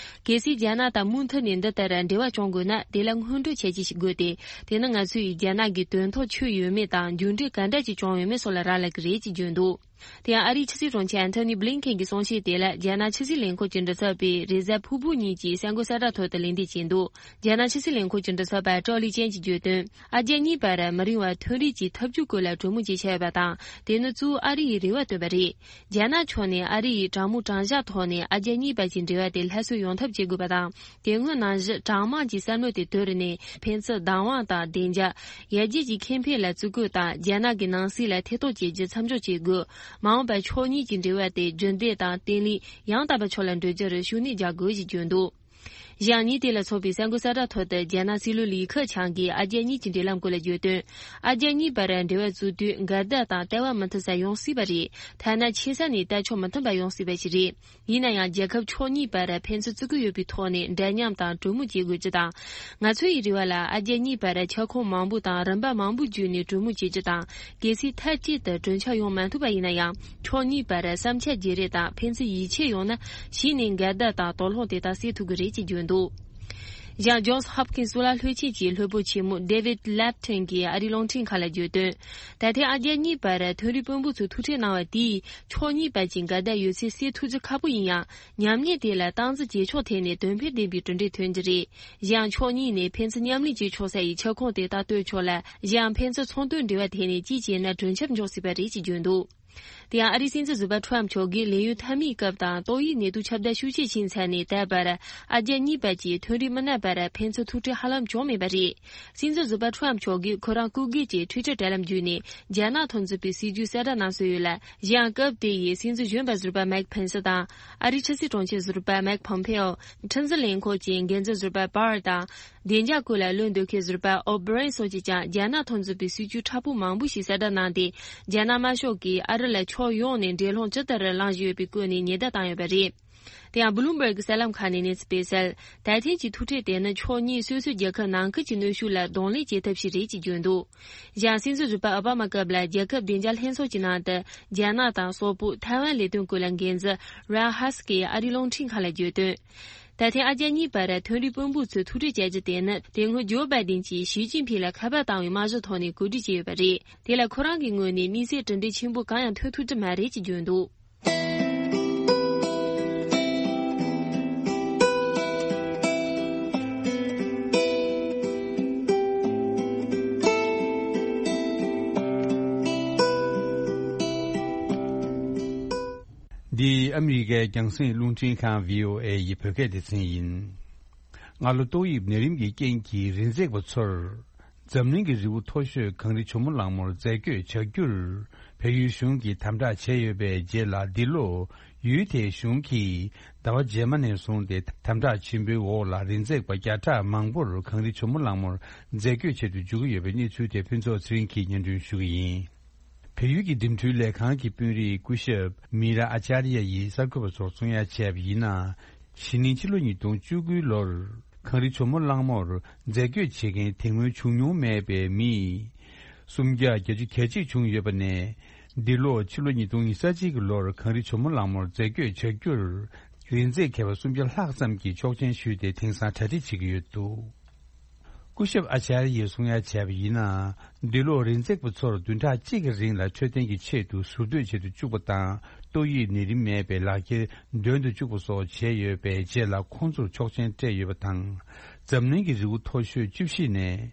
གལ་སྲིད་རྒྱ་ནག་དང་མུ་མཐུད་ནས་འདི་ལྟར་འབྲེལ་བ་བྱུང་དགོས་ན། དེ་ལ་སྔོན་འགྲོ་བྱས་རྗེས་ཤིག་དགོས་ཏེ། དེ་ནི་ང་ཚོས་རྒྱ་ནག་གི་དོན་ཐོག་ཆོད་ཡོད་མེད་དང་། མཇུག་འབྲས་ག་འདྲ་ཅིག་བྱུང་ཡོད་མེད་སོགས་ལ་རག་ལས་ཀྱི་རེད་ཅེས་བརྗོད་འདུག་དེ་ཡང་ཨ་རིའི་ཕྱི་སྲིད་དྲུང་ཆེ་ཨན་ཐོ་ནི་བྷི་ལིན་ཁེན་གྱི་གསུང་བཤད་དེ་ལ་རྒྱ་ནག་ཕྱི་སྲིད་ལས་ཁུངས་ཀྱི་མགྲིན་ཚབ་པས་རེས་གཟའ་ཕུར་བུ་ཉིན་གྱི་གསར་འགོད་གསལ་བསྒྲགས་ཐོག་ཏུ་ལན་འདེབས་བྱས་འདུག་རྒྱ་ནག་ཕྱི་སྲིད་ལས་ཁུངས་ཀྱི་མགྲིན་ཚབ་པ་ཀྲའོ་ལི་ཅན་གྱིས་བརྗོད་དོན། ཨ་རྒྱ་གཉིས་བར་མི་རིང་བར་མཐུན་སྒྲིལ་གྱི་ཐབས་ཇུས་སྐོར་ལ་གྲོས་མོལ་བྱེད་འཆར་ཡོད་པ་དང་། དེ་ནི་གཙོ་བོ་ཨ་རི་ཡི་རེ་བ་བཏོན་པ་རེད། རྒྱ་ནག་ཕྱོགས་ནས་ཨ་རི་ཡི་དྲང་མོ་དྲང་བཞག་ཐོག་ནས་ཨ་རྒྱ་གཉིས་བར་གྱི་འབྲེལ་བ་དེ་སླར་གསོ་ཡོང་ཐབས་བྱེད་དགོས་པ་དང་། དེ་སྔོན་ནང་བཞིན་གྲངས་མང་གི་བསམ་བློ་དེ་དོར་ནས། ཕན་ཚུན་བདག་དབང་དང་བདེ་འཇགས། ཡར་རྒྱས་ཀྱི་ཁེ་ཕན་ལ་བརྩི་བཀུར་དང་། རྒྱ་ནག་གི་ནང་སྲིད་ལ་ཐེ་གཏོགས་བྱེད་རྒྱུ་མཚམས་འཇོག་བྱེད་དགོས། མ་འོངས་པར་ཕྱོགས་གཉིས་ཀྱི་འབྲེལ་བ་དེ་རྒྱུན་ལྡན་དང་བརྟན་ལྷིང་ཡང་དག་པའི་ཕྱོགས་ལ་འགྲོ་རྒྱུར་ཤུགས་སྣོན་རྒྱག་དགོས་ཞེས་བརྗོད་འདུག་གཞན་ཉིན་དེ་ལ་སོགས་པའི་གསར་འགོད་གསལ་བསྒྲགས་ཐོག་ཏུ། རྒྱ་ནག་སྲིད་བློན་ལི་ཁེ་ཆང་གིས་ཨ་རྒྱ་གཉིས་ཀྱི་འབྲེལ་ལམ་སྐོར་ལ་བརྗོད་དོན། ཨ་རྒྱ་གཉིས་བར་འབྲེལ་བ་བཙུགས་དུས་འགལ་ཟླ་དང་ལྟ་བ་མི་མཐུན་ས་ཡོང་སྲིད་པ་རེད། ཐ་ན་ཆེ་ས་ནས་ལྟ་ཕྱོགས་མི་མཐུན་པ་ཡོང་སྲིད་པ་ཞིག་རེད། ཡིན་ན་ཡང་། རྒྱལ་ཁབ་ཕྱོགས་གཉིས་བར་ཕན་ཚུན་བརྩི་བཀུར་ཡོད་པའི་ཐོག་ནས་འདྲ་མཉམ་དང་གྲོས་མོལ་བྱེད་དགོས་རྒྱུ་དང་། ང་ཚོ་ཡི་རེ་བ་ལ་ཨ་རྒྱ་གཉིས་བར་ཁྱབ་ཁོངས་མང་པོ་དང་རིམ་པ་མང་པོ་བརྒྱུད་ནས་གྲོས་མོལ་བྱེད་རྒྱུ་དང་། གལ་སྲིད་མཐའ་གཅིག་ཏུ་གྲོས་འཆར་ཡོང་མ་ཐུབ་པ་ཡིན་ན་ཡང་། ཕྱོགས་གཉིས་བར་བསམ་འཆར་བརྗེ་རེས་དང་ཕན་ཚུན་ཡིད་ཆེས་ཡོང་ན། གཞི་ནས་འགལ་ཟླ་དང་དོགས་སློང་དེ་དག་སེལ་ཐུབ་ཀྱི་རེད་ཅེས་བརྗོད་འདུག་གཞན། ཇོན་སི་ཧོབ་ཀིན་སི་གཙུག་ལག་སློབ་ཆེན་གྱི་སློབ་དཔོན་ཆེན་མོ་ཌེ་ཝིད་ལེབ་ཊོན་གྱིས་ཨ་རིའི་རླུང་འཕྲིན་ཁང་ལ་བརྗོད་དོན། ད་ཐེངས་ཨ་རྒྱ་གཉིས་བར་མཐུན་སྒྲིལ་དཔོན་པོ་ཚོས་ཐུག་འཕྲད་གནང་བ་དེས། ཕྱོགས་གཉིས་བར་གྱི་འགལ་ཟླ་ཡོད་ཚད་སེལ་ཐུབ་རྒྱུ་ཁག་པོ་ཡིན་ཡང་། ཉམས་ཉེས་དེ་ལ་སྟངས་འཛིན་བྱེད་ཕྱོགས་ཐད་ནས་དོན་ཕན་ལྡན་པའི་གྲུབ་འབྲས་ཐོན་རྒྱུ་རེད། གཞན། ཕྱོགས་གཉིས་ནས་ཕན་ཚུན་མཉམ་ལས་བྱེད་ཆོག་ས་ཡི་ཁྱབ་ཁོངས་དེ་དག་གཏོད་ཆོག་ལ། གཞན། ཕན་ཚུན་ཚོང་དོན་འབྲེལ་བ་ཐད་ནས་ཅི་བྱས་ན་གྲོས་འཆར་འཇོག་སྲིད་པ་རེད་ཅེས་བརྗོད་འདུག་དེ་ཡང་ཨ་རིའི་སྲིད་འཛིན་ཟུར་པ་ཁྲོམ་མཆོག་གིས་ལས་ཡུན་མཐའ་མའི་སྐབས་དང་ཏོག་དབྱིབས་ནད་དུག་ཁྱབ་གདལ་ཤུགས་ཆེ་ཕྱིན་ཚར་ནས་ད་བར་ཨ་རྒྱ་གཉིས་བར་གྱི་མཐུན་སྒྲིལ་མི་སྣ་བར་ཕན་ཚུན་ཐུག་འཕྲད་ཧ་ལམ་བྱུང་མེད་པ་རེད། སྲིད་འཛིན་ཟུར་པ་ཁྲོམ་མཆོག་གིས་ཁོ་རང་སྐུ་སྒེར་གྱི་ཊུའི་ཊར་དྲ་ལམ་བརྒྱུད་ནས་རྒྱ་ནག་མཐུན་ཚོགས་པའི་སྲིད་ཇུས་གསལ་བསྒྲགས་གནང་སྲོལ་ཡོད་ལ། གཞན་སྐབས་དེ་ཡི་སྲིད་འཛིན་གཞོན་པ་ཟུར་པ་མེག་ཕེན་སི་དང་ཨ་རིའི་ཕྱི་སྲིད་དྲུང་ཆེ་ཟུར་པ་མེག་ཕོམ་ཕེ་ཨོ། ཁྲིམས་འཛིན་ལས་ཁུངས་ཀྱི་འགན་འཛིན་ཟུར་པ་པར་དང་། བདེ་འཇགས་སྐོར་ལ་བློ་འདོད་མཁན་ཟུར་པ་ཨོ་བྷི་རན་སོགས་ཀྱིས་ཀྱང་རྒྱ་ནག་མཐུན་ཚོགས་པའི་སྲིད་ཇུས་མཁྲེགས་པོ་མང་པོ་ཞིག་གསལ་བསྒྲགས་གནང་སྟེ། རྒྱ་ནག་དམར་ཤོག་གིས་ཨ་རི་ལ་ཕྱོགས་ཡོངས་ནས་འགྲན་སློང་ཇི་ལྟར་བསླངས་བཞིན་ཡོད་པའི་སྐོར་ནས་ཉེན་བརྡ་བཏང་ཡོད་པ་རེད། དེ་ཡང་བྷི་ལུམ་བྷར་གྱི་གསར་ལམ་ཁག་ནས་གནས་ཚུལ་སྤེལ་གསལ། ད་ཐེངས་ཀྱི་ཐུག་འཕྲད་དེ་ནི་ཕྱོགས་གཉིས་སོ་སོའི་རྒྱལ་ཁབ་ནང་ཁུལ་གྱི་གནོན་ཤུགས་ལ་གདོང་ལེན་བྱེད་ཐབས་ཤིག་རེད་ཅེས་བརྗོད་འདུག་གཞན། སྲིད་འཛིན་ཟུར་པ་ཨོ་བྷ་མ་སྐབས་ལ་རྒྱལ་ཁབ་བདེ་འཇགས་ལྷན་ཚོགས་ཀྱི་ནང་དུ་རྒྱ་ནག་དང་སོག་པོ། ཐའེ་ཝན་ལས་དོན་སྐོར་ལ་འགན་འཛིན་རན་ཧ་སི་ཀིས་ཨ་རིའི་རླུང་འཕྲིན་ཁང་ལ་བརྗོད་དོན། ད་ཐེངས་ཨ་རྒྱ་གཉིས་བར་མཐུན་སྒྲིལ་དཔོན་པོ་ཚོས་ཐུག་འཕྲད་བྱ་རྒྱུ་དེ་ནི་དེ་སྔོན་ཇོ་བྷའི་ཌེན་གྱིས་ཞི་ཅིན་ཕིང་ལ་ཁ་པར་བཏང་བའི་རྨང་གཞི་ཐོག་ནས་གོ་སྒྲིག་བྱས་ཡོད་པ་རེད། དེ་ལ་ཁོ་རང་གི་ངོས་ནས་དམིགས་བསལ་གྲུབ་འབྲས་ཆེན་པོ་གང་ཡང་ཐོན་ཐུབ་ཀྱི་མ་རེད་ཅེས་བརྗོད་འདུག་འདི་ཨ་མི་རི་ཀའི་རྒྱང་སྲིང་རླུང་འཕྲིན་ཁང་བྷི་ཨོ་ཨེ་ཡི་བོད་སྐད་སྡེ་ཚན་ཡིན། སྔ་ལོ་ཏོག་དབྱིབས་ནད་རིམས་ཀྱི་རྐྱེན་གྱིས་རི་འཛེག་པ་ཚོར། འཛམ་གླིང་གི་རི་བོ་མཐོ་ཤོས་གངས་རི་ཇོ་མོ་གླང་མོར་རྫས་བསྐྱོད་བྱ་རྒྱུར། བལ་ཡུལ་གཞུང་གིས་དམ་དྲག་བྱས་ཡོད་པའི་རྗེས་ལ། འདི་ལོ་ཡུལ་དེའི་གཞུང་གིས་ཟླ་བ་རྗེས་མ་ནས་བཟུང་སྟེ། དམ་དྲག་ཆེན་པོའི་འོག་ལ་རི་འཛེག་པ་བརྒྱ་ཕྲག་མང་པོར་གངས་རི་ཇོ་མོ་གླང་མོར་རྫས་བསྐྱོད་བྱེད་དུ་འཇུག་གི་ཡོད་པའི་གནས་ཚུལ་དེ་ཕུན་ཚོགས་ཚེ་རིང་གིས་སྙན་སྒྲོན་ཞུ་གི་ཡིན། བལ་ཡུལ་གྱི་འགྲིམ་འགྲུལ་ལས་ཁང་གི་དཔོན་རིགས་སྐུ་ཞབས་མི་ར་ཨ་ཅཱར་ཡ་ཡིས་གསར་འགོད་པ་ཚོར་གསུང་ཡ་བྱས་པ་ཡིན་ན། གཞེས་ནིང་ཕྱི་ལོ་ཉིས་སྟོང་བཅུ་དགུའི་ལོར་གངས་རི་ཇོ་མོ་གླང་མོར་རྫས་བསྐྱོད་བྱེད་མཁན་དེ་སྔོན་བྱུང་མྱོང་མེད་པའི་མི་སུམ་བརྒྱ་གྱ་གཅིག་བྱུང་ཡོད་པ་ནས། འདི་ལོ་ཕྱི་ལོ་ཉིས་སྟོང་ཉི་ཤུ་རྩ་གཅིག་གི་ལོར་གངས་རི་ཇོ་མོ་གླང་མོར་རྫས་བསྐྱོད་བྱ་རྒྱུར། རི་འཛེག་མཁས་པ་སུམ་བརྒྱ་ལྷག་ཙམ་གྱིས་ཆོག་མཆན་ཞུས་ཏེ་དེང་སང་གྲ་སྒྲིག་བྱེད་ཀྱི་ཡོད་འདུག་སྐུ་ཞབས་ཨ་ཅཱར་ཡས་གསུང་ཡ་བྱས་པ་ཡིན་ན། འདི་ལོར་རིག་འཛེགས་པ་ཚོར་བདུན་ཕྲག་གཅིག་གི་རིང་ལ་འཕྲོད་བསྟེན་གྱི་ཆེད་དུ་ཟུར་གཏོད་བྱེད་དུ་བཅུག་པ་དང་། ཏོག་དབྱིབས་ནད་རིམས་མེད་པའི་ལག་འཁྱེར་འདོན་དུ་བཅུག་པ་སོགས་བྱས་ཡོད་པའི་རྗེས་ལ། ཁོང་ཚོར་ཆོག་མཆན་སྤྲད་ཡོད་པ་དང་། འཛམ་གླིང་གི་རི་བོ་མཐོ་ཤོས་བཅུ་བཞི་ནས།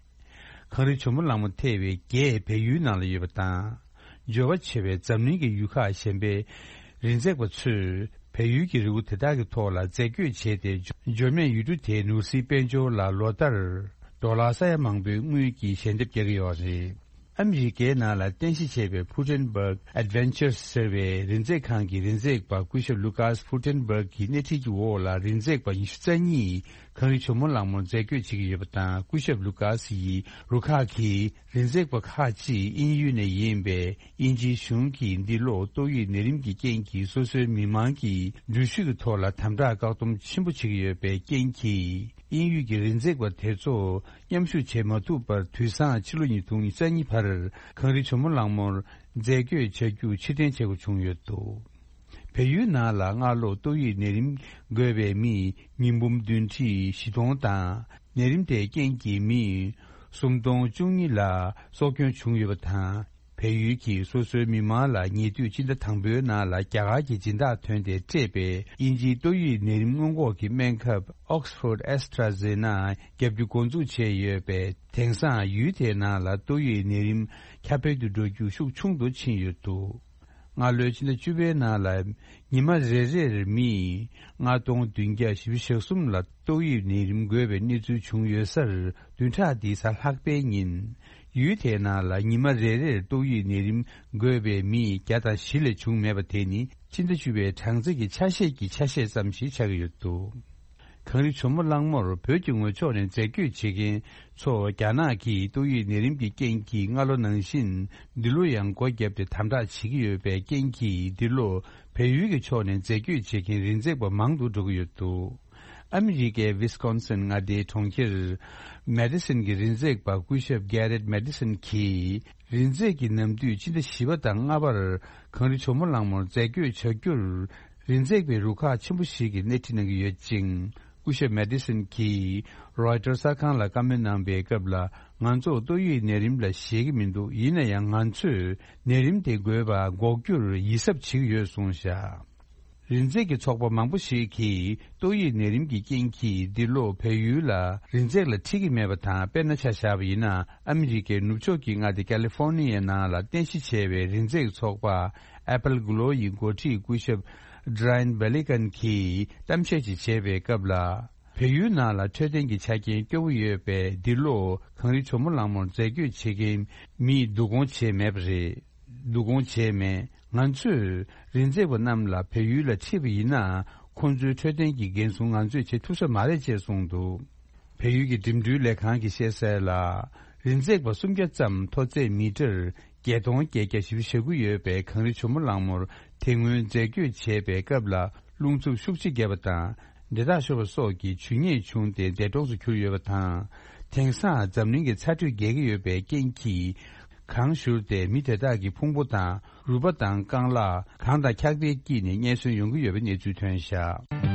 གངས་རི་ཇོ་མོ་གླང་མོ་ཐེ་བའི་བརྒྱད་བལ་ཡུལ་ནང་ལ་ཡོད་པ་དང་། འབྱོར་བ་ཆེ་བའི་འཛམ་གླིང་གི་ཡུལ་ཁག་གཞན་པའི་རིག་འཛེགས་པ་ཚོས་བལ་ཡུལ་གྱི་རི་བོ་དེ་དག་གི་ཐོག་ལ་རྫས་བཀོད་བྱས་ཏེ། འབྱོར་མེད་ཡུལ་གྲུ་དེའི་ནོར་སྲིད་དཔལ་འབྱོར་ལ་ལོ་ལྟར་ཌོ་ལར་ས་ཡ་མང་པོའི་དངུལ་གྱི་ཞལ་འདེབས་རྒྱག་གི་ཡོད་རེད། ཨ་མི་རི་ཀའི་ནང་ལ་རྟེན་གཞི་བྱས་པའི་Putenberg Adventures ཟེར་བའི་རིག་འཛེགས་ཁང་གི་རིག་འཛེགས་པ་སྐུ་ཞབས་Lucas Putenberg གི་སྣེ་ཁྲིད་ཀྱི་འོག་ལ་རིག་འཛེགས་པ་ཉི་ཤུ་རྩ་གཉིས་གངས་རི་ཇོ་མོ་གླང་མོར་རྫས་བཀོད་བྱེད་ཀྱི་ཡོད་པ་དང་། སྐུ་ཞབས་Lucas ཡིས་རུ་ཁག་གི་རིག་འཛེགས་པ་ཁག་ཅིག་དབྱིན་ཡུལ་ནས་ཡིན་པའི་དབྱིན་ཇིའི་གཞུང་གིས་འདི་ལོ་ཏོག་དབྱིབས་ནད་རིམས་ཀྱི་རྐྱེན་གྱིས་སོ་སོའི་མི་མང་གི་འགྲུལ་བཞུད་ཀྱི་ཐོག་ལ་དམ་དྲག་བཀག་སྡོམ་ཆེན་པོ་བྱེད་ཀྱི་ཡོད་པའི་རྐྱེན་གྱིས། དབྱིན་ཡུལ་གྱི་རིག་འཛེགས་པ་དེ་ཚོ་མཉམ་ཞུགས་བྱེད་མ་ཐུབ་པར། དུས་སང་ཕྱི་ལོ་ཉིས་སྟོང་ཉི་ཤུ་རྩ་གཉིས་བར་གངས་རི་ཇོ་མོ་གླང་མོར་རྫས་བཀོད་བྱ་རྒྱུ་ཕྱིར་འཐེན་བྱེད་དགོས་བྱུང་ཡོད་འདུག་བལ་ཡུལ་ནང་ལ་སྔ་ལོ་ཏོག་དབྱིབས་ནད་རིམས་འགོས་པའི་མི་ཉིས་འབུམ་བདུན་ཁྲི་བཞི་སྟོང་དང་། ནད་རིམས་དེའི་རྐྱེན་གྱིས་མི་སུམ་སྟོང་བཅུ་གཉིས་ལ་སྲོག་སྐྱོན་བྱུང་ཡོད་པ་དང་། བལ་ཡུལ་གྱིས་སོ་སོའི་མི་མང་ལ་ཉེ་དུས་སྤྱི་ཟླ་དང་པོའི་ནང་ལ་རྒྱ་གར་གྱི་སྦྱིན་བདག་ཐོན་ཏེ་སྤྲད་པའི་དབྱིན་ཇིའི་ཏོག་དབྱིབས་ནད་རིམས་སྔོན་འགོག་གི་སྨན་ཁབ་Oxford AstraZeneca བརྒྱབ་རྒྱུ་འགོ་འཛུགས་བྱས་ཡོད་པས། དེང་སང་ཡུལ་དེའི་ནང་ལ་ཏོག་དབྱིབས་ནད་རིམས་ཁྱབ་སྤེལ་དུ་འགྲོ་རྒྱུ་ཤུགས་ཆུང་དུ་ཕྱིན་ཡོད་འདུག་སྔ་ལོའི་ཕྱི་ཟླ་བཅུ་པའི་ནང་ལ་ཉི་མ་རེ་རེར་མི་ལྔ་སྟོང་བདུན་བརྒྱ་བཞི་བཅུ་ཞེ་གསུམ་ལ་ཏོག་དབྱིབས་ནད་རིམས་འགོས་པའི་གནས་ཚུལ་བྱུང་ཡོད་སར། བདུན་ཕྲག་འདིའི་གཟའ་ལྷག་པའི་ཉིན་ཡུལ་དེའི་ནང་ལ་ཉི་མ་རེ་རེར་ཏོག་དབྱིབས་ནད་རིམས་འགོས་པའི་མི་བརྒྱ་དང་བཞི་ལས་བྱུང་མེད་པ་དེ་ནི་ཕྱི་ཟླ་བཅུ་པའི་གྲངས་རྩིས་ཀྱི་ཆ་ཤས་ཀྱི་ཆ་ཤས་ཙམ་ཞིག་ཆགས་ཀྱི་ཡོད་འདུག་གངས་རི་ཇོ་མོ་གླང་མོར་བོད་ཀྱི་ངོས་ཕྱོགས་ནས་རྫས་བཀོད་བྱེད་མཁན་ཚོ་རྒྱ་ནག་གིས་ཏོག་དབྱིབས་ནད་རིམས་ཀྱི་རྐྱེན་གྱིས་སྔ་ལོ་ནང་བཞིན་འདི་ལོ་ཡང་སྒོ་བརྒྱབ་སྟེ་དམ་དྲག་བྱེད་ཀྱི་ཡོད་པའི་རྐྱེན་གྱིས། འདི་ལོ་བལ་ཡུལ་གྱི་ཕྱོགས་ནས་རྫས་བཀོད་བྱེད་མཁན་རིག་འཛེགས་པ་མང་དུ་འགྲོ་གི་ཡོད་འདུག་ཨ་མི་རི་ཀའི་ཝི་སི་ཀོན་སིན་མངའ་སྡེའི་གྲོང་ཁྱེར་མེ་ཏི་སིན་གྱི་རིག་འཛེགས་པ་སྐུ་ཞབས་Garrett Madison གྱིས། རིག་འཛེགས་ཀྱི་ནམ་དུས་ཕྱི་ཟླ་བཞི་པ་དང་ལྔ་པར་གངས་རི་ཇོ་མོ་གླང་མོར་རྫས་བཀོད་བྱ་རྒྱུར། རིག་འཛེགས་པའི་རུ་ཁག་ཆེན་པོ་ཞིག་གིས་སྣེ་ཁྲིད་གནང་གི་ཡོད་ཅིང་། སྐུ་ཞབས་མེ་ཏི་སིན་གྱིས་རོའི་ཊར་གསར་ཁང་ལ་བཀའ་མོལ་གནང་པའི་སྐབས་ལ། ང་ཚོ་ཏོག་དབྱིབས་ནད་རིམས་ལ་ཞེད་ཀྱི་མི་འདུག་ཡིན་ན་ཡང་ང་ཚོས་ནད་རིམས་དེ་འགོས་པ་འགོག་རྒྱུར་ཡིད་གཟབ་བྱེད་ཀྱི་ཡོད་གསུངས་བཞག་རིག་འཛེགས་ཀྱི་ཚོགས་པ་མང་པོ་ཞིག་གིས་ཏོག་དབྱིབས་ནད་རིམས་ཀྱི་རྐྱེན་གྱིས་འདི་ལོ་བལ་ཡུལ་ལ་རིག་འཛེགས་ལ་ཁྲིད་ཀྱི་མེད་པ་དང་། དཔེར་ན་ཆ་བཞག་པ་ཡིན་ན། ཨ་མི་རི་ཀའི་ནུབ་ཕྱོགས་ཀྱི་མངའ་སྡེ་ཀ་ལི་ཧྥོར་ནི་ཡའི་ནང་ལ་རྟེན་གཞི་བྱས་པའི་རིག་འཛེགས་ཚོགས་པ་Apple Glow ཡི་འགོ་ཁྲིད་སྐུ་ཞབས་Dryne Baligan གྱིས་གཏམ་བཤད་ཅིག་བྱས་པའི་སྐབས་ལ། བལ་ཡུལ་ནང་ལ་འཕྲོད་བསྟེན་གྱི་ཆ་རྐྱེན་སྐྱོ་བོ་ཡོད་པས། འདི་ལོ་གངས་རི་ཇོ་མོ་གླང་མོར་རྫས་བཀོད་བྱེད་མཁན་མིས་བསྡུ་སྐོང་བྱས་མེད་པ་རེད། བསྡུ་སྐོང་བྱས་མེད། ང་ཚོས་རིག་འཛེགས་པ་རྣམས་ལ་བལ་ཡུལ་ལ་ཁྲིད་པ་ཡིན་ན། ཁོང་ཚོའི་འཕྲོད་བསྟེན་གྱི་འགན་སྲུང་ང་ཚོས་བྱེད་ཐུབ་ས་མ་རེད་ཅེས་གསུངས་འདུག་བལ་ཡུལ་གྱི་འགྲིམ་འགྲུལ་ལས་ཁང་གིས་བཤད་གསལ་ལ། རིག་འཛེགས་པ་སུམ་བརྒྱ་ཙམ་མཐོ་ཚད་མི་ཊར་བརྒྱད་སྟོང་བརྒྱད་བརྒྱ་བཞི་བཅུ་ཞེ་དགུ་ཡོད་པའི་གངས་རི་ཇོ་མོ་གླང་མོར་དེ་སྔོན་རྫས་བཀོད་བྱས་པའི་སྐབས་ལ། རླུང་འཚུབ་ཤུགས་ཆེ་བརྒྱབ་པ་དང་། འདྲེད་ཐག་ཤོར་བ་སོགས་ཀྱི་ཇུས་ཉེས་བྱུང་སྟེ་འདས་གྲོངས་སུ་གྱུར་ཡོད་པ་དང་། དེང་སང་འཛམ་གླིང་གི་ཚ་དྲོད་རྒྱས་ཀྱི་ཡོད་པའི་རྐྱེན་གྱིས། གངས་བཞུར་ཏེ་མི་དེ་དག་གི་ཕུང་པོ་དང་རུས་པ་དང་རྐང་ལག་གངས་དང་འཁྱགས་པས་བསྐྱིས་ནས་རྙེད་སོན་ཡོང་གི་ཡོད་པའི་གནས་ཚུལ་ཐོན་བཞག་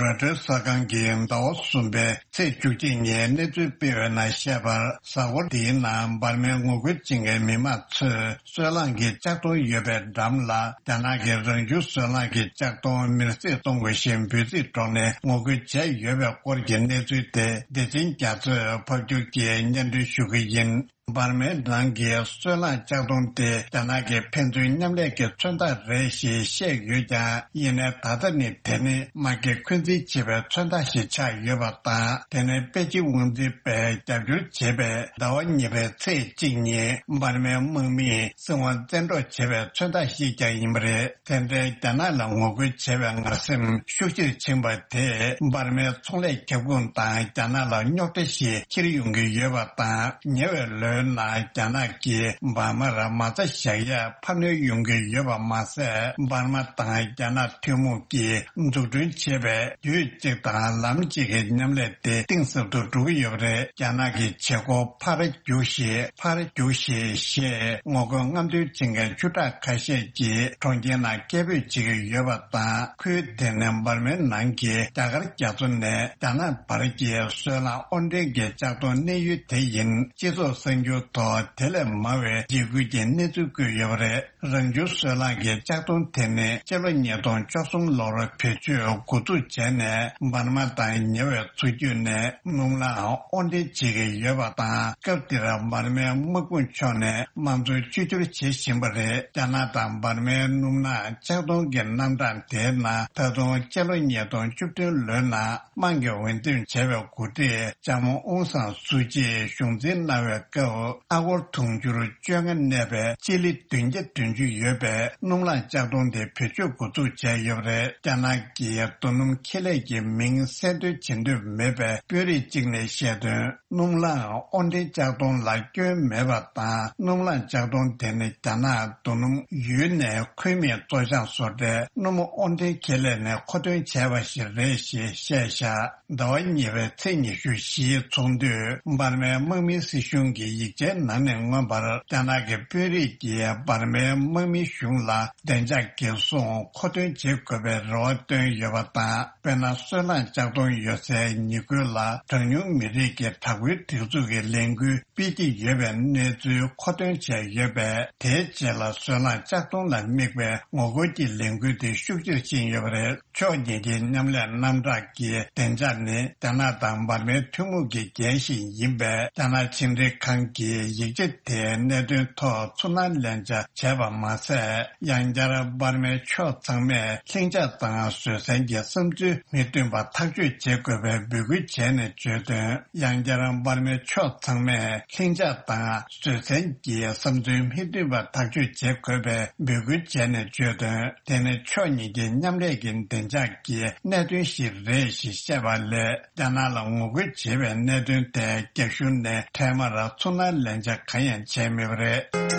རོའི་ཊར་གསར་ཁང་གིས་ཟླ་བ་གསུམ་པའི་ཚེས་བཅུ་གཅིག་ཉིན་གནས་ཚུལ་སྤེལ་བའི་ནང་བཤད་པར། གཟའ་འཁོར་འདིའི་ནང་འབར་མའི་ངོ་རྒོལ་བྱེད་མཁན་མི་མང་ཚོས་སོལ་རླངས་ཀྱི་ལྕགས་མདོང་ཡོད་པའི་འགྲམ་ལ། རྒྱ་ནག་གི་རང་བྱུང་སོལ་རླངས་ཀྱི་ལྕགས་མདོང་མེར་སྲེག་གཏོང་དགོས་ཞེས་འབོད་ཚིག་སྒྲོག་ནས་ངོ་རྒོལ་བྱས་ཡོད་པའི་སྐོར་གྱི་གནས་ཚུལ་དེ་བདེ་ཆེན་རྒྱ་མཚོས་ཕབ་སྒྱུར་གྱིས་སྙན་སྒྲོན་ཞུ་གི་ཡིན། འབར་མའི་ནང་གི་སོལ་རླངས་ལྕགས་མདོང་དེ་རྒྱ་ནག་གི་ཕན་ཚུན་མཉམ་ལས་ཀྱི་མཚོན་རྟགས་རེད་ཞེས་བཤད་ཡོད་ཀྱང་། ཡིན་ནའི་ད་ལྟ་ནི་དེ་ནི་དམག་གི་འཁོན་འཛིན་བྱེད་པའི་མཚོན་རྟགས་ཤིག་ཆགས་ཡོད་པ་དང་། དེ་ནི་པེ་ཅིན་དབང་འཛིན་པས་རྒྱབ་སྐྱོར་བྱས་པའི་ཟླ་བ་གཉིས་པའི་ཚེས་གཅིག་ཉིན་འབར་མའི་དམག་མིས་སྲིད་དབང་བཙན་འཕྲོག་བྱས་པའི་མཚོན་རྟགས་ཤིག་ཀྱང་ཡིན་པ་རེད། དེ་འདྲའི་རྒྱ་ནག་ལ་ངོ་རྒོལ་བྱས་པའི་ངར་སེམས་ཤུགས་ཆེར་ཕྱིན་པ་དེས་འབར་མའི་ཚོང་ལས་ཁྱབ་ཁོངས་དང་རྒྱ་ནག་ལ་རྙོག་དྲ་ཞིག་འཁྱེར་ཡོང་གི་ཡོད་པ་དང་། ཉེ་བའི་ལོ། ལོའི་ནང་རྒྱ་ནག་གིས་འབར་མར་མ་རྩ་བཞག་ཡས་འཕར་སྣོན་ཡོང་གི་ཡོད་པ་མ་ཟད། འབར་མ་དང་རྒྱ་ནག་ཐུན་མོང་གིས་འཛུགས་སྐྲུན་བྱས་པའི་རྒྱུད་གཅིག་དང་ལམ་གཅིག་གི་མཉམ་ལས་དེ་གཏིང་ཟབ་ཏུ་འགྲོ་གི་ཡོད་པ་རེད། རྒྱ་ནག་གི་བྱེད་སྒོ་ཕར་རྒྱུགས་ཤིག་ཕར་རྒྱུགས་ཤིག་ཞེས་ངོ་རྒོལ་རྔམ་སྟོན་བྱེད་མཁན་ཆུ་ཁྲག་ཁ་ཤས་ཀྱིས་གྲོང་ཁྱེར་ནང་སྐད་འབོད་བྱེད་ཀྱི་ཡོད་པ་དང་། ཁུལ་དེ་ནི་འབར་མའི་ནང་གི་རྒྱ་གར་རྒྱ་མཚོ་ནས་རྒྱ་ནག་བར་གྱི་སོལ་རླངས་དབོར་འདྲེན་གྱི་ལྕགས་མདོང་གནས་ཡུལ་དེ་ཡིན། སྤྱི་ཚོགས་གསར་འགྱུར་ཐོག་དེ་ལས་མང་བའི་འཇིགས་སྐུལ་གྱི་གནས་ཚུལ་བཀོད་ཡོད་པ་རེད། རང་བྱུང་སོལ་རླངས་ཀྱི་ལྕགས་མདོང་དེ་ནི་སྤྱི་ལོ་ཉིས་སྟོང་བཅུ་གསུམ་ལོར་བེད་སྤྱོད་འགོ་འཛུགས་བྱས་ནས། འབར་མ་དང་ཉེ་བའི་མཚོ་རྒྱུད་ནས་སྣུམ་རླངས་དབོར་འདྲེན་བྱེད་ཀྱི་ཡོད་པ་དང་། སྐབས་དེར་འབར་མའི་དམག་དཔུང་ཕྱོགས་ནས་དམངས་གཙོའི་བཅོས་བསྒྱུར་བྱེད་བཞིན་པ་རེད། རྒྱ་ནག་དང་འབར་མའི་སྣུམ་རླངས་ལྕགས་མདོང་གི་རྣམ་གྲངས་དེའི་ནང་། ད་དུང་སྤྱི་ལོ་ཉིས་སྟོང་བཅུ་བདུན་ལོའི་ནང་དམངས་ཀྱིས་འོས་འདེམས་བྱས་པའི་འགོ་ཁྲིད་ལྕམ་ཨུང་སང་སུའུ་ཅིས་གཞུང་འཛིན་གནང་བའི་སྐབས། ཨ་སྒོར་དུང་ཕྱུར་བཅོ་ལྔ་གནས་པའི་སྤྱི་ལེ་བདུན་བརྒྱ་བདུན་ཅུ་ཡོད་པའི་སྣུམ་རླངས་ལྕགས་མདོང་དེ་བེད་སྤྱོད་འགོ་འཛུགས་བྱས་ཡོད་པ་རེད། རྒྱ་ནག་གིས་རྡོ་སྣུམ་ཁེ་ལས་ཀྱི་མིང་གསལ་འདོན་བྱེད་འདོད་མེད་པའི་དཔོན་རིགས་གཅིག་ནས་བཤད་དོན། སྣུམ་རླངས་དབོར་འདྲེན་ལྕགས་མདོང་ལ་སྐྱོན་མེད་པ་དང་། སྣུམ་རླངས་ལྕགས་མདོང་དེ་ནི་རྒྱ་ནག་རྡོ་སྣུམ་ཡུལ་ནས་ཁུལ་མིང་བཙོ་སྦྱང་བཟོ་གྲྭའི་སྣུམ་དབོར་འདྲེན་ཁེ་ལས་ནས་མཁོ་འདོན་བྱས་པ་ཞིག་རེད་ཞེས་བཤད་བཞག་ཟླ་བ་གཉིས་པའི་ཚེས་ཉི་ཤུ་བཞིའི་ཚོགས་འདུས་འབར་མའི་དམག་མིའི་སྲིད་གཞུང་གི་ཡིག་ཆའི་ནང་ནས་མངོན་པར། རྒྱ་ནག་གི་དཔོན་རིགས་ཀྱིས་འབར་མའི་དམག་མི་གཞུང་ལ་བདེ་འཇགས་འགན་སྲུང་མཁོ་འདོན་བྱེད་དགོས་པའི་རེ་བ་བཏོན་ཡོད་པ་དང་། དཔེར་ན། སོལ་རླངས་ལྕགས་མདོང་ཡོད་སའི་ཉེ་ཁུལ་ལ་གྲངས་ཉུང་མི་རིགས་ཀྱི་དྲག་པོའི་སྒྲིག་འཛུགས་ཀྱི་ལས་འགུལ་སྤེལ་གྱི་ཡོད་པའི་གནས་ཚུལ་མཁོ་འདོན་བྱས་ཡོད་པས། དེའི་རྗེས་ལ་སོལ་རླངས་ལྕགས་མདོང་ལ་དམིགས་པའི་ངོ་རྒོལ་གྱི་ལས་འགུལ་དེ་ཤུགས་ཆེར་ཕྱིན་ཡོད་པ་རེད། ཕྱོགས་གཉིས་ཀྱི་མཉམ་ལས་རྣམ་གྲངས་ཀྱི་བདེ་འཇགས་ནི་རྒྱ་ནག་དང་འབར་མའི་ཐུན་མོང་གི་འགན་ཞིག་ཡིན་པས། རྒྱ་ནག་ཕྱི་འབྲེལ་ཁང་གིས་ཡིག་ཆ་དེའི་གནད་དོན་ཐོག་ཚུར་སྣང་ལན་ཆ་བྱས་པ་མ་ཟད། ཡང་བསྐྱར་འབར་མའི་ཕྱོགས་ཚང་མས་ལྷིང་འཇགས་དང་བཟོད་བསྲན་གྱི་བསམ་ཚུལ་མི་མཐུན་པ་ཐག་གཅོད་བྱེད་དགོས་པའི་འབོད་སྐུལ་བྱས་ནས་བརྗོད་དོན། ཡང་བསྐྱར་འབར་མའི་ཕྱོགས་ཚང་མས་ལྷིང་འཇགས་དང་བཟོད་བསྲན་གྱི་བསམ་ཚུལ་མི་མཐུན་པ་ཐག་གཅོད་བྱེད་དགོས་པའི་འབོད་སྐུལ་བྱས་ནས་བརྗོད་དོན། དེ་ནི་ཕྱོགས་གཉིས་ཀྱི་མཉམ་ལས་ཀྱི་བདེ་འཇགས་ཀྱི་གནད་དོན་ཞིག་རེད་ཞེས་བཤད་པ་ལས། རྒྱ་ནག་ལ་ངོ་རྒོལ་བྱེད་པའི་གནད་དོན་དེ་རྒྱ་གཞུང་ནས་འཕྲལ་མར་ཚུར་སྣང་ལན་ཆ་གང་ཡང་བྱས་མེད་པ་རེད།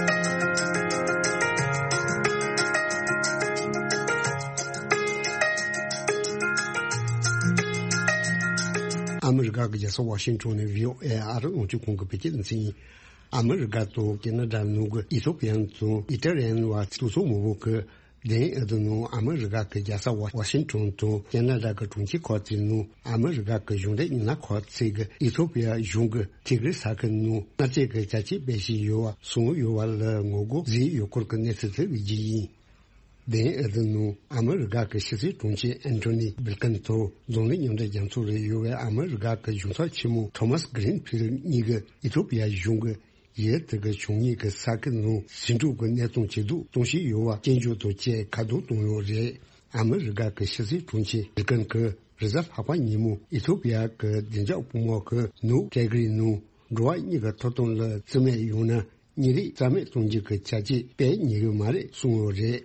ཨ་མི་རི་ཀ་གི་རྒྱལ་ས་ཝ་ཤིང་ཊོན་ནས་བྷི་ཨོ་ཨེ་ཨ་རི་རླུང་འཕྲིན་ཁང་གི་བོད་སྐད་སྡེ་ཚན་ཡིན། ཨ་མི་རི་ཀ་དང་ཁེ་ན་ཌ་ནང་གི་ཨི་ཐོ་པི་ཡན་དང་ཨི་ཏྲ་ལི་ཡན་བར་དུད་ཚང་མང་པོ་གི་དེ་ཨ་དུ་ནང་ཨ་མི་རི་ཀ་གི་རྒྱལ་ས་ཝ་ཤིང་ཊོན་དང་ཁེ་ན་ཌ་གི་གྲོང་ཁྱེར་ཁག་ཅིག་ནང་ཨ་མི་རི་ཀ་གི་གཞུང་འབྲེལ་མི་སྣ་ཁག་ཅིག་གིས་ཨི་ཐོ་པི་ཡ་གཞུང་གི་ཐི་གྷི་རི་ས་ཁུལ་ནང་མནའ་བཅད་ཀྱི་བྱ་སྤྱོད་སྤེལ་བཞིན་ཡོད་པ་གསུངས་ཡོད་པ་ལ་ངོ་རྒོལ་བཟོས་ཡོད་སྐོར་གྱི་གནས་ཚུལ་དེ་བརྗོད་ཀྱི་ཡིན། དེ་ཨ་དུ་ནང་ཨ་མི་རི་ཀ་གི་ཕྱི་སྲིད་དྲུང་ཆེ་ཨན་ཐོ་ནི་བྷིལ་ཀིན་དང་འཛམ་གླིང་མཉམ་འབྲེལ་རྒྱ་མཚོ་ལ་ཡོད་པའི་ཨ་མི་རི་ཀ་གི་གཞུང་ཚབ་ཆེན་མོ་ཐོ་མཱས་གྷི་རིན་ཕིལ་གཉིས་ཀྱིས་ཨི་ཐོ་པི་ཡ་གཞུང་གིས་ཡུལ་དེ་གི་བྱུང་ཉེས་ཀྱི་ས་ཁུལ་ནང་ཟིང་འཁྲུག་གི་གནས་སྟངས་ཇེ་སྡུག་གཏོང་བཞིན་ཡོད་པ་སྐྱོན་བརྗོད་དང་བཅས་ཁ་རྡུང་བཏང་ཡོད་རེད། ཨ་མི་རི་ཀ་གི་ཕྱི་སྲིད་དྲུང་ཆེ་བྷིལ་ཀིན་གྱིས་རེས་གཟའ་ལྷག་པ་ཉིན་མོ་ཨི་ཐོ་པི་ཡ་གི་བདེ་འཇགས་དཔུང་དམག་གིས་ནུབ་ཏི་གྷི་རི་ནང་འགྲོ་བ་གཉིས་ཀྱི་ཐོབ་ཐང་ལ་བརྩི་མེད་ཡོང་ན་ཉེས་རིགས་རྩ་མེད་གཏོང་རྒྱུ་གི་བྱ་སྤྱོད་སྤེལ་ཉེས་ཀྱི་མ་རེད་གསུངས་ཡོད་རེད།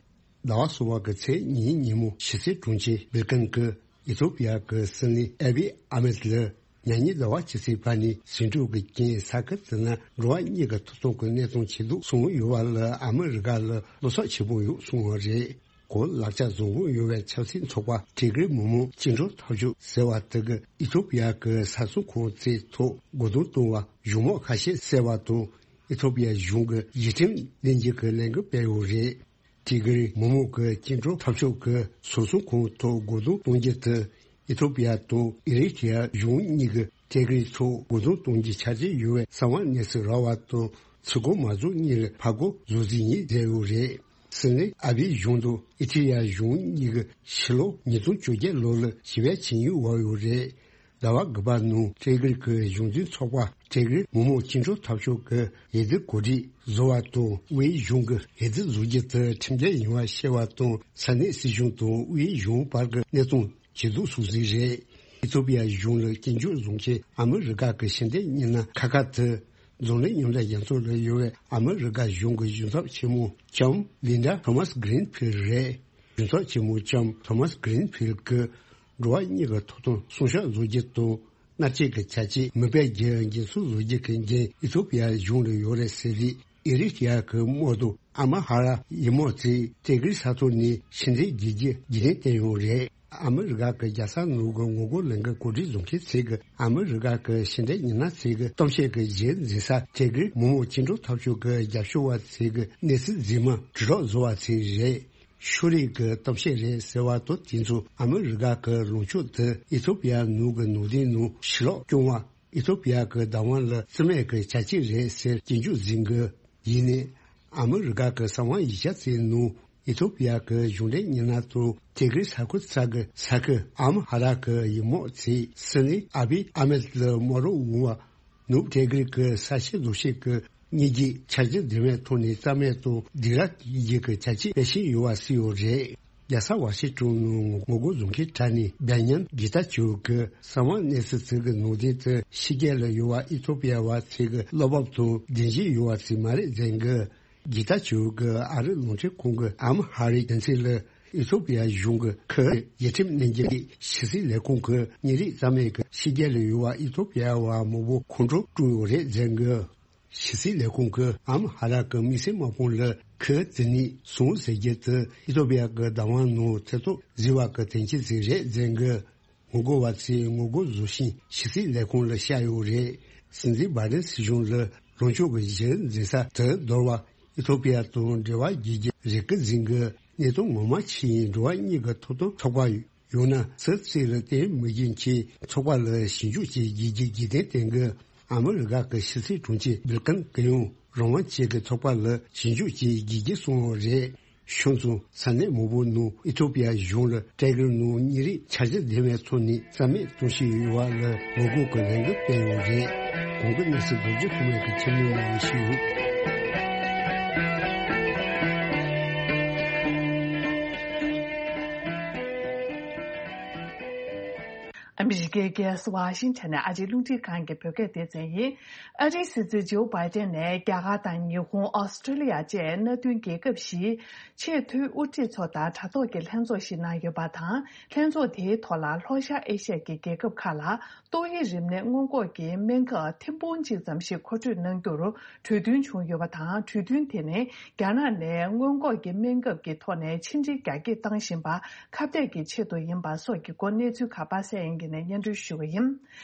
ཟླ་བ་གསུམ་པ་གི་ཚེས་གཉིས་ཉིན་མོ་ཕྱི་སྲིད་དྲུང་ཆེ་བྷིལ་ཀིན་གྱིས་ཨི་ཐོ་པི་ཡ་གི་སྲིད་བློན་ཨ་བི་ཨ་མེད་ལ་ཉེ་ཉིན་ཟླ་བ་ཕྱི་ཚེས་པ་ནས་ཟིང་འཁྲུག་གི་རྐྱེན་ས་ཁུལ་དེ་ན་འགྲོ་བ་གཉིས་ཀྱི་ཐོབ་ཐང་གི་གནས་སྟངས་ཇེ་སྡུག་སོང་ཡོད་པ་ལ་ཨ་མི་རི་ཀ་ལ་བློ་འཚབ་ཆེན་པོ་ཡོད་གསུངས་པ་རེད། གོ་ལག་ཆ་བཟང་པོ་ཡོད་པའི་ཆབ་སྲིད་ཚོགས་པ་ཏི་གྷི་རི་མི་དམངས་བཅིངས་འགྲོལ་འཐབ་ཕྱོགས་ཟེར་བ་དེ་གིས་ཨི་ཐོ་པི་ཡ་གི་ས་མཚམས་ཁོངས་དེའི་ཐོག་རྒོལ་རྡུང་གཏོང་བར་གཞུང་དམག་ཁ་ཤས་བསད་པ་དང་ཨི་ཐོ་པི་ཡ་གཞུང་གིས་ཡིག་ཁྲིམས་ལེན་རྒྱུ་གི་ལས་འགུལ་སྤེལ་ཡོད་རེད། ཏི་གྷི་རི་མི་དམངས་ཀྱི་བཅིངས་འགྲོལ་འཐབ་ཕྱོགས་ཀྱི་ས་མཚམས་ཁོངས་ཐོག་རྒོལ་རྡུང་གཏོང་རྒྱུ་དེ་ཨི་ཐོ་པི་ཡ་དང་ཨི་རི་ཐི་ཡ་གཞུང་གཉིས་ཀྱིས་ཏི་གྷི་རི་ཐོག་རྒོལ་རྡུང་གཏོང་རྒྱུའི་ཆ་རྐྱེན་ཡོད་པའི་གསང་བ་གནས་ཚུལ་རག་པ་དང་ཚུར་རྒོལ་མ་རྫོགས་གཉིས་ལ་ཕར་རྒོལ་བཟོ་རྩིས་ཡིན་བསྡད་ཡོད་རེད། སྲིད་བློན་ཨ་བྷི་གཞུང་དང་ཨི་ཐི་ཡ་གཞུང་གཉིས་ཀྱིས་ཕྱི་ལོ་ཉིས་སྟོང་བཅོ་བརྒྱད་ལོ་ལ་ཞི་བའི་ཆིངས་ཡིག་འོག་ཡོད་རེད། ཟླ་བ་དགུ་པ་ནང་ཏི་གྷི་རི་གི་གཞུང་འཛིན་ཚོགས་པ་ཏི་གྷི་རི་མི་དམངས་བཅིངས་འགྲོལ་འཐབ་ཕྱོགས་ཀྱི་འོས་བསྡུ་གོ་སྒྲིག་བཟོ་བ་དང་དབུས་གཞུང་གི་འོས་བསྡུ་བཟོ་རྒྱུ་དེ་ཁྲིམས་འགལ་ཡིན་པ་བཤད་པ་དང་ས་གནས་སྲིད་གཞུང་དང་དབུས་གཞུང་བར་གྱི་གནས་སྟངས་ཇེ་སྡུག་སོང་ཟིན་རེད། ཨི་ཐོ་པི་ཡ་གཞུང་ལ་སྐྱོན་བརྗོད་བཟོ་མཁན་ཨ་མི་རི་ཀ་གི་ཕྱི་འབྲེལ་མི་སྣ་ཁག་ཁག་དེ་འཛམ་གླིང་མཉམ་འབྲེལ་རྒྱལ་ཚོགས་ལ་ཡོད་པའི་ཨ་མི་རི་ཀ་གཞུང་གི་གཞུང་ཚབ་ཆེན་མོ་ལྕམ་ལིན་ཌ་ཐོ་མཱས་གྷི་རིན་ཕིལ་རེད། གཞུང་ཚབ་ཆེན་མོ་ལྕམ་ཐོ་མཱས་གྷི་རིན་ཕིལ་གྱིས་འགྲོ་བ་གཉིས་ཀྱི་ཐོབ་ཐང་སྲུང་སྐྱོབ་བཟོ་རྒྱུ་དང་ མནར་གཅོད་ཀྱི་བྱ་སྤྱོད་མུ་པའི་རྒྱལ་འགྱེད་སྲུང་བཟོ་རྒྱུ་གི་འགན་ཨི་ཐོ་པི་ཡ་གཞུང་ལ་ཡོད་རེད་ཟེར་རེད། ཨི་རི་ཊི་ཡ་གི་དམག་དོན་ཨ་མ་ཧ་ར་ཡི་དམག་ཚོས་ཏེ་གིར་ས་ཐོག་ནས་ཕྱི་འབྲེལ་བརྒྱུད་རྒྱུ་རྒྱུན་ལྡན་བསྟན་ཡོད་རེད། ཨ་མི་རི་ཀ་གི་རྒྱལ་ས་ནང་གི་ངོ་རྒོལ་ལས་འགུལ་གོ་སྒྲིག་བཟོ་མཁན་ཚོས་གི་ཨ་མི་རི་ཀ་གི་ཕྱི་འབྲེལ་མི་སྣ་ཚོས་གི་གཏམ་བཤད་ཀྱི་གཞི་འཛིན་ས་ཏེ་གིར་མི་མང་བཅིངས་འགྲོལ་འཐབ་ཕྱོགས་ཀྱི་རྒྱབ་སྐྱོར་བ་ཚོས་གི་གནས་ཚུལ་རྫུན་མ་དྲིལ་སྒྲོག་བཟོ་བ་ཚོས་རེད། ཤོ་རིག་གི་གཏམ་བཤད་རེད་ཟེར་བ་དང་དེ་ཚོ་ཨ་མི་རི་ཀ་གི་ལངས་ཕྱོགས་དེ་ཨི་ཐོ་པི་ཡ་ནང་གི་ནང་བསྟན་ནང་ཕྱིར་ལོག་སྐྱོང་བ། ཨི་ཐོ་པི་ཡ་གི་བདག་དབང་ལ་བརྩི་མེད་ཀྱི་བྱ་སྤྱོད་རེད་ཟེར་སྐྱོན་བརྗོད་བཟོས་འགོ། ཡིན་ནའི། ཨ་མི་རི་ཀ་གི་གསང་བ་ཡིག་ཆ་ཚོའི་ནང་ཨི་ཐོ་པི་ཡ་གི་གཞུང་འབྲེལ་མི་སྣ་ཚོ་ཏེ་གིར་ས་ཁུལ་ཚ་གི་ས་ཁུལ་ཨ་མ་ཧ་ར་གི་ཡུལ་དམག་ཚོས་སྲིད་བློན་ཨ་བི་ཨ་མེད་ལ་དམག་རོགས་འོང་བ། ནུབ་ཏེ་གིར་གི་ས་ཆའི་ལོ་ཤས་ཀྱི་གཉིས་རྒྱུད་འཆར་གཞི་ལྡན་པའི་ཐོག་ནས་རྩ་མེད་དང་སྡིགས་ར་གཏོང་རྒྱུ་གི་བྱ་སྤྱོད་སྤེལ་བཞིན་ཡོད་པ་སྲིད་ཡོད་རེད། རྒྱལ་ས་ཝ་ཤིང་ཏོན་ནང་ངོ་རྒོལ་བཟོ་མཁན་གྲས་ནས་བེན་ཉམ་གི་ཏ་ཅོ་གི་གསང་བ་གནས་ཚུལ་ཚོའི་གི་ནང་དོན་དུ་ཕྱི་རྒྱལ་ལ་ཡོད་པ་ཨི་ཐོ་པི་ཡ་བ་ཚོའི་གི་བློ་བབ་དང་ལྡན་གཞི་ཡོད་པ་ཚོ་མ་རེད་ཟེར་གི། གི་ཏ་ཅོ་གི་ཨ་རི་རླུང་འཕྲིན་ཁང་གི་ཨ་མ་ཧ་རི་དོན་ཚན་ལ་ཨི་ཐོ་པི་ཡ་གཞུང་གི་ཁུ་ཡིག་ཁྲིམས་ནན་གྱི་ཕྱི་སྲིད་ལས་ཁུངས་ཀྱི་ཉིན་རེའི་རྩ་མེད་ཀྱི་ཕྱི་རྒྱལ་ལ་ཡོད་པ་ཨི་ཐོ་པི་ཡ་བ་མང་པོ་ཁོང་ཁྲོ་སྤྲོད་ཡོད་རེད་ཟེར་གི། ཕྱི་སྲིད་ལས་ཁུངས་ཀྱི་ཨ་མ་ཧ་ར་གི་དམིགས་བསལ་དམག་དཔུང་ལ་ཁུ་ཙི་ནི་སོང་ཟེར་རྒྱུ་དེ་ཨི་ཐོ་པི་ཡ་གི་བདག་དབང་ནང་ཚེ་ཐོག་བཟི་བ་གི་དོན་རྐྱེན་ཞིག་རེད་ཟེར་གི། ངོ་རྒོལ་བ་ཚོས་ངོ་རྒོལ་བཟོ་བཞིན་ཕྱི་སྲིད་ལས་ཁུངས་ལ་བཤད་ཡོད་རེད། སྲིད་འཛིན་བྷའི་ཌེན་སྲིད་གཞུང་ལ་ལངས་ཕྱོགས་ཀྱི་གཞི་འཛིན་ས་དེ་འདོར་བ་ཨི་ཐོ་པི་ཡ་དང་འབྲེལ་བ་བརྗེ་རྒྱུ་རེ་སྐུལ་འཛིན་གི་གནད་དོན་ངོ་མ་ཕྱིན་ཡིན་འགྲོ་བ་མིའི་ཐོབ་ཐང་ཚོགས་པ་ཡོད་ན་སུ་གཅིག་ལ་བརྟེན་མི་རྒྱུ་མཁན་ཚོགས་པ་ལ་ཞིབ་འཇུག་བྱེད་རྒྱུ་གི་རྒྱུ་རྐྱེན་བསྟན་གི། ཨ་མི་རི་ཀ་གི་ཕྱི་སྲིད་དྲུང་ཆེ་སྦིལ་ཀིན་གྱིས་ཡང་རང་དབང་ཅན་གྱི་ཚོགས་པ་ལ་ཞིབ་འཇུག་བྱེད་རྒྱུ་གི་གསུངས་པ་རེད། ཤུལ་ཙང་ས་གནས་མང་པོ་ནང་ཨི་ཐོ་པི་ཡ་གཞུང་ལ་ཏེ་གིར་ནང་མི་རིགས་འཆར་གཞི་ལྡན་པའི་ཐོག་ནས་རྩ་མེད་གཏོང་བཞིན་ཡོད་པ་ལ་ངོ་རྒོལ་གྱི་ལས་འགུལ་སྤེལ་ཡོད་རེད། གོང་གི་གནས་ཚུལ་རྡོ་རྗེ་ཐོགས་མེད་ཀྱིས་ཁྱབ་སྣོན་གནང་བ་ཞུ། ཨ་མི་རི་ཀའི་རྒྱལ་ས་ཝ་ཤིང་ཊོན་ནས་ཨ་རིའི་རླུང་འཕྲིན་ཁང་གི་བོད་སྐད་སྡེ་ཚན་ཡིན། ཨ་རིའི་སྲིད་འཛིན་ཇོ་བྷའི་ཏན་ནས་རྒྱ་གར་དང་ཉི་ཧོང་། ཨོ་སི་ཀྲི་ལི་ཡ་བཅས་མནའ་མཐུན་རྒྱལ་ཁབ་བཞིའི་ཆེས་མཐོའི་དབུ་ཁྲིད་ཚོ་དང་དྲ་ཐོག་གི་ལྷན་ཚོགས་ཤིག་གནང་ཡོད་པ་དང་། ལྷན་ཚོགས་དེའི་ཐོག་ལ་ལྷོ་ཤར་ཨེ་ཤ་ཡའི་རྒྱལ་ཁབ་ཁག་ལ་ཏོག་དབྱིབས་རིམས་ནད་སྔོན་འགོག་གི་སྨན་ཁབ་ཐེར་འབུམ་གཅིག་ཙམ་ཞིག་མཁོ་སྤྲོད་གནང་རྒྱུར་གྲོས་མཐུན་བྱུང་ཡོད་པ་དང་། གྲོས་མཐུན་དེ་ནི་རྒྱ་ནག་ནས་སྔོན་འགོག་གི་སྨན་ཁབ་ཀྱི་ཐོག་ནས་ཕྱི་འབྲེལ་རྒྱ་སྐྱེད་བཏང་བཞིན་པ་ཁ་གཏད་ཀྱི་ཆེད་དུ་ཡིན་པ་སོགས་ཀྱི་སྐོར་གནས་ཚུལ་ཁག་པ་སངས་དབྱངས་སྐྱིད་ནས་སྙན་སྒྲོན་ཞུ་གི་ཡིན།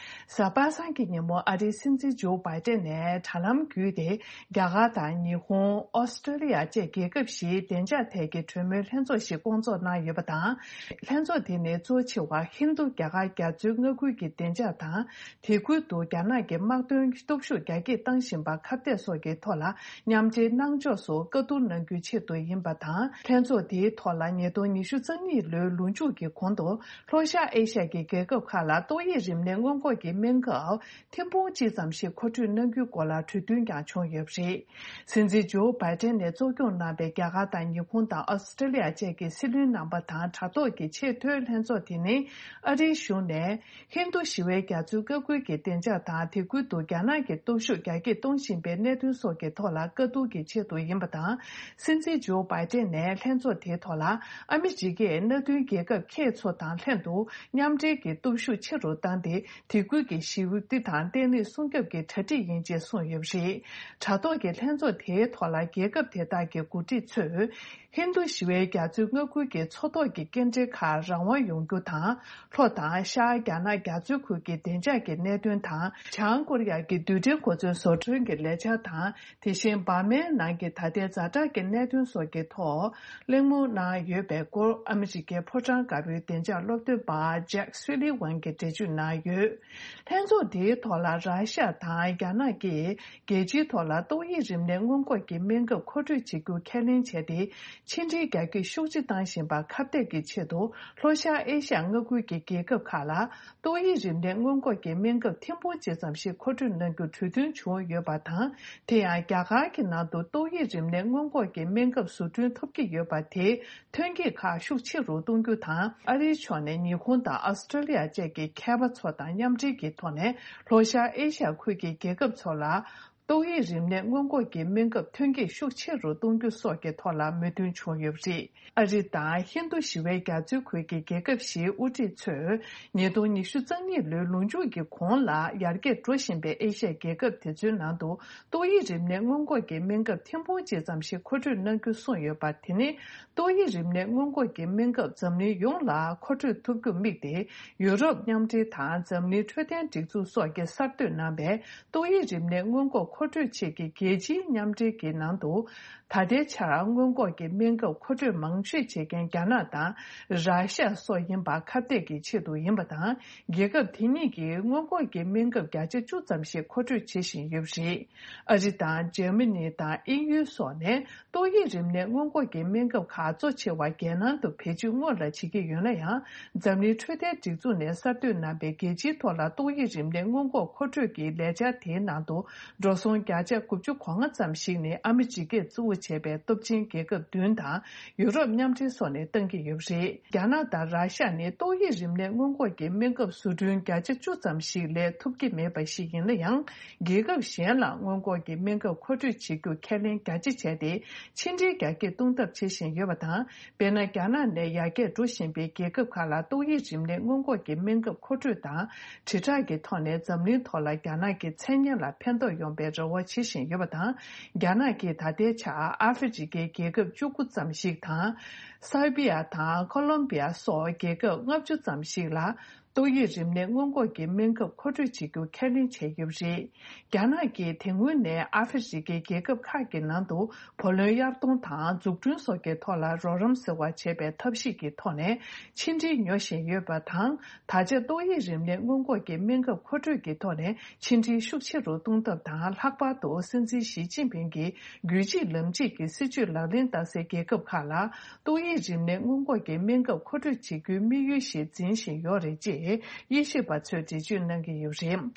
གཟའ་པ་སངས་ཀྱི་ཉིན་མོ་ཨ་རིའི་སྲིད་འཛིན་ཇོ་བྷའི་ཏན་ནས་དྲ་ལམ་བརྒྱུད་དེ་རྒྱ་གར་དང་ཉི་ཧོང་། ཨོ་སི་ཀྲི་ལི་ཡ་བཅས་རྒྱལ་ཁབ་བཞིའི་བདེ་འཇགས་ཐད་ཀྱི་གྲོས་མོལ་ལྷན་ཚོགས་ཤིག་བསྐོང་ཚོགས་གནང་ཡོད་པ་དང་། ལྷན་ཚོགས་དེ་ནི་གཙོ་ཆེ་བ་ཧིན་རྡུ་རྒྱ་གར་རྒྱ་མཚོའི་མངའ་ཁུལ་གྱི་བདེ་འཇགས་དང་། དེ་ཁུལ་དུ་རྒྱ་ནག་གི་དམག་དོན་སྟོབས་ཤུགས་རྒྱ་སྐྱེད་བཏང་བཞིན་པར་ཁ་གཏད་སོགས་ཀྱི་ཐོག་ལ་མཉམ་འབྲེལ་གནང་ཕྱོགས་སུ་བཀའ་བསྡུར་གནང་རྒྱུའི་ཆེད་དུ་ཡིན་པ་དང་། ལྷན་ཚོགས་དེའི་ཐོག་ལ་ཉིས་སྟོང་ཉི་ཤུ་རྩ་གཉིས་ལོའི་ལོ་མཇུག་གི་གོང་དུ་ལྷོ་ཤར་ཨེ་ཤ་ཡའི་རྒྱལ་ཁབ་ཁག་ལ་ཏོག་དབྱིབས་རིམས་ནད་སྔོན་འགོག་གི་སྨན་ཁབ་ཐེར་འབུམ་གཅིག་ཙམ་ཞིག་མཁོ་སྤྲོད་གནང་རྒྱུའི་སྐོར་ལ་གྲོས་མཐུན་ཀྱང་བྱུང་ཡོད་པ་རེད། སྲིད་འཛིན་ཇོ་བྷའི་ཏན་ནས་གཙོ་སྐྱོང་གནང་པའི་རྒྱ་གར་དང་ཉི་ཧོང་དང་ཨོ་སི་ཀྲི་ལི་ཡ་བཅས་ཀྱི་སྲིད་བློན་རྣམ་པ་དང་དྲ་ཐོག་གི་ཆེས་མཐོའི་ལྷན་ཚོགས་དེ་ནི་ཨ་རིའི་གཞུང་ནས་ཧིན་རྡུ་ཞི་བའི་རྒྱ་མཚོའི་མངའ་ཁུལ་གྱི་བདེ་འཇགས་དང་། དེ་ཁུལ་དུ་རྒྱ་ནག་གི་སྟོབས་ཤུགས་རྒྱ་སྐྱེད་གཏོང་བཞིན་པའི་གནད་དོན་སོགས་ཀྱི་ཐོག་ལ་བཀའ་བསྡུར་གྱི་ཆེད་དུ་ཡིན་པ་དང་། སྲིད་འཛིན་ཇོ་བྷའི་ཏན་ནས་ལྷན་ཚོགས་དེའི་ཐོག་ལ་ཨ་མི་རི་ཀས་མནའ་མཐུན་རྒྱལ་ཁབ་ཁག་ཚོ་དང་ལྷན་དུ་མཉམ་འབྲེལ་གྱི་སྟོབས་ཤུགས་ཆེ་རུ་བཏང་སྟེ། དེ་ཁུལ་གྱི་ཞི་བདེ་དང་བརྟན་ལྷིང་སྲུང་སྐྱོབ་ཀྱི་གྲ་སྒྲིག་ཡིན་ཅེས་གསུངས་ཡོད་པ་རེད། དྲ་ཐོག་གི་ལྷན་ཚོགས་དེའི་ཐོག་ལ་རྒྱལ་ཁབ་དེ་དག་གི་འགོ་ཁྲིད་ཚོས་ཧིན་རྡུ་ཞི་བའི་རྒྱ་མཚོའི་མངའ་ཁུལ་གྱི་མཚོ་ཐོག་གི་སྐྱེལ་འདྲེན་ཁག་རང་དབང་ཡོང་རྒྱུ་དང་། ལྷོ་དང་ཤར་རྒྱ་ནག་རྒྱ་མཚོའི་ཁུལ་གྱི་བདེ་འཇགས་ཀྱི་གནད་དོན་དང་། བྱང་ཀོ་རི་ཡ་གི་རྡུལ་ཕྲན་གོ་མཚོན་བཟོ་སྐྲུན་གྱི་ལས་འཆར་དང་། དེ་བཞིན་འབར་མའི་ནང་གི་ད་ལྟའི་ཛ་དྲག་གི་གནད་དོན་སོགས་ཀྱི་ཐོག་གླེང་མོལ་གནང་ཡོད་པའི་སྐོར་ཨ་མི་རི་ཀའི་ཕོ་བྲང་དཀར་པོའི་བདེ་འཇགས་སློབ་སྟོན་པ་ཇེག་སུ་ལི་ཝན་གྱིས་འགྲེལ་བརྗོད་གནང་ཡོད། ལྷན་ཚོགས་འདིའི་ཐོག་ལ་ར་ཤ་དང་རྒྱ་ནག་གིས་རྒྱལ་སྤྱིའི་ཐོག་ལ་ཏོག་དབྱིབས་རིམས་ནད་སྔོན་འགོག་གི་སྨན་ཁབ་མཁོ་སྤྲོད་བྱེད་རྒྱུ་ཁས་ལེན་བྱས་ཏེ། ཕྱི་འབྲེལ་རྒྱ་སྐྱེད་ཤུགས་ཆེ་བཏང་བཞིན་པར་ཁ་གཏད་ཀྱི་ཆེད་དུ་ལྷོ་ཤར་ཨེ་ཤ་ཡ་མངའ་ཁུལ་གྱི་རྒྱལ་ཁབ་ཁག་ལ། ཏོག་དབྱིབས་རིམས་ནད་སྔོན་འགོག་གི་སྨན་ཁབ་ཐེར་འབུམ་གཅིག་ཙམ་ཞིག་མཁོ་སྤྲོད་གནང་རྒྱུ་གྲོས་མཐུན་བྱུང་ཡོད་པ་དང་། དེ་ཡང་རྒྱ་གར་གྱི་ནང་དུ་ཏོག་དབྱིབས་རིམས་ནད་སྔོན་འགོག་གི་སྨན་ཁབ་བཟོ་སྐྲུན་ཐུབ་ཀྱི་ཡོད་པ་དེས་ཐོན་སྐྱེད་ཁག་ཤུགས་ཆེ་རུ་གཏོང་རྒྱུ་དང་། ཨ་རིའི་ཕྱོགས་ནས་ཉི་ཧོང་དང་ཨོ་སི་ཀྲི་ལི་ཡ་བཅས་ཀྱི་མཁས་པ་ཚོ་དང་མཉམ་འབྲེལ་གྱི་ཐོག་ནས་ལྷོ་ཤར་ཨེ་ཤ་ཡ་ཁུལ་གྱི་རྒྱལ་ཁབ་ཚོ་ལ། ཏོག་དབྱིབས་རིམས་ནད་སྔོན་འགོག་གི་སྨན་ཁབ་ཐོན་སྐྱེད་ཤུགས་ཆེ་རུ་གཏོང་རྒྱུ་སོགས་ཀྱི་ཐོག་ལ་མོས་མཐུན་བྱུང་ཡོད་པ་རེད། ཨ་རི་དང་ཧིན་རྡུ་ཞི་བའི་རྒྱ་མཚོའི་ཁུལ་གྱི་རྒྱལ་ཁབ་བཞིའི་དབུ་ཁྲིད་ཚོས་ཉིས་སྟོང་ཉི་ཤུ་རྩ་གཉིས་ལོའི་ལོ་མཇུག་གི་གོང་ལ་ཡར་རྒྱས་འགྲོ་བཞིན་པའི་ཨེ་ཤ་ཡའི་རྒྱལ་ཁབ་དེ་ཚོའི་ནང་དུ་ཏོག་དབྱིབས་རིམས་ནད་སྔོན་འགོག་གི་སྨན་ཁབ་ཐེར་འབུམ་གཅིག་ཙམ་ཞིག་མཁོ་སྤྲོད་གནང་རྒྱུ་གསུངས་ཡོད་པ། དེ་ནི་ཏོག་དབྱིབས་རིམས་ནད་སྔོན་འགོག་གི་སྨན་ཁབ་འཛམ་གླིང་ཡོངས་ལ་མཁོ་སྤྲོད་ཐུབ་རྒྱུར་དམིགས་ཏེ། ཡུ་རོབ་མཉམ་འབྲེལ་དང་འཛམ་གླིང་འཕྲོད་བསྟེན་སྒྲིག་འཛུགས་སོགས་ཀྱིས་གསར་གཏོད་གནང་བའི་ཏོག་དབྱིབས་རིམས་ནད་སྔོན་འགོག་མཁོ་སྤྲོད་ཆེད་ཀྱི་རྒྱལ་སྤྱིའི་མཉམ་འབྲེལ་གྱི་ནང་དུ། ད་ལྟའི་ཆར་སྔོན་འགོག་གི་སྨན་ཁབ་མཁོ་སྤྲོད་མང་ཤོས་བྱེད་མཁན་རྒྱ་ནག་དང་ར་ཤ་སོགས་ཡིན་པ་ཁ་གཏད་ཀྱི་ཆེད་དུ་ཡིན་པ་དང་། རྒྱལ་ཁབ་དེ་གཉིས་ཀྱིས་སྔོན་འགོག་གི་སྨན་ཁབ་བརྒྱ་ཆ་བཅུ་ཙམ་ཞིག་མཁོ་སྤྲོད་བྱེད་བཞིན་ཡོད་པ་རེད། ཨ་རི་དང་འཇར་མ་ནི་དང་དབྱིན་ཡུལ་སོགས་ནས། ཏོག་དབྱིབས་རིམས་ནད་སྔོན་འགོག་གི་སྨན་ཁབ་ཁག་གཙོ་ཆེ་བ་རྒྱལ་ནང་དུ་བེད་སྤྱོད་སྔོན་ལ་བྱེད་ཀྱི་ཡོད་ན་ཡང་། འཛམ་གླིང་འཕྲོད་བསྟེན་སྒྲིག་འཛུགས་ནས་གསར་གཏོད་གནང་པའི་རྒྱལ་སྤྱིའི་ཐོག་ལ་ཏོག་དབྱིབས་རིམས་ནད་སྔོན་འགོག་མཁོ་སྤྲོད་ཀྱི་ལས་འཆར་དེའི་ནང་དུ། འགྲོ་སོང་བརྒྱ་ཆ་དགུ་བཅུ་གོ་ལྔ་ཙམ་ཞིག་ནི་ཨ་མི་རི་ཀས་གཙོ་བོ་བྱས་པའི་སྟོབས་ཆེན་རྒྱལ་ཁབ་བདུན་དང་ཡུ་རོབ་མཉམ་འབྲེལ་སོགས་ནས་བཏང་གི་ཡོད་པ་རེད། རྒྱ་ནག་དང་ར་ཤ་ནི་ཏོག་དབྱིབས་རིམས་ནད་སྔོན་འགོག་གི་སྨན་ཁབ་བཟོ་སྐྲུན་བརྒྱ་ཆ་བཅུ་ཙམ་ཞིག་ལས་ཐུབ་ཀྱི་མེད་པ་ཞིག་ཡིན་ན་ཡང་། རྒྱལ་ཁབ་གཞན་ལ་སྔོན་འགོག་གི་སྨན་ཁབ་མཁོ་སྤྲོད་བྱེད་རྒྱུ་ཁས་ལེན་རྒྱ་ཆེ་བྱས་ཏེ། ཕྱི་འབྲེལ་རྒྱ་སྐྱེད་གཏོང་ཐབས་བྱེད་བཞིན་ཡོད་པ་དང་། དཔེར་ན། རྒྱ་ནག་ནས་ཡར་རྒྱས་འགྲོ་བཞིན་པའི་རྒྱལ་ཁབ་ཁག་ལ་ཏོག་དབྱིབས་རིམས་ནད་སྔོན་འགོག་གི་སྨན་ཁབ་མཁོ་སྤྲོད་དང་། དྲིལ་བསྒྲགས་ཀྱི་ཐོག་ནས་འཛམ་གླིང་ཐོག་ལ་རྒྱ་ནག་གི་མཚན་སྙན་ལ་ཕན་ཐོགས་ཡོང་པའི་རེ་བ་བྱེད་བཞིན་ཡོད་པ་དང་། རྒྱ་ནག་གིས་ད་ལྟའི་ཆར་ཨ་ཧྥེ་རི་ཁའི་རྒྱལ་ཁབ་བཅུ་དགུ་ཙམ་ཞིག་དང་། སར་བྷི་ཡ་དང་ཁོ་ལོམ་བྷི་ཡ་སོགས་རྒྱལ་ཁབ་ལྔ་བཅུ་ཙམ་ཞིག་ལ། ཏོག་དབྱིབས་རིམས་ནད་སྔོན་འགོག་གི་སྨན་ཁབ་མཁོ་སྤྲོད་བྱེད་རྒྱུ་ཁས་ལེན་བྱས་ཡོད་པ་རེད། རྒྱ་ནག་གིས་དེ་སྔོན་ནས་ཨ་ཧྥེ་རི་ཁའི་རྒྱལ་ཁབ་ཁག་གི་ནང་དུ་བུ་ལོན་གཡར་གཏོང་དང་འཛུགས་སྐྲུན་སོགས་ཀྱི་ཐོག་ལ་རོགས་རམ་ཟེར་བ་བྱས་པའི་ཐབས་ཤེས་ཀྱི་ཐོག་ནས་ཕྱི་འབྲེལ་ཉོ་བཞིན་ཡོད་པ་དང་། ད་ཆ་ཏོག་དབྱིབས་རིམས་ནད་སྔོན་འགོག་གི་སྨན་ཁབ་མཁོ་སྤྲོད་ཀྱི་ཐོག་ནས་ཕྱི་འབྲེལ་ཤུགས་ཆེ་རུ་གཏོང་ཐབས་དང་། ལྷག་པར་དུ་སྲིད་འཛིན་ཞི་ཅིན་ཕིང་གི་རྒྱུད་གཅིག་ལམ་གཅིག་གི་སྲིད་བྱུས་ལག་ལེན་བསྟར་སའི་རྒྱལ་ཁབ་ཁག་ལ། ཏོག་དབྱིབས་རིམས་ནད་སྔོན་འགོག་གི་སྨན་ཁབ་མཁོ་སྤྲོད་བྱེད་རྒྱུའི་དམིགས་ཡུལ་ཞིག་འཛིན་བཞིན་ཡོད་རེད། ཅེས་དབྱེ་ཞིབ་པ་ཚོས་འགྲེལ་བརྗོད་གནང་གི་ཡོད་རེད།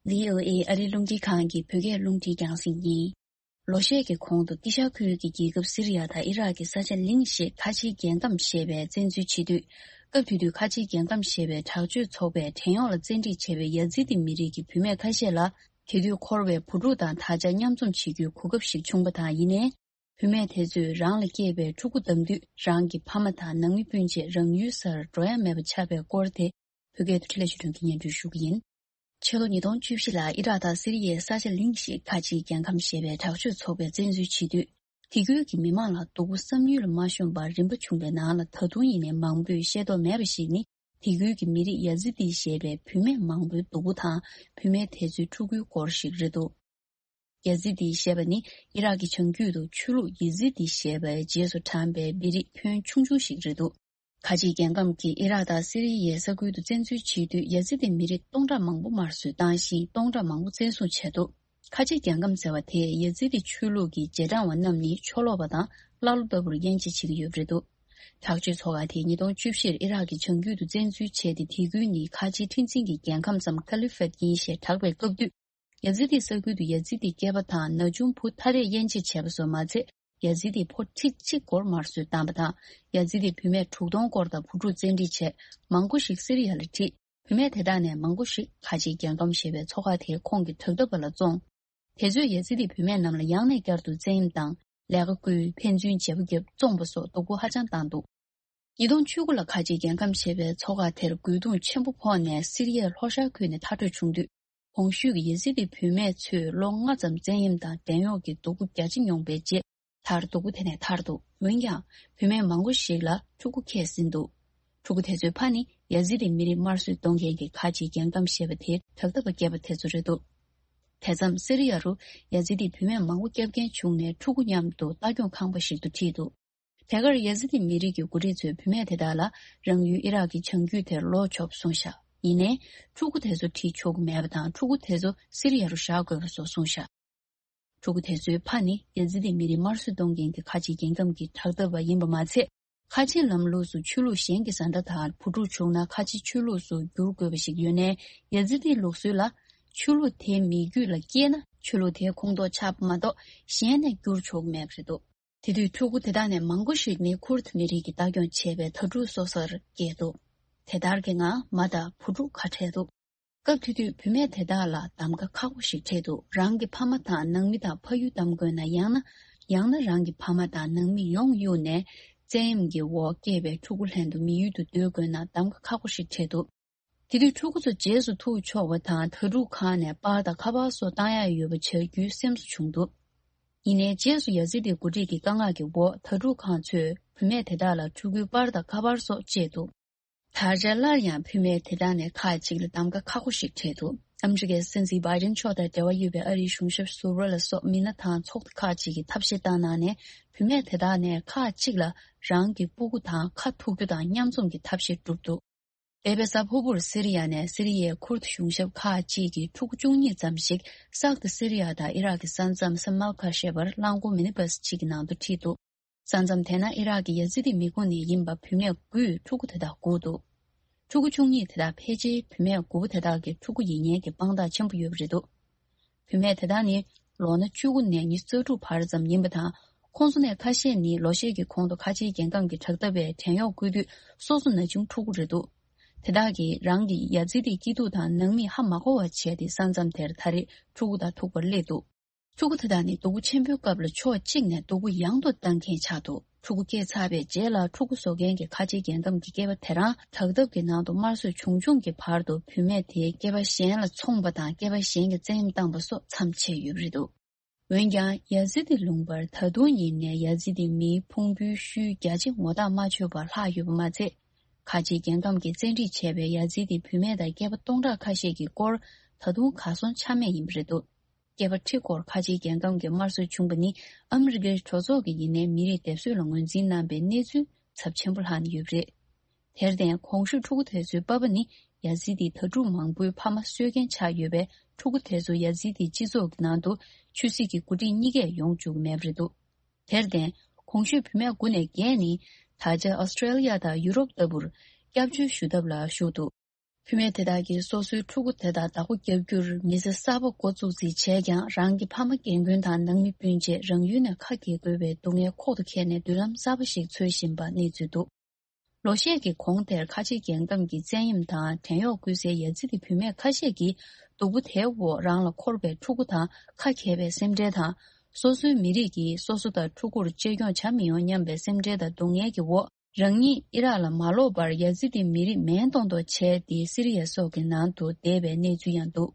བྷི་ཨོ་ཨེ་ཨ་རིའི་རླུང་འཕྲིན་ཁང་གི་བོད་སྐད་རླུང་འཕྲིན་རྒྱང་སྲིང་ཡིན། ལོ་ཤས་ཀྱི་གོང་དུ་ཏི་ཤ་ཁུལ་གྱི་རྒྱལ་ཁབ་སི་རི་ཡ་དང་ཨི་རག་གི་ས་ཆ་གླིང་ཞེས་ཁ་ཆེའི་རྒྱལ་ཁམས་ཞེས་པའི་བཙན་འཛུལ་བྱེད་དུས། སྐབས་དེ་དུས་ཁ་ཆེའི་རྒྱལ་ཁམས་ཞེས་པའི་དྲག་སྤྱོད་ཚོགས་པས་བྲན་གཡོག་ལ་བཙན་ཁྲིད་བྱས་པའི་ཡ་ཛི་ཏི་མི་རིགས་ཀྱི་བུད་མེད་ཁ་ཤས་ལ། དེ་དུས་འཁོར་བའི་བུ་ཕྲུག་དང་ད་ཆ་མཉམ་འཛོམས་བྱེད་རྒྱུའི་གོ་སྐབས་ཤིག་བྱུང་བ་དང་། ཡིན་ནའི། བུད་མེད་དེ་ཚོས་རང་ལ་སྐྱེས་པའི་ཕྲུ་གུ་བདམས་དུས་རང་གི་ཕ་མ་དང་ནང་མི་སྤུན་མཆེད་རང་ཡུལ་སར་འགྲོ་ཡ་མེད་པ་ཆགས་པའི་སྐོར་དེ། བོད་སྐད་དུ་འཕྲིན་ལས་ཆོས་སྒྲོན་གྱིས་སྙན་སྒྲོན་ཞུ་གི་ཡིན། ཕྱི་ལོ་ཉིས་སྟོང་བཅུ་བཞི་ལ་ཨི་རག་དང་སི་རི་ཡའི་ས་ཆ་གླིང་ཞེས་ཁ་ཆེའི་རྒྱལ་ཁམས་ཞེས་པའི་དྲག་སྤྱོད་ཚོགས་པས་བཙན་འཛུལ་བྱེད་དུས། དེ་ཁུལ་གྱི་མི་མང་ལ་སྡུག་པོ་བསམ་ཡུལ་ལ་མ་ཤོང་བར་རིམ་པ་བྱུང་བའི་ནང་ལ། ད་དུང་ཡིན་ནའི་མང་པོས་ཤེས་རྟོགས་མེད་པ་ཞིག་ནི། དེ་ཁུལ་གྱི་མི་རིགས་ཡ་ཛི་ཏི་ཞེས་པའི་བུད་མེད་མང་པོའི་སྡུག་པོ་དང་། བུད་མེད་དེ་ཚོའི་ཕྲུ་གུའི་སྐོར་ཞིག་རེད་འདུག། ཡ་ཛི་ཏི་ཞེས་པ་ནི་ཨི་རག་གི་བྱང་རྒྱུད་དུ་ཆོས་ལུགས་ཡེ་ཛི་ཏི་ཞེས་པའི་རྗེས་སུ་འབྲངས་པའི་མི་རིགས་ཁྱོན་ཆུང་ཆུང་ཞིག་རེད་འདུག། ཁ་ཆེའི་རྒྱལ་ཁམས་ཀྱིས་ཨི་རག་དང་སི་རི་ཡའི་ས་ཁུལ་དུ་བཙན་འཛུལ་བྱེད་དུས། ཡ་ཛི་ཏི་མི་རིགས་སྟོང་ཕྲག་མང་པོ་དམར་གསོད་བཏང་ཞིང་། སྟོང་ཕྲག་མང་པོ་བཙན་བཟུང་བྱས་འདུག། ཁ་ཆེའི་རྒྱལ་ཁམས་ཟེར་བ་དེས་ཡ་ཛི་ཏི་ཆོས་ལུགས་ཀྱི་རྗེས་འབྲང་བ་རྣམས་ནི་ཕྱོགས་ལོག་པ་དང་ཀླ་ཀློ་ལྟ་བུར་དབྱེ་འབྱེད་བྱེད་ཀྱི་ཡོད་པ་རེད་འདུག། དྲག་སྤྱོད་ཚོགས་ཁག་དེས་ཉིས་སྟོང་བཅུ་བཞིར་ཨི་རག་གི་བྱང་རྒྱུད་དུ་བཙན་འཛུལ་བྱས་ཏེ། དེ་ཁུལ་ནི་ཁ་ཆེའི་ཁྲི་འཛིན་གྱི་རྒྱལ་ཁམས་སམ་ཁ་ལི་ཕད་ཡིན་ཞེས་གྲགས་པའི་སྐབས་དུས། ཡ་ཛི་ཏི་ས་ཁུལ་དུ་ཡ་ཛི་ཏི་སྐྱེས་པ་དང་ན་ཆུང་བུ་ཐ་དད་དབྱེ་འབྱེད་བྱས་པ་སོགས་མ་ཚད། ཡ་ཛི་ཏི་ཕོ་ཁྲི་གཅིག་སྐོར་དམར་གསོད་བཏང་བ་དང་། ཡ་ཛི་ཏི་བུད་མེད་དྲུག་སྟོང་སྐོར་དང་བུ་ཕྲུག་བཙན་ཁྲིད་བྱས། མང་པོ་ཞིག་སི་རི་ཡ་ལ་ཁྲིད། བུད་མེད་དེ་དག་ནས་མང་པོ་ཞིག་ཁ་ཆེའི་རྒྱལ་ཁམས་ཞེས་པའི་ཚོགས་ཁག་དེའི་ཁོངས་ཀྱི་དྲག་འཐབ་པ་ལ་བཙོངས། དེ་ཚོས་ཡ་ཛི་ཏི་བུད་མེད་རྣམས་ལ་ཡང་ནས་བསྐྱར་དུ་བཙན་གཡེམ་དང་། ལས་ཀ་བསྐུལ། ཕན་ཚུན་བརྗེ་པོ་བརྒྱབ། བཙོངས་པ་སོགས་སྡུག་པོ་ཧ་ཅང་བཏང་འདུག། ཉིས་སྟོང་བཅུ་དགུ་ལ་ཁ་ཆེའི་རྒྱལ་ཁམས་ཞེས་པའི་ཚོགས་ཁག་དེར་རྒོལ་རྡུང་ཆེན་པོ་ཕོག་ནས་སི་རི་ཡའི་ལྷོ་ཤར་ཁུལ་ནས་མཐར་སྐྲོད་བྱུང་དུས། གོང་ཞུས་ཀྱི་ཡེ་ཟི་ཏི་བུད་མེད་ཚོས་ལོ་ལྔ་ཙམ་བཙན་གཡེམ་དང་བྲན་གཡོག་གི་སྡུག་པོ་རྒྱ་ཆེ་མྱོང་བའི་རྗེས། མཐར་སྡུག་པོ་དེ་ནས་ཐར་འདུག། འོན་ཀྱང་། བུད་མེད་མང་པོ་ཞིག་ལ་ཕྲུ་གུ་སྐྱེས་ཟིན་འདུག། ཕྲུ་གུ་དེ་ཚོའི་ཕ་ནི་ཡ་ཟི་ཏི་མི་རིགས་དམར་གསོད་གཏོང་མཁན་གྱི་ཁ་ཆེའི་རྒྱལ་ཁམས་ཞེས་པ་དེའི་དྲག་འཐབ་པ་སྐྱེས་པ་དེ་ཚོ་རེད་འདུག། དེ་མཚམས་སི་རི་ཡ་རུ་ཡ་ཛི་ཏི་བུད་མེད་མང་པོ་སྐྱབས་རྐྱེན་བྱུང་ནས། ཕྲུ་གུ་མཉམ་དུ་ལྟ་སྐྱོང་ཁང་པ་ཞིག་ཏུ་ཁྲིད་འདུག། དེ་གར་ཡ་ཛི་ཏི་མི་རིགས་ཀྱི་འགོ་ཁྲིད་ཚོས་བུད་མེད་དེ་དག་ལ་རང་ཡུལ་ཨི་རག་གི་བྱང་རྒྱུད་དེར་ལོག་ཆོག་པ་གསུངས་ཤག། ཡིན་ནའི། ཕྲུ་གུ་དེ་ཚོ་ཁྲིད་ཆོག་གི་མེད་པ་དང་། ཕྲུ་གུ་དེ་ཚོ་སི་རི་ཡ་རུ་བཞག་དགོས་པ་སོགས་གསུངས་ཤག། ཕྲུ་གུ་དེ་ཚོའི་ཕ་ནི་ཡ་ཛི་ཏི་མི་རིགས་དམར་གསོད་གཏོང་མཁན་གྱི་ཁ་ཆེའི་རྒྱལ་ཁམས་ཀྱི་དྲག་འཐབ་པ་ཡིན་པ་མ་ཚད། ཁ་ཆེའི་ལམ་ལུགས་སུ་ཆོས་ལུགས་གཞན་གྱི་བཟའ་ཟླ་དང་བུ་ཕྲུག་བྱུང་ན་ཁ་ཆེའི་ཆོས་ལུགས་སུ་བསྒྱུར་དགོས་པ་ཞིག་ཡོད་ནའི། ཡ་ཛི་ཏིའི་ལུགས་སྲོལ་ལ། ཆོས་ལུགས་དེའི་མི་རྒྱུད་ལ་སྐྱེས་ན་ ཆོས་ལུགས་དེའི་ཁོངས་གཏོགས་ཆགས་པ་མ་གཏོགས་གཞན་ནས་བསྒྱུར་ཆོག་གི་མེད་པ་རེད་འདུག་དེ་དུས་ཕྲུ་གུ་དེ་དག་ནས་མང་པོ་ཞིག་ནི་ཁུར་ཐི་མི་རིགས་ཀྱིས་ལྟ་སྐྱོང་བྱས་པའི་དྭ་ཕྲུག་སོ་སོར་སྐྱེས་འདུག་དེ་ལྟར་གྱི་ངང་མ་དང་བུ་ཕྲུག་ཁ་བྲལ་འདུག་སྐབས་དེ་དུས་བུད་མེད་དེ་དག་ལ་གདམ་ག་ཁག་པོ་ཞིག་འཕྲད་འདུག་རང་གི་ཕ་མ་དང་ནང་མི་དང་ཕ་ཡུལ་གདམ་དགོས་ན། ཡང་ན་ཡང་ན་རང་གི་ཕ་མ་དང་ནང་མི་ཡོང་གཡུགས་ནས་བཙན་གཡེམ་གྱི་འོག་སྐྱེས་པའི་ཕྲུ་གུ་ལྷན་དུ་མི་ཡུལ་དུ་སྡོད་དགོས་ན་གདམ་ག་ཁག་པོ་ཞིག་འཕྲད་འདུག་དེ་དུས་ཕྲུ་གུ་ཚོ་རྗེས་སུ་ཐུག་ཆོག་པ་དང་། དྭ་ཕྲུག་ཁང་ནས་པར་དང་ཁ་པར་སོགས་བཏང་ཡག་ཡོད་པ་བྱ་རྒྱུའི་སེམས་གསོ་བྱུང་འདུག་ཡིན་ནའི་རྗེས་སུ་ཡ་ཛི་དི་འགོ་ཁྲིད་ཀྱི་བཀའ་མངགས་ཀྱི་འོག་དྭ་ཕྲུག་ཁང་ཚོས་བུད་མེད་དེ་དག་ལ་ཕྲུ་གུའི་པར་དང་ཁ་པར་སོགས་བཅད་འདུག་ད་ཆ་སླར་ཡང་བུད་མེད་དེ་དག་ནས་ཁག་ཅིག་ལ་གདམ་ག་ཁག་པོ་ཞིག་འཕྲད་འདུག་ཨ་མི་རི་ཀའི་སྲིད་འཛིན་བྷའི་ཌེན་མཆོག་དང་འབྲེལ་བ་ཡོད་པའི་ཨ་རིའི་གཞུང་ཞབས་ཟུར་པ་ལ་སོགས་མི་སྣ་དང་ཚོགས་སྡེ་ཁག་ཅིག་གིས་ཐབས་ཤེས་བཏང་གནང་ནས། བུད་མེད་དེ་དག་ནས་ཁག་ཅིག་ལ་རང་གི་སྤུ་གུ་དང་ཁ་ཐུག་རྒྱུ་དང་མཉམ་འཛོམས་ཀྱི་ཐབས་ཤེས་བསྒྲུབས་འདུག་འདས་པའི་གཟའ་ཕུར་བུར་སི་རི་ཡ་ནས་སི་རི་ཡའི་ཁུར་ཐི་གཞུང་ཞབས་ཁག་ཅིག་གིས་ཕྲུ་གུ་བཅུ་གཉིས་ཙམ་ཞིག་སག་ཏུ་སི་རི་ཡ་དང་ཨི་རག་གི་ས་མཚམས་སི་མལ་ཁ་ཞེས་པར་རླངས་འཁོར་མི་ནི་བྷ་སི་གཅིག་གི་ནང་དུ་ཁྲིད་འདུག་ས་མཚམས་དེ་ན་ཨི་རག་གི་ཡ་ཛི་དི་མི་ཁོངས་ནས་ཡིན་པ་བུད་མེད་དགུས་ཕྲུ་གུ་དེ་དག་སྒུག་འདུག་ཕྲུ་གུ་བཅུ་གཉིས་དེ་དག་ཕལ་ཆེར་བུད་མེད་དགུ་པོ་དེ་དག་གི་ཕྲུ་གུ་ཡིན་ཉེན་གྱི་དཔང་རྟགས་ཆེན་པོ་ཡོད་པ་རེད་འདུག་བུད་མེད་དེ་དག་ནི་ལོ་ན་བཅུ་དགུ་ནས་ཉི་ཤུ་རྩ་དྲུག་བར་ཙམ་ཡིན་པ་དང་། ཁོང་ཚོ་ནས་ཁ་ཤས་ནི་ལོ་ཤས་ཀྱི་གོང་དུ་ཁ་ཆེའི་རྒྱལ་ཁམས་ཀྱི་དྲག་འཐབ་པས་བྲན་གཡོག་བཀོལ་དུས་སོ་སོ་ན་ཆུང་ཕྲུ་གུ་རེད་འདུག་དེ་དག་གིས་རང་གི་ཡ་ཛི་དི་སྐྱིད་སྡུག་དང་ནང་མི་ཧ་མ་གོ་བ་བྱས་ཏེ་ས་མཚམས་དེར་ད་རེས་ཕྲུ་གུ་དང་ཐུག་པར་སླེབས་འདུག་ཕྲུ་གུ་དེ་དག་ནི་སྡུག་པོ་ཆེན་པོའི་སྐབས་ལ་ཕྱོགས་གཅིག་ནས་སྡུག་པོ་ཡང་དུ་བཏང་མཁན་ཆགས་འདུག་ཕྲུ་གུ་སྐྱེས་ཚར་བའི་རྗེས་ལ་ཕྲུ་གུ་བཟོ་མཁན་གྱི་ཁ་ཆེའི་རྒྱལ་ཁམས་ཀྱི་སྐྱེས་པ་དེ་རང་དྲག་འཐབ་ཀྱི་ནང་དུ་དམར་གསོད་བྱུང་བྱུང་གི་བར་དུ་བུད་མེད་དེས་སྐྱེས་པ་གཞན་ལ་འཚོང་པ་དང་སྐྱེས་པ་གཞན་གྱིས་བཙན་གཡེམ་བཏང་པ་སོགས་མཚམས་ཆད་ཡོད་པ་རེད་འདུག་འོན་ཀྱང་ཡ་ཛི་དི་ལུང་པར་ད་དུང་ཡིན་ནའི་ཡ་ཛི་དི་མིའི་ཕུང་པོའི་ཤུལ་རྒྱ་ཆེ་ངོ་ཐག་མ་ཆོད་པར་ལྷག་ཡོད་པ་མ་ཚད། ཁ་ཆེའི་རྒྱལ་ཁམས་ཀྱིས་བཙན་ཁྲིད་བྱས་པའི་ཡ་ཛི་དི་བུད་མེད་དང་སྐྱེས་པ་སྟོང་ཕྲག་ཁ་ཤས་ཀྱི་སྐོར་ད་དུང་གར་སོང་ཆ་མེད་ཡིན་པ་རེད་འདུག་སྐྱེས་པ་ཁྲི་སྐོར་ཁ་ཆེའི་རྒྱལ་ཁམས་ཀྱི་དམར་གསོད་བྱུང་པ་ནི་ཨ་མི་རི་ཀའི་གྲོས་ཚོགས་ཀྱིས་ཡིན་ནའི་མི་རིགས་སྡེབ་གསོད་ལ་ངོས་འཛིན་གནང་པའི་གནས་ཚུལ་ཚབས་ཆེན་པོ་ལྷག་ནས་ཡོད་པ་རེད། དེར་བརྟེན་གོང་ཞུས་ཕྲུ་གུ་དེ་ཚོའི་པ་ཕ་ནི་ཡ་ཛི་དི་དྭ་ཕྲུག་མང་པོའི་ཕ་མ་གསོད་མཁན་ཆགས་ཡོད་པས། ཕྲུ་གུ་དེ་ཚོ་ཡ་ཛི་དི་སྤྱི་ཚོགས་ཀྱི་ནང་དུ་ཆོས་སྲིད་ཀྱི་འགོ་ཁྲིད་གཉིས་ཀས་ཡོང་བཅུག་གི་མེད་པ་རེད་འདུག་དེར་བརྟེན་གོང་ཞུས་བུད་མེད་དགུ་ནས་བརྒྱད་ནི་ད་ཆ་ཨོ་སི་ཀྲེ་ལི་ཡ་དང་ཡུ་རོབ་ལྟ་བུར་སྐྱབས་བཅོལ་ཞུ་ཐབས་ལ་ཞུགས་འདུག་བུད་མེད་དེ་དག་གིས་སོ་སོའི་ཕྲུ་གུ་དེ་དག་བདག་པོ་རྒྱབ་རྒྱུར་མི་ཚེ་གསར་པ་འགོ་བཙུགས་རྩིས་བྱས་ཀྱང་། རང་གི་ཕ་མ་རྒན་རྒོན་དང་ནང་མི་སྤུན་མཆེད་རང་ཡུལ་ནས་ཁ་གྱེས་དགོས་པའི་སྡུག་བསྔལ་ཁོག་ཏུ་འཁྱེར་ནས་མདུན་ལམ་གསར་པ་ཞིག་འཚོལ་བཞིན་པ་གནས་ཚུལ་འདུག་ལོ་ཤས་ཀྱི་གོང་དེར་ཁ་ཆེ་རྒྱལ་ཁམས་ཀྱིས་བཙན་གཡེམ་དང་བྲན་གཡོག་བཀོལ་སའི་ཡ་ཛི་དི་བུད་མེད་ཁ་ཤས་ཀྱིས་སྡུག་པོ་དེའི་འོག་རང་ལ་འཁོར་བའི་ཕྲུ་གུ་དང་ཁ་གྱེས་པའི་སེམས་ཁྲལ་དང་། སོ་སོའི་མི་རིགས་ཀྱིས་སོ་སོ་དང་ཕྲུ་གུར་གཅེས་སྐྱོང་བྱ་མི་ཡོང་སྙམ་པའི་སེམས་ཁྲལ་དང་སྡུག་བསྔལ་གྱི་འོག་རང་ཉིད་ཨི་རག་ལ་མ་ལོག་པར་ཡ་ཛི་དི་མི་རིགས་མེད་མཐོང་མཐོང་བྱས་ཏེ་སི་རི་ཡ་སོགས་ཀྱི་ནང་དུ་བསྡད་པའི་གནས་ཚུལ་ཡང་འདུག་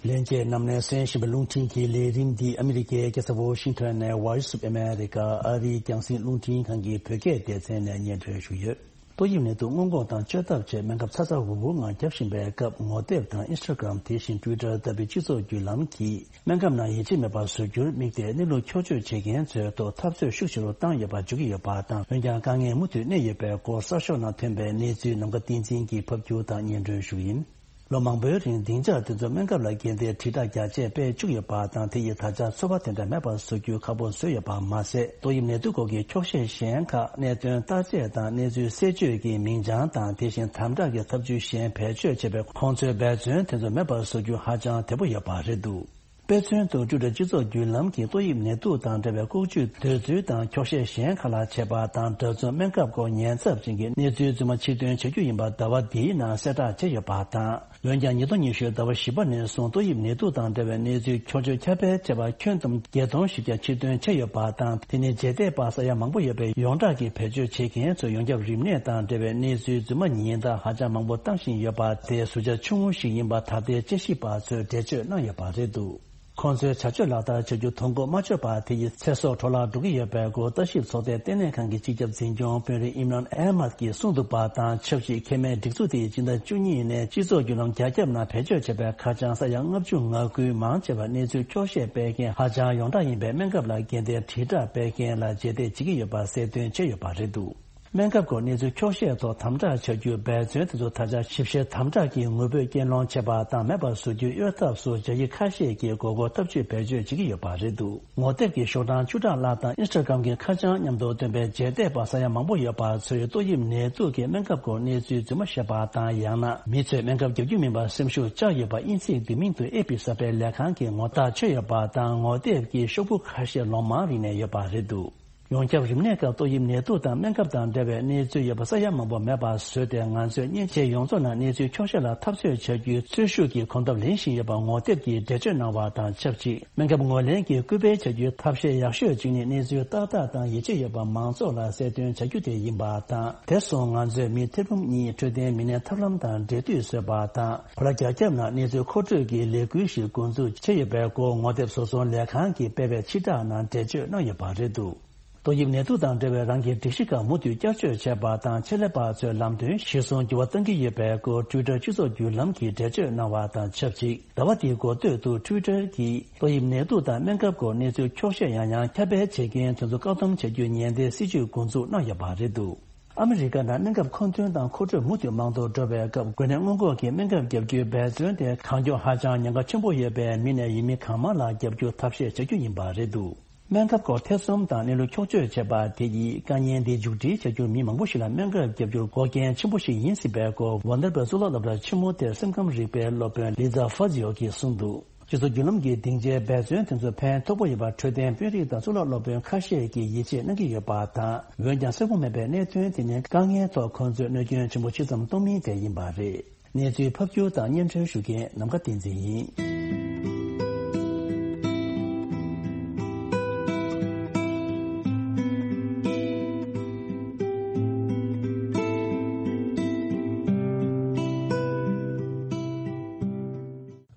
ལྷན་རྒྱས་རྣམས་ནས་གསན་བཞིན་པའི་རླུང་འཕྲིན་གྱི་ལས་རིམ་འདི་ཨ་མི་རི་ཀའི་རྒྱལ་ས་ཝོ་ཤིང་ཊོན་ནས་Voice of America ཨ་རིའི་རྒྱང་སྲིང་རླུང་འཕྲིན་ཁང་གི་བོད་སྐད་སྡེ་ཚན་ནས་སྙན་སྒྲོན་ཞུས་ཡོད། ཏོག་དབྱིབས་ནད་དུག་སྔོན་འགོག་དང་བཅོས་ཐབས་ཆེད་སྨན་ཁབ་ཚ་ཚ་འུར་འུར་ངང་བརྒྱབ་བཞིན་པའི་སྐབས། ངོ་དེབ་དང་Instagram དེ་བཞིན་Twitter ལྟ་བུའི་སྤྱི་ཚོགས་བརྒྱུད་ལམ་གྱིས་སྨན་ཁབ་ནང་ཡིད་ཆེས་མེད་པར་བཟོ་རྒྱུར་དམིགས་ཏེ་གནས་ལུགས་འཁྱོག་བརྗོད་བྱེད་མཁན་ཚོའི་ཐོག་འཐབ་རྩོད་ཤུགས་ཆེ་རུ་བཏང་ཡོད་པ་འཇོག་གི་ཡོད་པ་དང་། འོན་ཀྱང་དཀའ་ངལ་མུ་མཐུད་གནས་ཡོད་པའི་སྐོར་གསར་ཤོག་ནང་ཐོན་པའི་གནས་ཚུལ་ནམ་མཁའ་བསྟན་འཛིན་གྱིས་ཕབ་སྒྱུར་དང་སྙན་སྒྲོན་ཞུ་གི་ཡིན། ལོ་མང་པོའི་རིང་སྡིངས་ཆ་དེ་ཚོ་སྨན་ཁབ་ལ་བརྒྱན་ཏེ་དྲིལ་བསྒྲགས་རྒྱ་ཆེ་སྤེལ་བཅུག་ཡོད་པ་དང་། དེ་ཡིས་ད་ཆ་ཚོར་བ་དེ་འདྲ་མེད་པར་བཟོ་རྒྱུ་ཁག་པོ་བཟོས་ཡོད་པ་མ་ཟད། ཏོག་དབྱིབས་ནད་དུག་སྐོར་གྱི་འཁྱོག་བཤད་གཞན་ཁག་གནད་དོན་བརྟག་དཔྱད་དང་གནས་ཚུལ་གསལ་བརྗོད་ཀྱི་མིང་བྱང་དང་། དེ་བཞིན་དམ་དྲག་གི་ཐབས་ཇུས་གཞན་བེད་སྤྱོད་བྱས་པས། ཁོང་ཚོའི་འབད་བརྩོན་དེ་ཚོ་མེད་པར་བཟོ་རྒྱུ་ཧ་ཅང་དལ་པོ་ཡོད་པ་རེད་འདུག་དཔེ་མཚོན་དུ། Twitter སྤྱི་ཚོགས་བརྒྱུད་ལམ་གྱིས་ཏོག་དབྱིབས་ནད་དུག་དང་འབྲེལ་བའི་ལྐོག་ཇུས་འདོད་ཚུལ་དང་འཁྱོག་བཤད་གཞན་ཁག་ལ་བྱས་པ་དང་། འདྲ་མཚུངས་སྨན་ཁབ་སྐོར་ཉེན་ཚབས་ཅན་གྱི་གནས་ཚུལ་རྫུན་མ་ཕྱིར་འདོན་བྱ་རྒྱུ་ཡིན་པ་ཟླ་བ་འདིའི་ནང་གསལ་བསྒྲགས་བྱས་ཡོད་པ་དང་། འོན་ཀྱང་ཉིས་སྟོང་ཉི་ཤུ་ཟླ་བ་བཞི་པ་ནས་བཟུང་ཏོག་དབྱིབས་ནད་དུག་དང་འབྲེལ་བའི་གནས་ཚུལ་འཁྱོག་བརྗོད་ཁྱབ་སྤེལ་བྱས་པ་ཁྱོན་བསྡོམས་བརྒྱད་སྟོང་བཞི་བརྒྱ་ཕྱིར་འདོན་བྱས་ཡོད་པ་དང་། དེ་ནི་རྗེས་འདེད་པ་ས་ཡ་མང་པོ་ཡོད་པའི་ཡོངས་གྲགས་ཀྱི་བེད་སྤྱོད་བྱེད་མཁན་ཚོས་ཡོངས་ཁྱབ་རིམས་ནད་དང་འབྲེལ་བའི་གནས་ཚུལ་རྫུན་མ་ཉིན་ལྟར་ཧ་ཅང་མང་པོ་བཏང་བཞིན་ཡོད་པ་དེ་ཟུར་བཅད་ཆུང་ངུ་ཞིག་ཡིན་པ་ད་ལྟའི་དཔྱད་ཞིབ་པ་ཚོས་འགྲེལ་བརྗོད་གནང་ཡོད་པ་རེད་འདུག་ཁོང་ཚོའི་བྱ་སྤྱོད་ལག་བསྟར་བྱ་རྒྱུ་དོན་གོ་མ་ཆོད་པ་དེ་ཡིས་ཚེ་སྲོག་འཕྲོ་བརླག་འགྲོ་གི་ཡོད་པའི་སྐོར་ལྟ་ཞིབ་ཚོགས་སྡེ་ལྟེ་གནས་ཁང་གི་སྤྱི་ཁྱབ་འཛིན་སྐྱོང་དཔོན་རིགས་ཨིམ་རཱན་ཨེ་མཱད་ཀྱིས་གསུངས་འདུག་པ་དང་། ཆབ་སྲིད་མཁལ་མའི་སྒྲིག་འཛུགས་དེ་ཡིས་སྤྱི་ཟླ་བཅུ་གཉིས་ནས་སྤྱི་ཚོགས་བརྒྱུད་ལམ་རྒྱ་ཁྱབ་ནང་བེད་སྤྱོད་བྱས་པའི་ཁ་བྱང་ས་ཡ་ལྔ་བཅུ་ང་དགུའི་མང་ཆེ་བ་གནས་ཚུལ་འཁྱོག་བཤད་སྤེལ་མཁན་ཧ་ཅང་ཡོངས་གྲགས་ཡིན་པའི་སྨན་ཁབ་ལ་བརྒྱན་ཏེ་དྲིལ་བསྒྲགས་སྤེལ་མཁན་ལ་རྗེས་འདེད་བྱེད་ཀྱི་ཡོད་པ་གསལ་སྟོན་བྱས་ཡོད་པ་རེད་འདུག་སྨན་ཁབ་སྐོར་གནས་ཚུལ་འཁྱོག་བཤད་ཐོག་དམ་དྲག་བྱ་རྒྱུའི་འབད་བརྩོན་དེ་ཚོ་ད་ཆ་ཞིབ་བཤེར་དམ་དྲག་གིས་ངོ་བོས་རྐྱེན་སློང་བྱས་པ་དང་མེད་པར་བཟོ་རྒྱུའི་གཡོལ་ཐབས་སུ་བྱ་ཡུལ་ཁ་ཤས་ཀྱིས་མགོ་སྐོར་ཐབས་ཇུས་བེད་སྤྱོད་བྱེད་ཀྱི་ཡོད་པ་རེད་འདུག་ངོ་དེབ་ཀྱི་ཤོག་གྲངས་བཅུ་ཕྲག་ལྷག་དང་ཨིན་སི་ཊ་གྷི་རམ་གྱི་ཁ་བྱང་མཉམ་དུ་བཏོན་པའི་རྗེས་འདེད་པ་ས་ཡ་མང་པོ་ཡོད་པ་ཚོས་ཏོག་དབྱིབས་ནད་དུག་གི་སྨན་ཁབ་སྐོར་གནས་ཚུལ་རྫུན་མ་བཤད་པ་དང་། ཡང་ན་མི་ཚོས་སྨན་ཁབ་རྒྱག་རྒྱུ་མིན་པར་སེམས་ཤུགས་བཅག་ཡོད་པ་དབྱིན་ཚིག་འདི་མིང་དུ་ཨེ་པི་གསར་སྤེལ་ལས་ཁང་གིས་ངོ་རྟགས་ཆོད་ཡོད་པ་དང་། ངོ་དེབ་ཀྱི་ཤོག་བུ་ཁ་ཤས་ལོ་མང་རིང་ནས་ཡོད་པ་རེད་འདུག་ཡོངས་ཁྱབ་རིམས་ནད་སྐབས་ཏོག་དབྱིབས་ནད་དུག་དང་སྨན་ཁབ་དང་འབྲེལ་བའི་གནས་ཚུལ་ཡོད་པ་ས་ཡ་མང་པོ་མེད་པ་བཟོས་ཏེ། ང་ཚོས་མཉེན་ཆས་ཡོངས་རྫོགས་ནང་གནས་ཚུལ་འཁྱོག་བཤད་ལ་འཐབ་རྩོད་བྱ་རྒྱུའི་འཚོལ་ཞིབ་ཀྱི་གོམ་སྟབས་ལེན་བཞིན་ཡོད་པ་ངོ་དེབ་ཀྱིས་འགྲེལ་བརྗོད་གནང་བ་དང་ཆབས་ཅིག་སྨན་ཁབ་ངོས་ལེན་གྱི་སྐུལ་སྤེལ་བྱ་རྒྱུའི་ཐབས་ཤེས་ཡག་ཤོས་གཅིག་ནི་གནས་ཚུལ་ཏག་ཏག་དང་ཡིད་ཆེས་ཡོད་པ་མང་ཚོགས་ལ་གསལ་སྟོན་བྱ་རྒྱུ་དེ་ཡིན་པ་དང་། དེ་སོང་ང་ཚོས་མི་ཐེར་འབུམ་གཉིས་འཕྲོད་བསྟེན་མི་སྣའི་ཐབས་ལམ་དང་འབྲེལ་མཐུད་བཟོས་པ་དང་། ཕོ་ལ་རྒྱ་ཁྱབ་ནང་གནས་ཚུལ་མཁོ་སྤྲོད་ཀྱི་ལས་འགུལ་ཞིག་འགོ་འཛུགས་བྱས་ཡོད་པའི་སྐོར་ངོ་དེབ་བཟོ་ཚོང་ལས་ཁང་གིས་སྤེལ་བའི་ཕྱིར་བསྒྲགས་ནང་འགྲེལ་བརྗོད་གནང་ཡོད་པ་རེད་འདུག་ཏོག་དབྱིབས་ནད་དུག་དང་འབྲེལ་བའི་རང་གི་སྒྲིག་གཞི་ཁག་མུ་མཐུད་བསྐྱར་བཅོས་བྱས་པ་དང་། ཆེད་ལས་པ་ཚོས་ལམ་སྟོན་གཞིར་བཟུང་འགྱུར་བ་གཏང་གི་ཡོད་པའི་སྐོར་ཊུའི་ཊར་སྤྱི་ཚོགས་བརྒྱུད་ལམ་གྱིས་འགྲེལ་བརྗོད་གནང་བ་དང་ཆབས་ཅིག་ཟླ་བ་འདིའི་འགོ་སྟོད་དུ་ཊུའི་ཊར་གྱིས་ཏོག་དབྱིབས་ནད་དུག་དང་སྨན་ཁབ་སྐོར་གནས་ཚུལ་འཁྱོག་བཤད་ཡང་ཡང་ཁྱབ་སྤེལ་བྱེད་མཁན་དེ་ཚོ་བཀག་སྡོམ་བྱ་རྒྱུའི་ཉེན་བརྡའི་སྲིད་ཇུས་འགོ་འཛུགས་གནང་ཡོད་པ་རེད་འདུག་ཨ་མི་རི་ཀ་ནང་སྨན་ཁབ་མཁོ་འདོན་དང་མཁོ་སྤྲོད་མུ་མཐུད་མང་དུ་འགྲོ་བའི་སྐབས། འགོས་ནད་སྔོན་འགོག་གི་སྨན་ཁབ་བརྒྱབ་རྒྱུའི་འབད་བརྩོན་དེ་གང་མགྱོགས་ཧ་ཅང་ཉེན་ཁ་ཆེན་པོ་ཡོད་པས། མི་ནས་ཡུལ་མི་གང་མང་ལ་བརྒྱབ་རྒྱུ་ཐབས་ཤེས་བྱ་རྒྱུ་ཡིན་པ་རེད་འདུག་སྨན་ཁབ་སྐོར་ཐེ་ཚོམ་དང་གནས་ལུགས་འཁྱོག་བརྗོད་བྱས་པ་དེ་ཡིས་དཀའ་ངལ་འདི་མཇུག་སྒྲིལ་བྱ་རྒྱུར་མི་མང་པོ་ཞིག་ལ་སྨན་ཁབ་བརྒྱབ་རྒྱུར་འགོག་རྐྱེན་ཆེན་པོ་ཞིག་ཡིན་སྲིད་པའི་སྐོར། ཝན་ཌར་བྷར་གཙུག་ལག་སློབ་གྲྭ་ཆེན་མོ་དེར་སེམས་ཁམས་རིག་པའི་སློབ་དཔོན་ལི་ཛ་ཧྥ་ཛིའོ་གིས་གསུངས་འདུག་སྤྱི་ཚོགས་བརྒྱུད་ལམ་གྱི་སྡིངས་ཆའི་འབད་བརྩོན་དེ་ཚོ་ཕན་ཐོགས་པོ་ཡོད་པར་འཕྲོད་བསྟེན་དཔོན་རིགས་དང་གཙུག་ལག་སློབ་དཔོན་ཁ་ཤས་ཀྱིས་ཡིད་ཆེས་གནང་གི་ཡོད་པ་དང་། འོན་ཀྱང་གསལ་པོ་མེད་པའི་གནད་དོན་དེ་ནི་དཀའ་ངལ་ཐོག་ཁོང་ཚོས་གནོད་སྐྱོན་ཆེན་པོ་ཇི་ཙམ་གཏོང་མིན་དེ་ཡིན་པ་རེད། གནས་ཚུལ་ཕབ་སྒྱུར་དང་སྙན་སྒྲོན་ཞུ་མཁན་ནམ་མཁའ་བསྟན་འཛིན་ཡིན།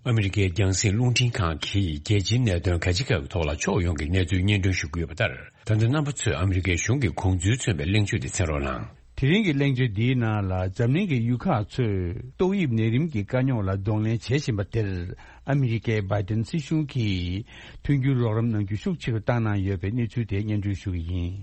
ཨ་མི་རི་ཀའི་རྒྱང་སྲིང་རླུང་འཕྲིན་ཁང་གིས་རྒྱལ་སྤྱིའི་གནད་དོན་ག་ཅི་གའི་ཐོག་ལ་ཕྱོགས་ཡོངས་ཀྱི་གནས་ཚུལ་སྙན་སྒྲོན་ཞུ་གི་ཡོད་པ་ལྟར། ད་ལྟ་རྣམ་པ་ཚོས་ཨ་མི་རི་ཀའི་གཞུང་གི་དགོངས་ཚུལ་མཚོན་པའི་གླེང་བརྗོད་དེ་གསན་རོགས་གནང་། དེ་རིང་གི་གླེང་བརྗོད་འདིའི་ནང་ལ། འཛམ་གླིང་གི་ཡུལ་ཁག་ཚོས་ཏོག་དབྱིབས་ནད་རིམས་ཀྱི་དཀའ་རྙོག་ལ་གདོང་ལེན་བྱེད་བཞིན་པ་དེར། ཨ་མི་རི་ཀའི་བྷའི་ཏིན་སྲིད་གཞུང་གིས་མཐུན་འགྱུར་རོགས་རམ་གནང་རྒྱུ་ཤུགས་ཆེ་རུ་བཏང་གནང་ཡོད་པའི་གནས་ཚུལ་དེ་སྙན་སྒྲོན་ཞུ་གི་ཡིན།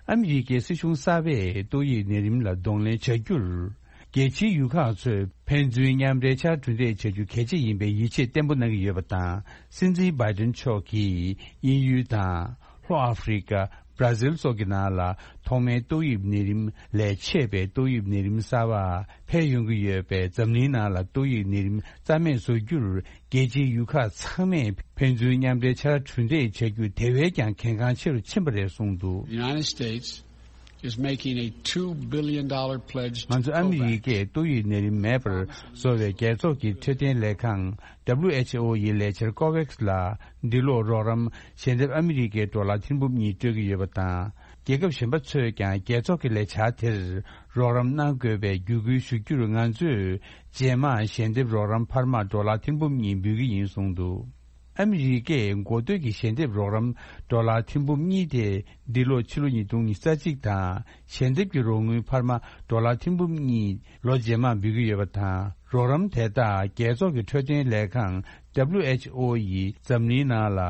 ཨ་མི་རི་ཀའི་སྲིད་གཞུང་གསར་པས་ཏོག་དབྱིབས་ནད་རིམས་ལ་གདོང་ལེན་བྱ་རྒྱུར། རྒྱལ་སྤྱིའི་ཡུལ་ཁག་ཚོས་ཕན་ཚུན་མཉམ་འབྲེལ་ཕྱར་གྲུ་འདེགས་བྱ་རྒྱུ་གལ་ཆེ་ཡིན་པའི་ཡིད་ཆེས་བརྟན་པོ་གནང་གི་ཡོད་པ་དང་། སྲིད་འཛིན་བྷའི་ཏིན་མཆོག་གིས་དབྱིན་ཡུལ་དང་། ལྷོ་ཨ་ཧྥེ་རི་ཀ། བྷ་ར་ཟིལ་སོགས་ཀྱི་ནང་ལ་ཐོག་མའི་ཏོག་དབྱིབས་ནད་རིམས་ལས་མཆེད་པའི་ཏོག་དབྱིབས་ནད་རིམས་གསར་པ་འཕེལ་ཡོང་གི་ཡོད་པས། འཛམ་གླིང་ནང་ལ་ཏོག་དབྱིབས་ནད་རིམས་རྩ་མེད་བཟོ་རྒྱུར། རྒྱལ་སྤྱིའི་ཡུལ་ཁག་ཚང་མས་ཕན་ཚུན་མཉམ་འབྲེལ་ཕྱར་གྲུ་འདེགས་བྱ་རྒྱུ་དེ་བས་ཀྱང་གལ་འགངས་ཆེ་རུ་ཕྱིན་པ་རེད་གསུངས་འདུག The United States is making a two billion dollar pledge to ང་ཚོ་ཨ་མི་རི་ཀས་ཏོག་དབྱིབས་ནད་རིམས་མེད་པར་བཟོ་བའི་རྒྱལ་ཚོགས་ཀྱི་འཕྲོད་བསྟེན་ལས་ཁང་། W H O ཡི་ལས་འཆར་ཀོ་ཝེག་སི་ལ་འདི་ལོ་རོགས་རམ་ཞལ་འདེབས་ཨ་མི་རི་ཀའི་ཌོ་ལར་ཐེར་འབུམ་གཉིས་སྤྲོད་ཀྱི་ཡོད་པ་དང་། རྒྱལ་ཁབ་གཞན་པ་ཚོས་ཀྱང་རྒྱལ་ཚོགས་ཀྱི་ལས་འཆར་དེར་རོགས་རམ་གནང་དགོས་པའི་བརྒྱུད་སྐུལ་ཞུ་རྒྱུར། ང་ཚོས་རྗེས་མ་ཞལ་འདེབས་རོགས་རམ་འཕར་མ་ཌོ་ལར་ཐེར་འབུམ་གཉིས་འབུལ་གྱི་ཡིན་གསུངས་འདུག་ཨ་མི་རི་ཀས་འགོ་སྟོད་ཀྱི་ཞལ་འདེབས་རོགས་རམ་ཌོ་ལར་ཐེར་འབུམ་གཉིས་དེ་འདི་ལོ་ཕྱི་ལོ་ཉིས་སྟོང་ཉི་ཤུ་རྩ་གཅིག་དང་། ཞལ་འདེབས་ཀྱི་རོགས་དངུལ་འཕར་མ་ཌོ་ལར་ཐེར་འབུམ་གཉིས་ལོ་རྗེས་མར་འབུལ་གྱི་ཡོད་པ་དང་། རོགས་རམ་དེ་དག་རྒྱལ་ཚོགས་ཀྱི་འཕྲོད་བསྟེན་ལས་ཁང་། W H O ཡིས་འཛམ་གླིང་ནང་ལ་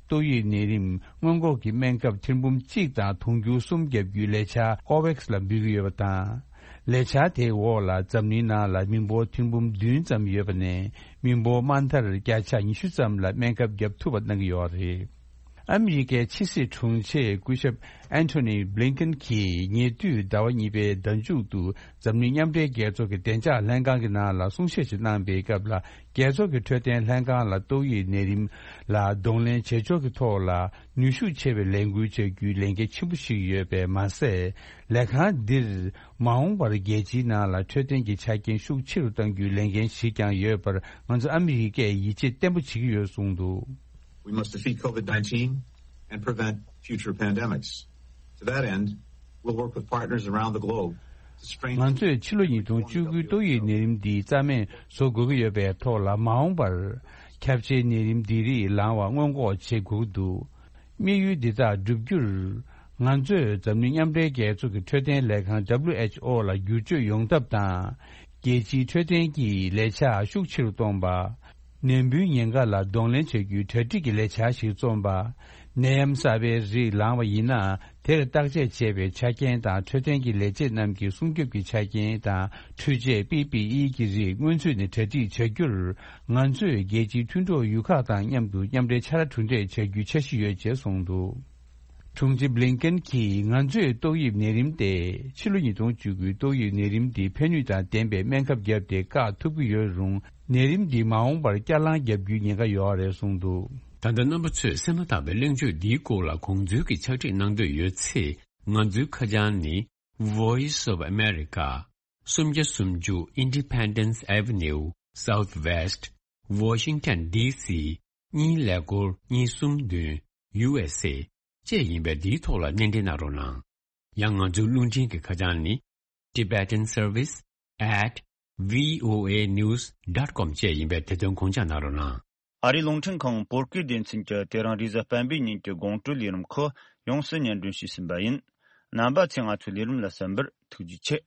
ཏོག་དབྱིབས་ནད་རིམས་སྔོན་འགོག་གི་སྨན་ཁབ་ཐེར་འབུམ་གཅིག་དང་དུང་ཕྱུར་གསུམ་བརྒྱབ་རྒྱུའི་ལས་འཆར་ཀོ་ཝེག་སི་ལ་འབུལ་གྱི་ཡོད་པ་དང་། ལས་འཆར་དེའི་འོག་ལ་འཛམ་གླིང་ནང་ལ་མི་འབོར་ཐེར་འབུམ་བདུན་ཙམ་ཡོད་པ་ནས། མི་འབོར་དམའ་མཐར་བརྒྱ་ཆ་ཉི་ཤུ་ཙམ་ལ་སྨན་ཁབ་བརྒྱབ་ཐུབ་པ་གནང་གི་ཡོད་རེད། ཨ་མི་རི་ཀའི་ཕྱི་སྲིད་དྲུང་ཆེ་སྐུ་ཞབས་ཨན་ཐོ་ནི་བྷི་ལིན་ཀེན་གྱིས་ཉེ་དུས་ཟླ་བ་གཉིས་པའི་ཟླ་མཇུག་ཏུ་འཛམ་གླིང་མཉམ་འབྲེལ་རྒྱལ་ཚོགས་ཀྱི་བདེ་འཇགས་ལྷན་ཁང་གི་ནང་ལ་གསུང་བཤད་ཞིག་གནང་པའི་སྐབས་ལ། རྒྱལ་ཚོགས་ཀྱི་འཕྲོད་བསྟེན་ལྷན་ཁང་ལ་ཏོག་དབྱིབས་ནད་རིམས་ལ་གདོང་ལེན་བྱེད་ཕྱོགས་ཀྱི་ཐོག་ལ་ནུས་ཤུགས་ཆེ་བའི་ལས་འགུལ་བྱ་རྒྱུའི་ལས་འགན་ཆེན་པོ་ཞིག་ཡོད་པས་མ་ཟད། ལས་ཁང་འདིར་མ་འོངས་པར་རྒྱལ་སྤྱིའི་ནང་ལ་འཕྲོད་བསྟེན་གྱི་ཆ་རྐྱེན་ཤུགས་ཆེ་རུ་གཏང་རྒྱུའི་ལས་འགན་ཞིག་ཀྱང་ཡོད་པར། ང་ཚོ་ཨ་མི་རི་ཀས་ཡིད་ཆེས་བརྟན་པོ་བྱེད་ཀྱི་ཡོད་གསུངས་འདུག We must defeat COVID nineteen and prevent future pandemics. To that end, we'll work with partners around the globe to strengthen ང་ཚོས་ཕྱི་ལོ་ཉིས་སྟོང་བཅུ་དགུའི་ཏོག་དབྱིབས་ནད་རིམས་འདི་རྩ་མེད་བཟོ་དགོས་ཀྱི་ཡོད་པའི་ཐོག་ལ། མ་འོངས་པར་ཁྱབ་ཆེའི་ནད་རིམས་འདི་རིགས་ལངས་བར་སྔོན་འགོག་བྱེད་དགོས་ཀྱི་འདུག་དམིགས་ཡུལ་འདི་དག་བསྒྲུབ་རྒྱུར། ང་ཚོས་འཛམ་གླིང་མཉམ་འབྲེལ་རྒྱལ་ཚོགས་ཀྱི་འཕྲོད་བསྟེན་ལས་ཁང་W H O ལ་བསྒྱུར་བཅོས་ཡོང་ཐབས་དང་། རྒྱལ་སྤྱིའི་འཕྲོད་བསྟེན་གྱི་ལས་འཆར་ཤུགས་ཆེ་རུ་གཏོང་བ། ནད་འབུའི་ཉེན་ཁ་ལ་གདོང་ལེན་བྱ་རྒྱུའི་གྲ་སྒྲིག་གི་ལས་འཆར་ཞིག་རྩོམ་པ། ནད་ཡམས་གསར་པའི་རིགས་ལངས་པ་ཡིན་ན། དེར་བརྟག་དཔྱད་བྱེད་པའི་ཆ་རྐྱེན་དང་འཕྲོད་བསྟེན་གྱི་ལས་བྱེད་རྣམས་ཀྱི་སྲུང་སྐྱོབ་ཀྱི་ཆ་རྐྱེན་དང་། འཕྲུལ་ཆས་པི་པི་ཨི་གི་རིགས་སྔོན་ཚུད་ནས་གྲ་སྒྲིག་བྱ་རྒྱུར། ང་ཚོས་རྒྱལ་སྤྱིའི་མཐུན་གྲོགས་ཡུལ་ཁག་དང་མཉམ་དུ་མཉམ་འབྲེལ་ཕྱག་ལས་གྲུབ་འབྲས་བྱ་རྒྱུའི་འཆར་གཞི་ཡོད་ཅེས་གསུངས་འདུག་དྲུང་ཆེ་བྷི་ལིན་ཀེན་གྱིས། ང་ཚོས་ཏོག་དབྱིབས་ནད་རིམས་དེ། ཕྱི་ལོ་ཉིས་སྟོང་བཅུ་དགུའི་ཏོག་དབྱིབས་ནད་རིམས་འདི་ཕན་ནུས་དང་ལྡན་པའི་སྨན་ཁབ་བརྒྱབ་སྟེ་བཀག་ཐུབ་ཀྱི་ཡོད་རུང་། ནད་རིམས་འདི་མ་འོངས་པར་བསྐྱར་ལངས་བརྒྱབ་རྒྱུའི་ཉེན་ཁ་ཡོད་རེད་གསུངས་འདུག་ད་ལྟ་རྣམ་པ་ཚོས་གསན་མ་ཐག་པའི་གླེང་བརྗོད་འདིའི་སྐོར་ལ་དགོངས་ཚུལ་གྱི་ཕྱག་བྲིས་གནང་འདོད་ཡོད་ཚེ། ང་ཚོའི་ཁ་བྱང་ནི། Voice of America། སུམ་བརྒྱ་སུམ་ཅུ་Independence Avenue Southwest Washington D C གཉིས་ཀླད་ཀོར་གཉིས་གསུམ་བདུན། U S A བཅས་ཡིན་པས། འདིའི་ཐོག་ལ་སྣེ་འདྲེན་གནང་རོགས་གནང་། ཡང་ང་ཚོའི་རླུང་འཕྲིན་གྱི་ཁ་བྱང་ནི། Tibetan Service at V O A news dot com བཅས་ཡིན་པས། དེ་དོན་དགོངས་འཇགས་གནང་རོགས་གནང་། ཨ་རིའི་རླུང་འཕྲིན་ཁང་བོད་སྐད་སྡེ་ཚན་གྱིས་དེ་རིང་རེས་གཟའ་སྤེན་པའི་ཉིན་གྱི་དགོང་དྲོའི་ལས་རིམ་ཁག་ཡོངས་སུ་སྙན་སྒྲོན་ཞུས་ཟིན་པ་ཡིན། རྣམ་པ་ཚོས་ང་ཚོའི་ལས་རིམ་ལ་གསན་པར་ཐུགས་རྗེ་ཆེ།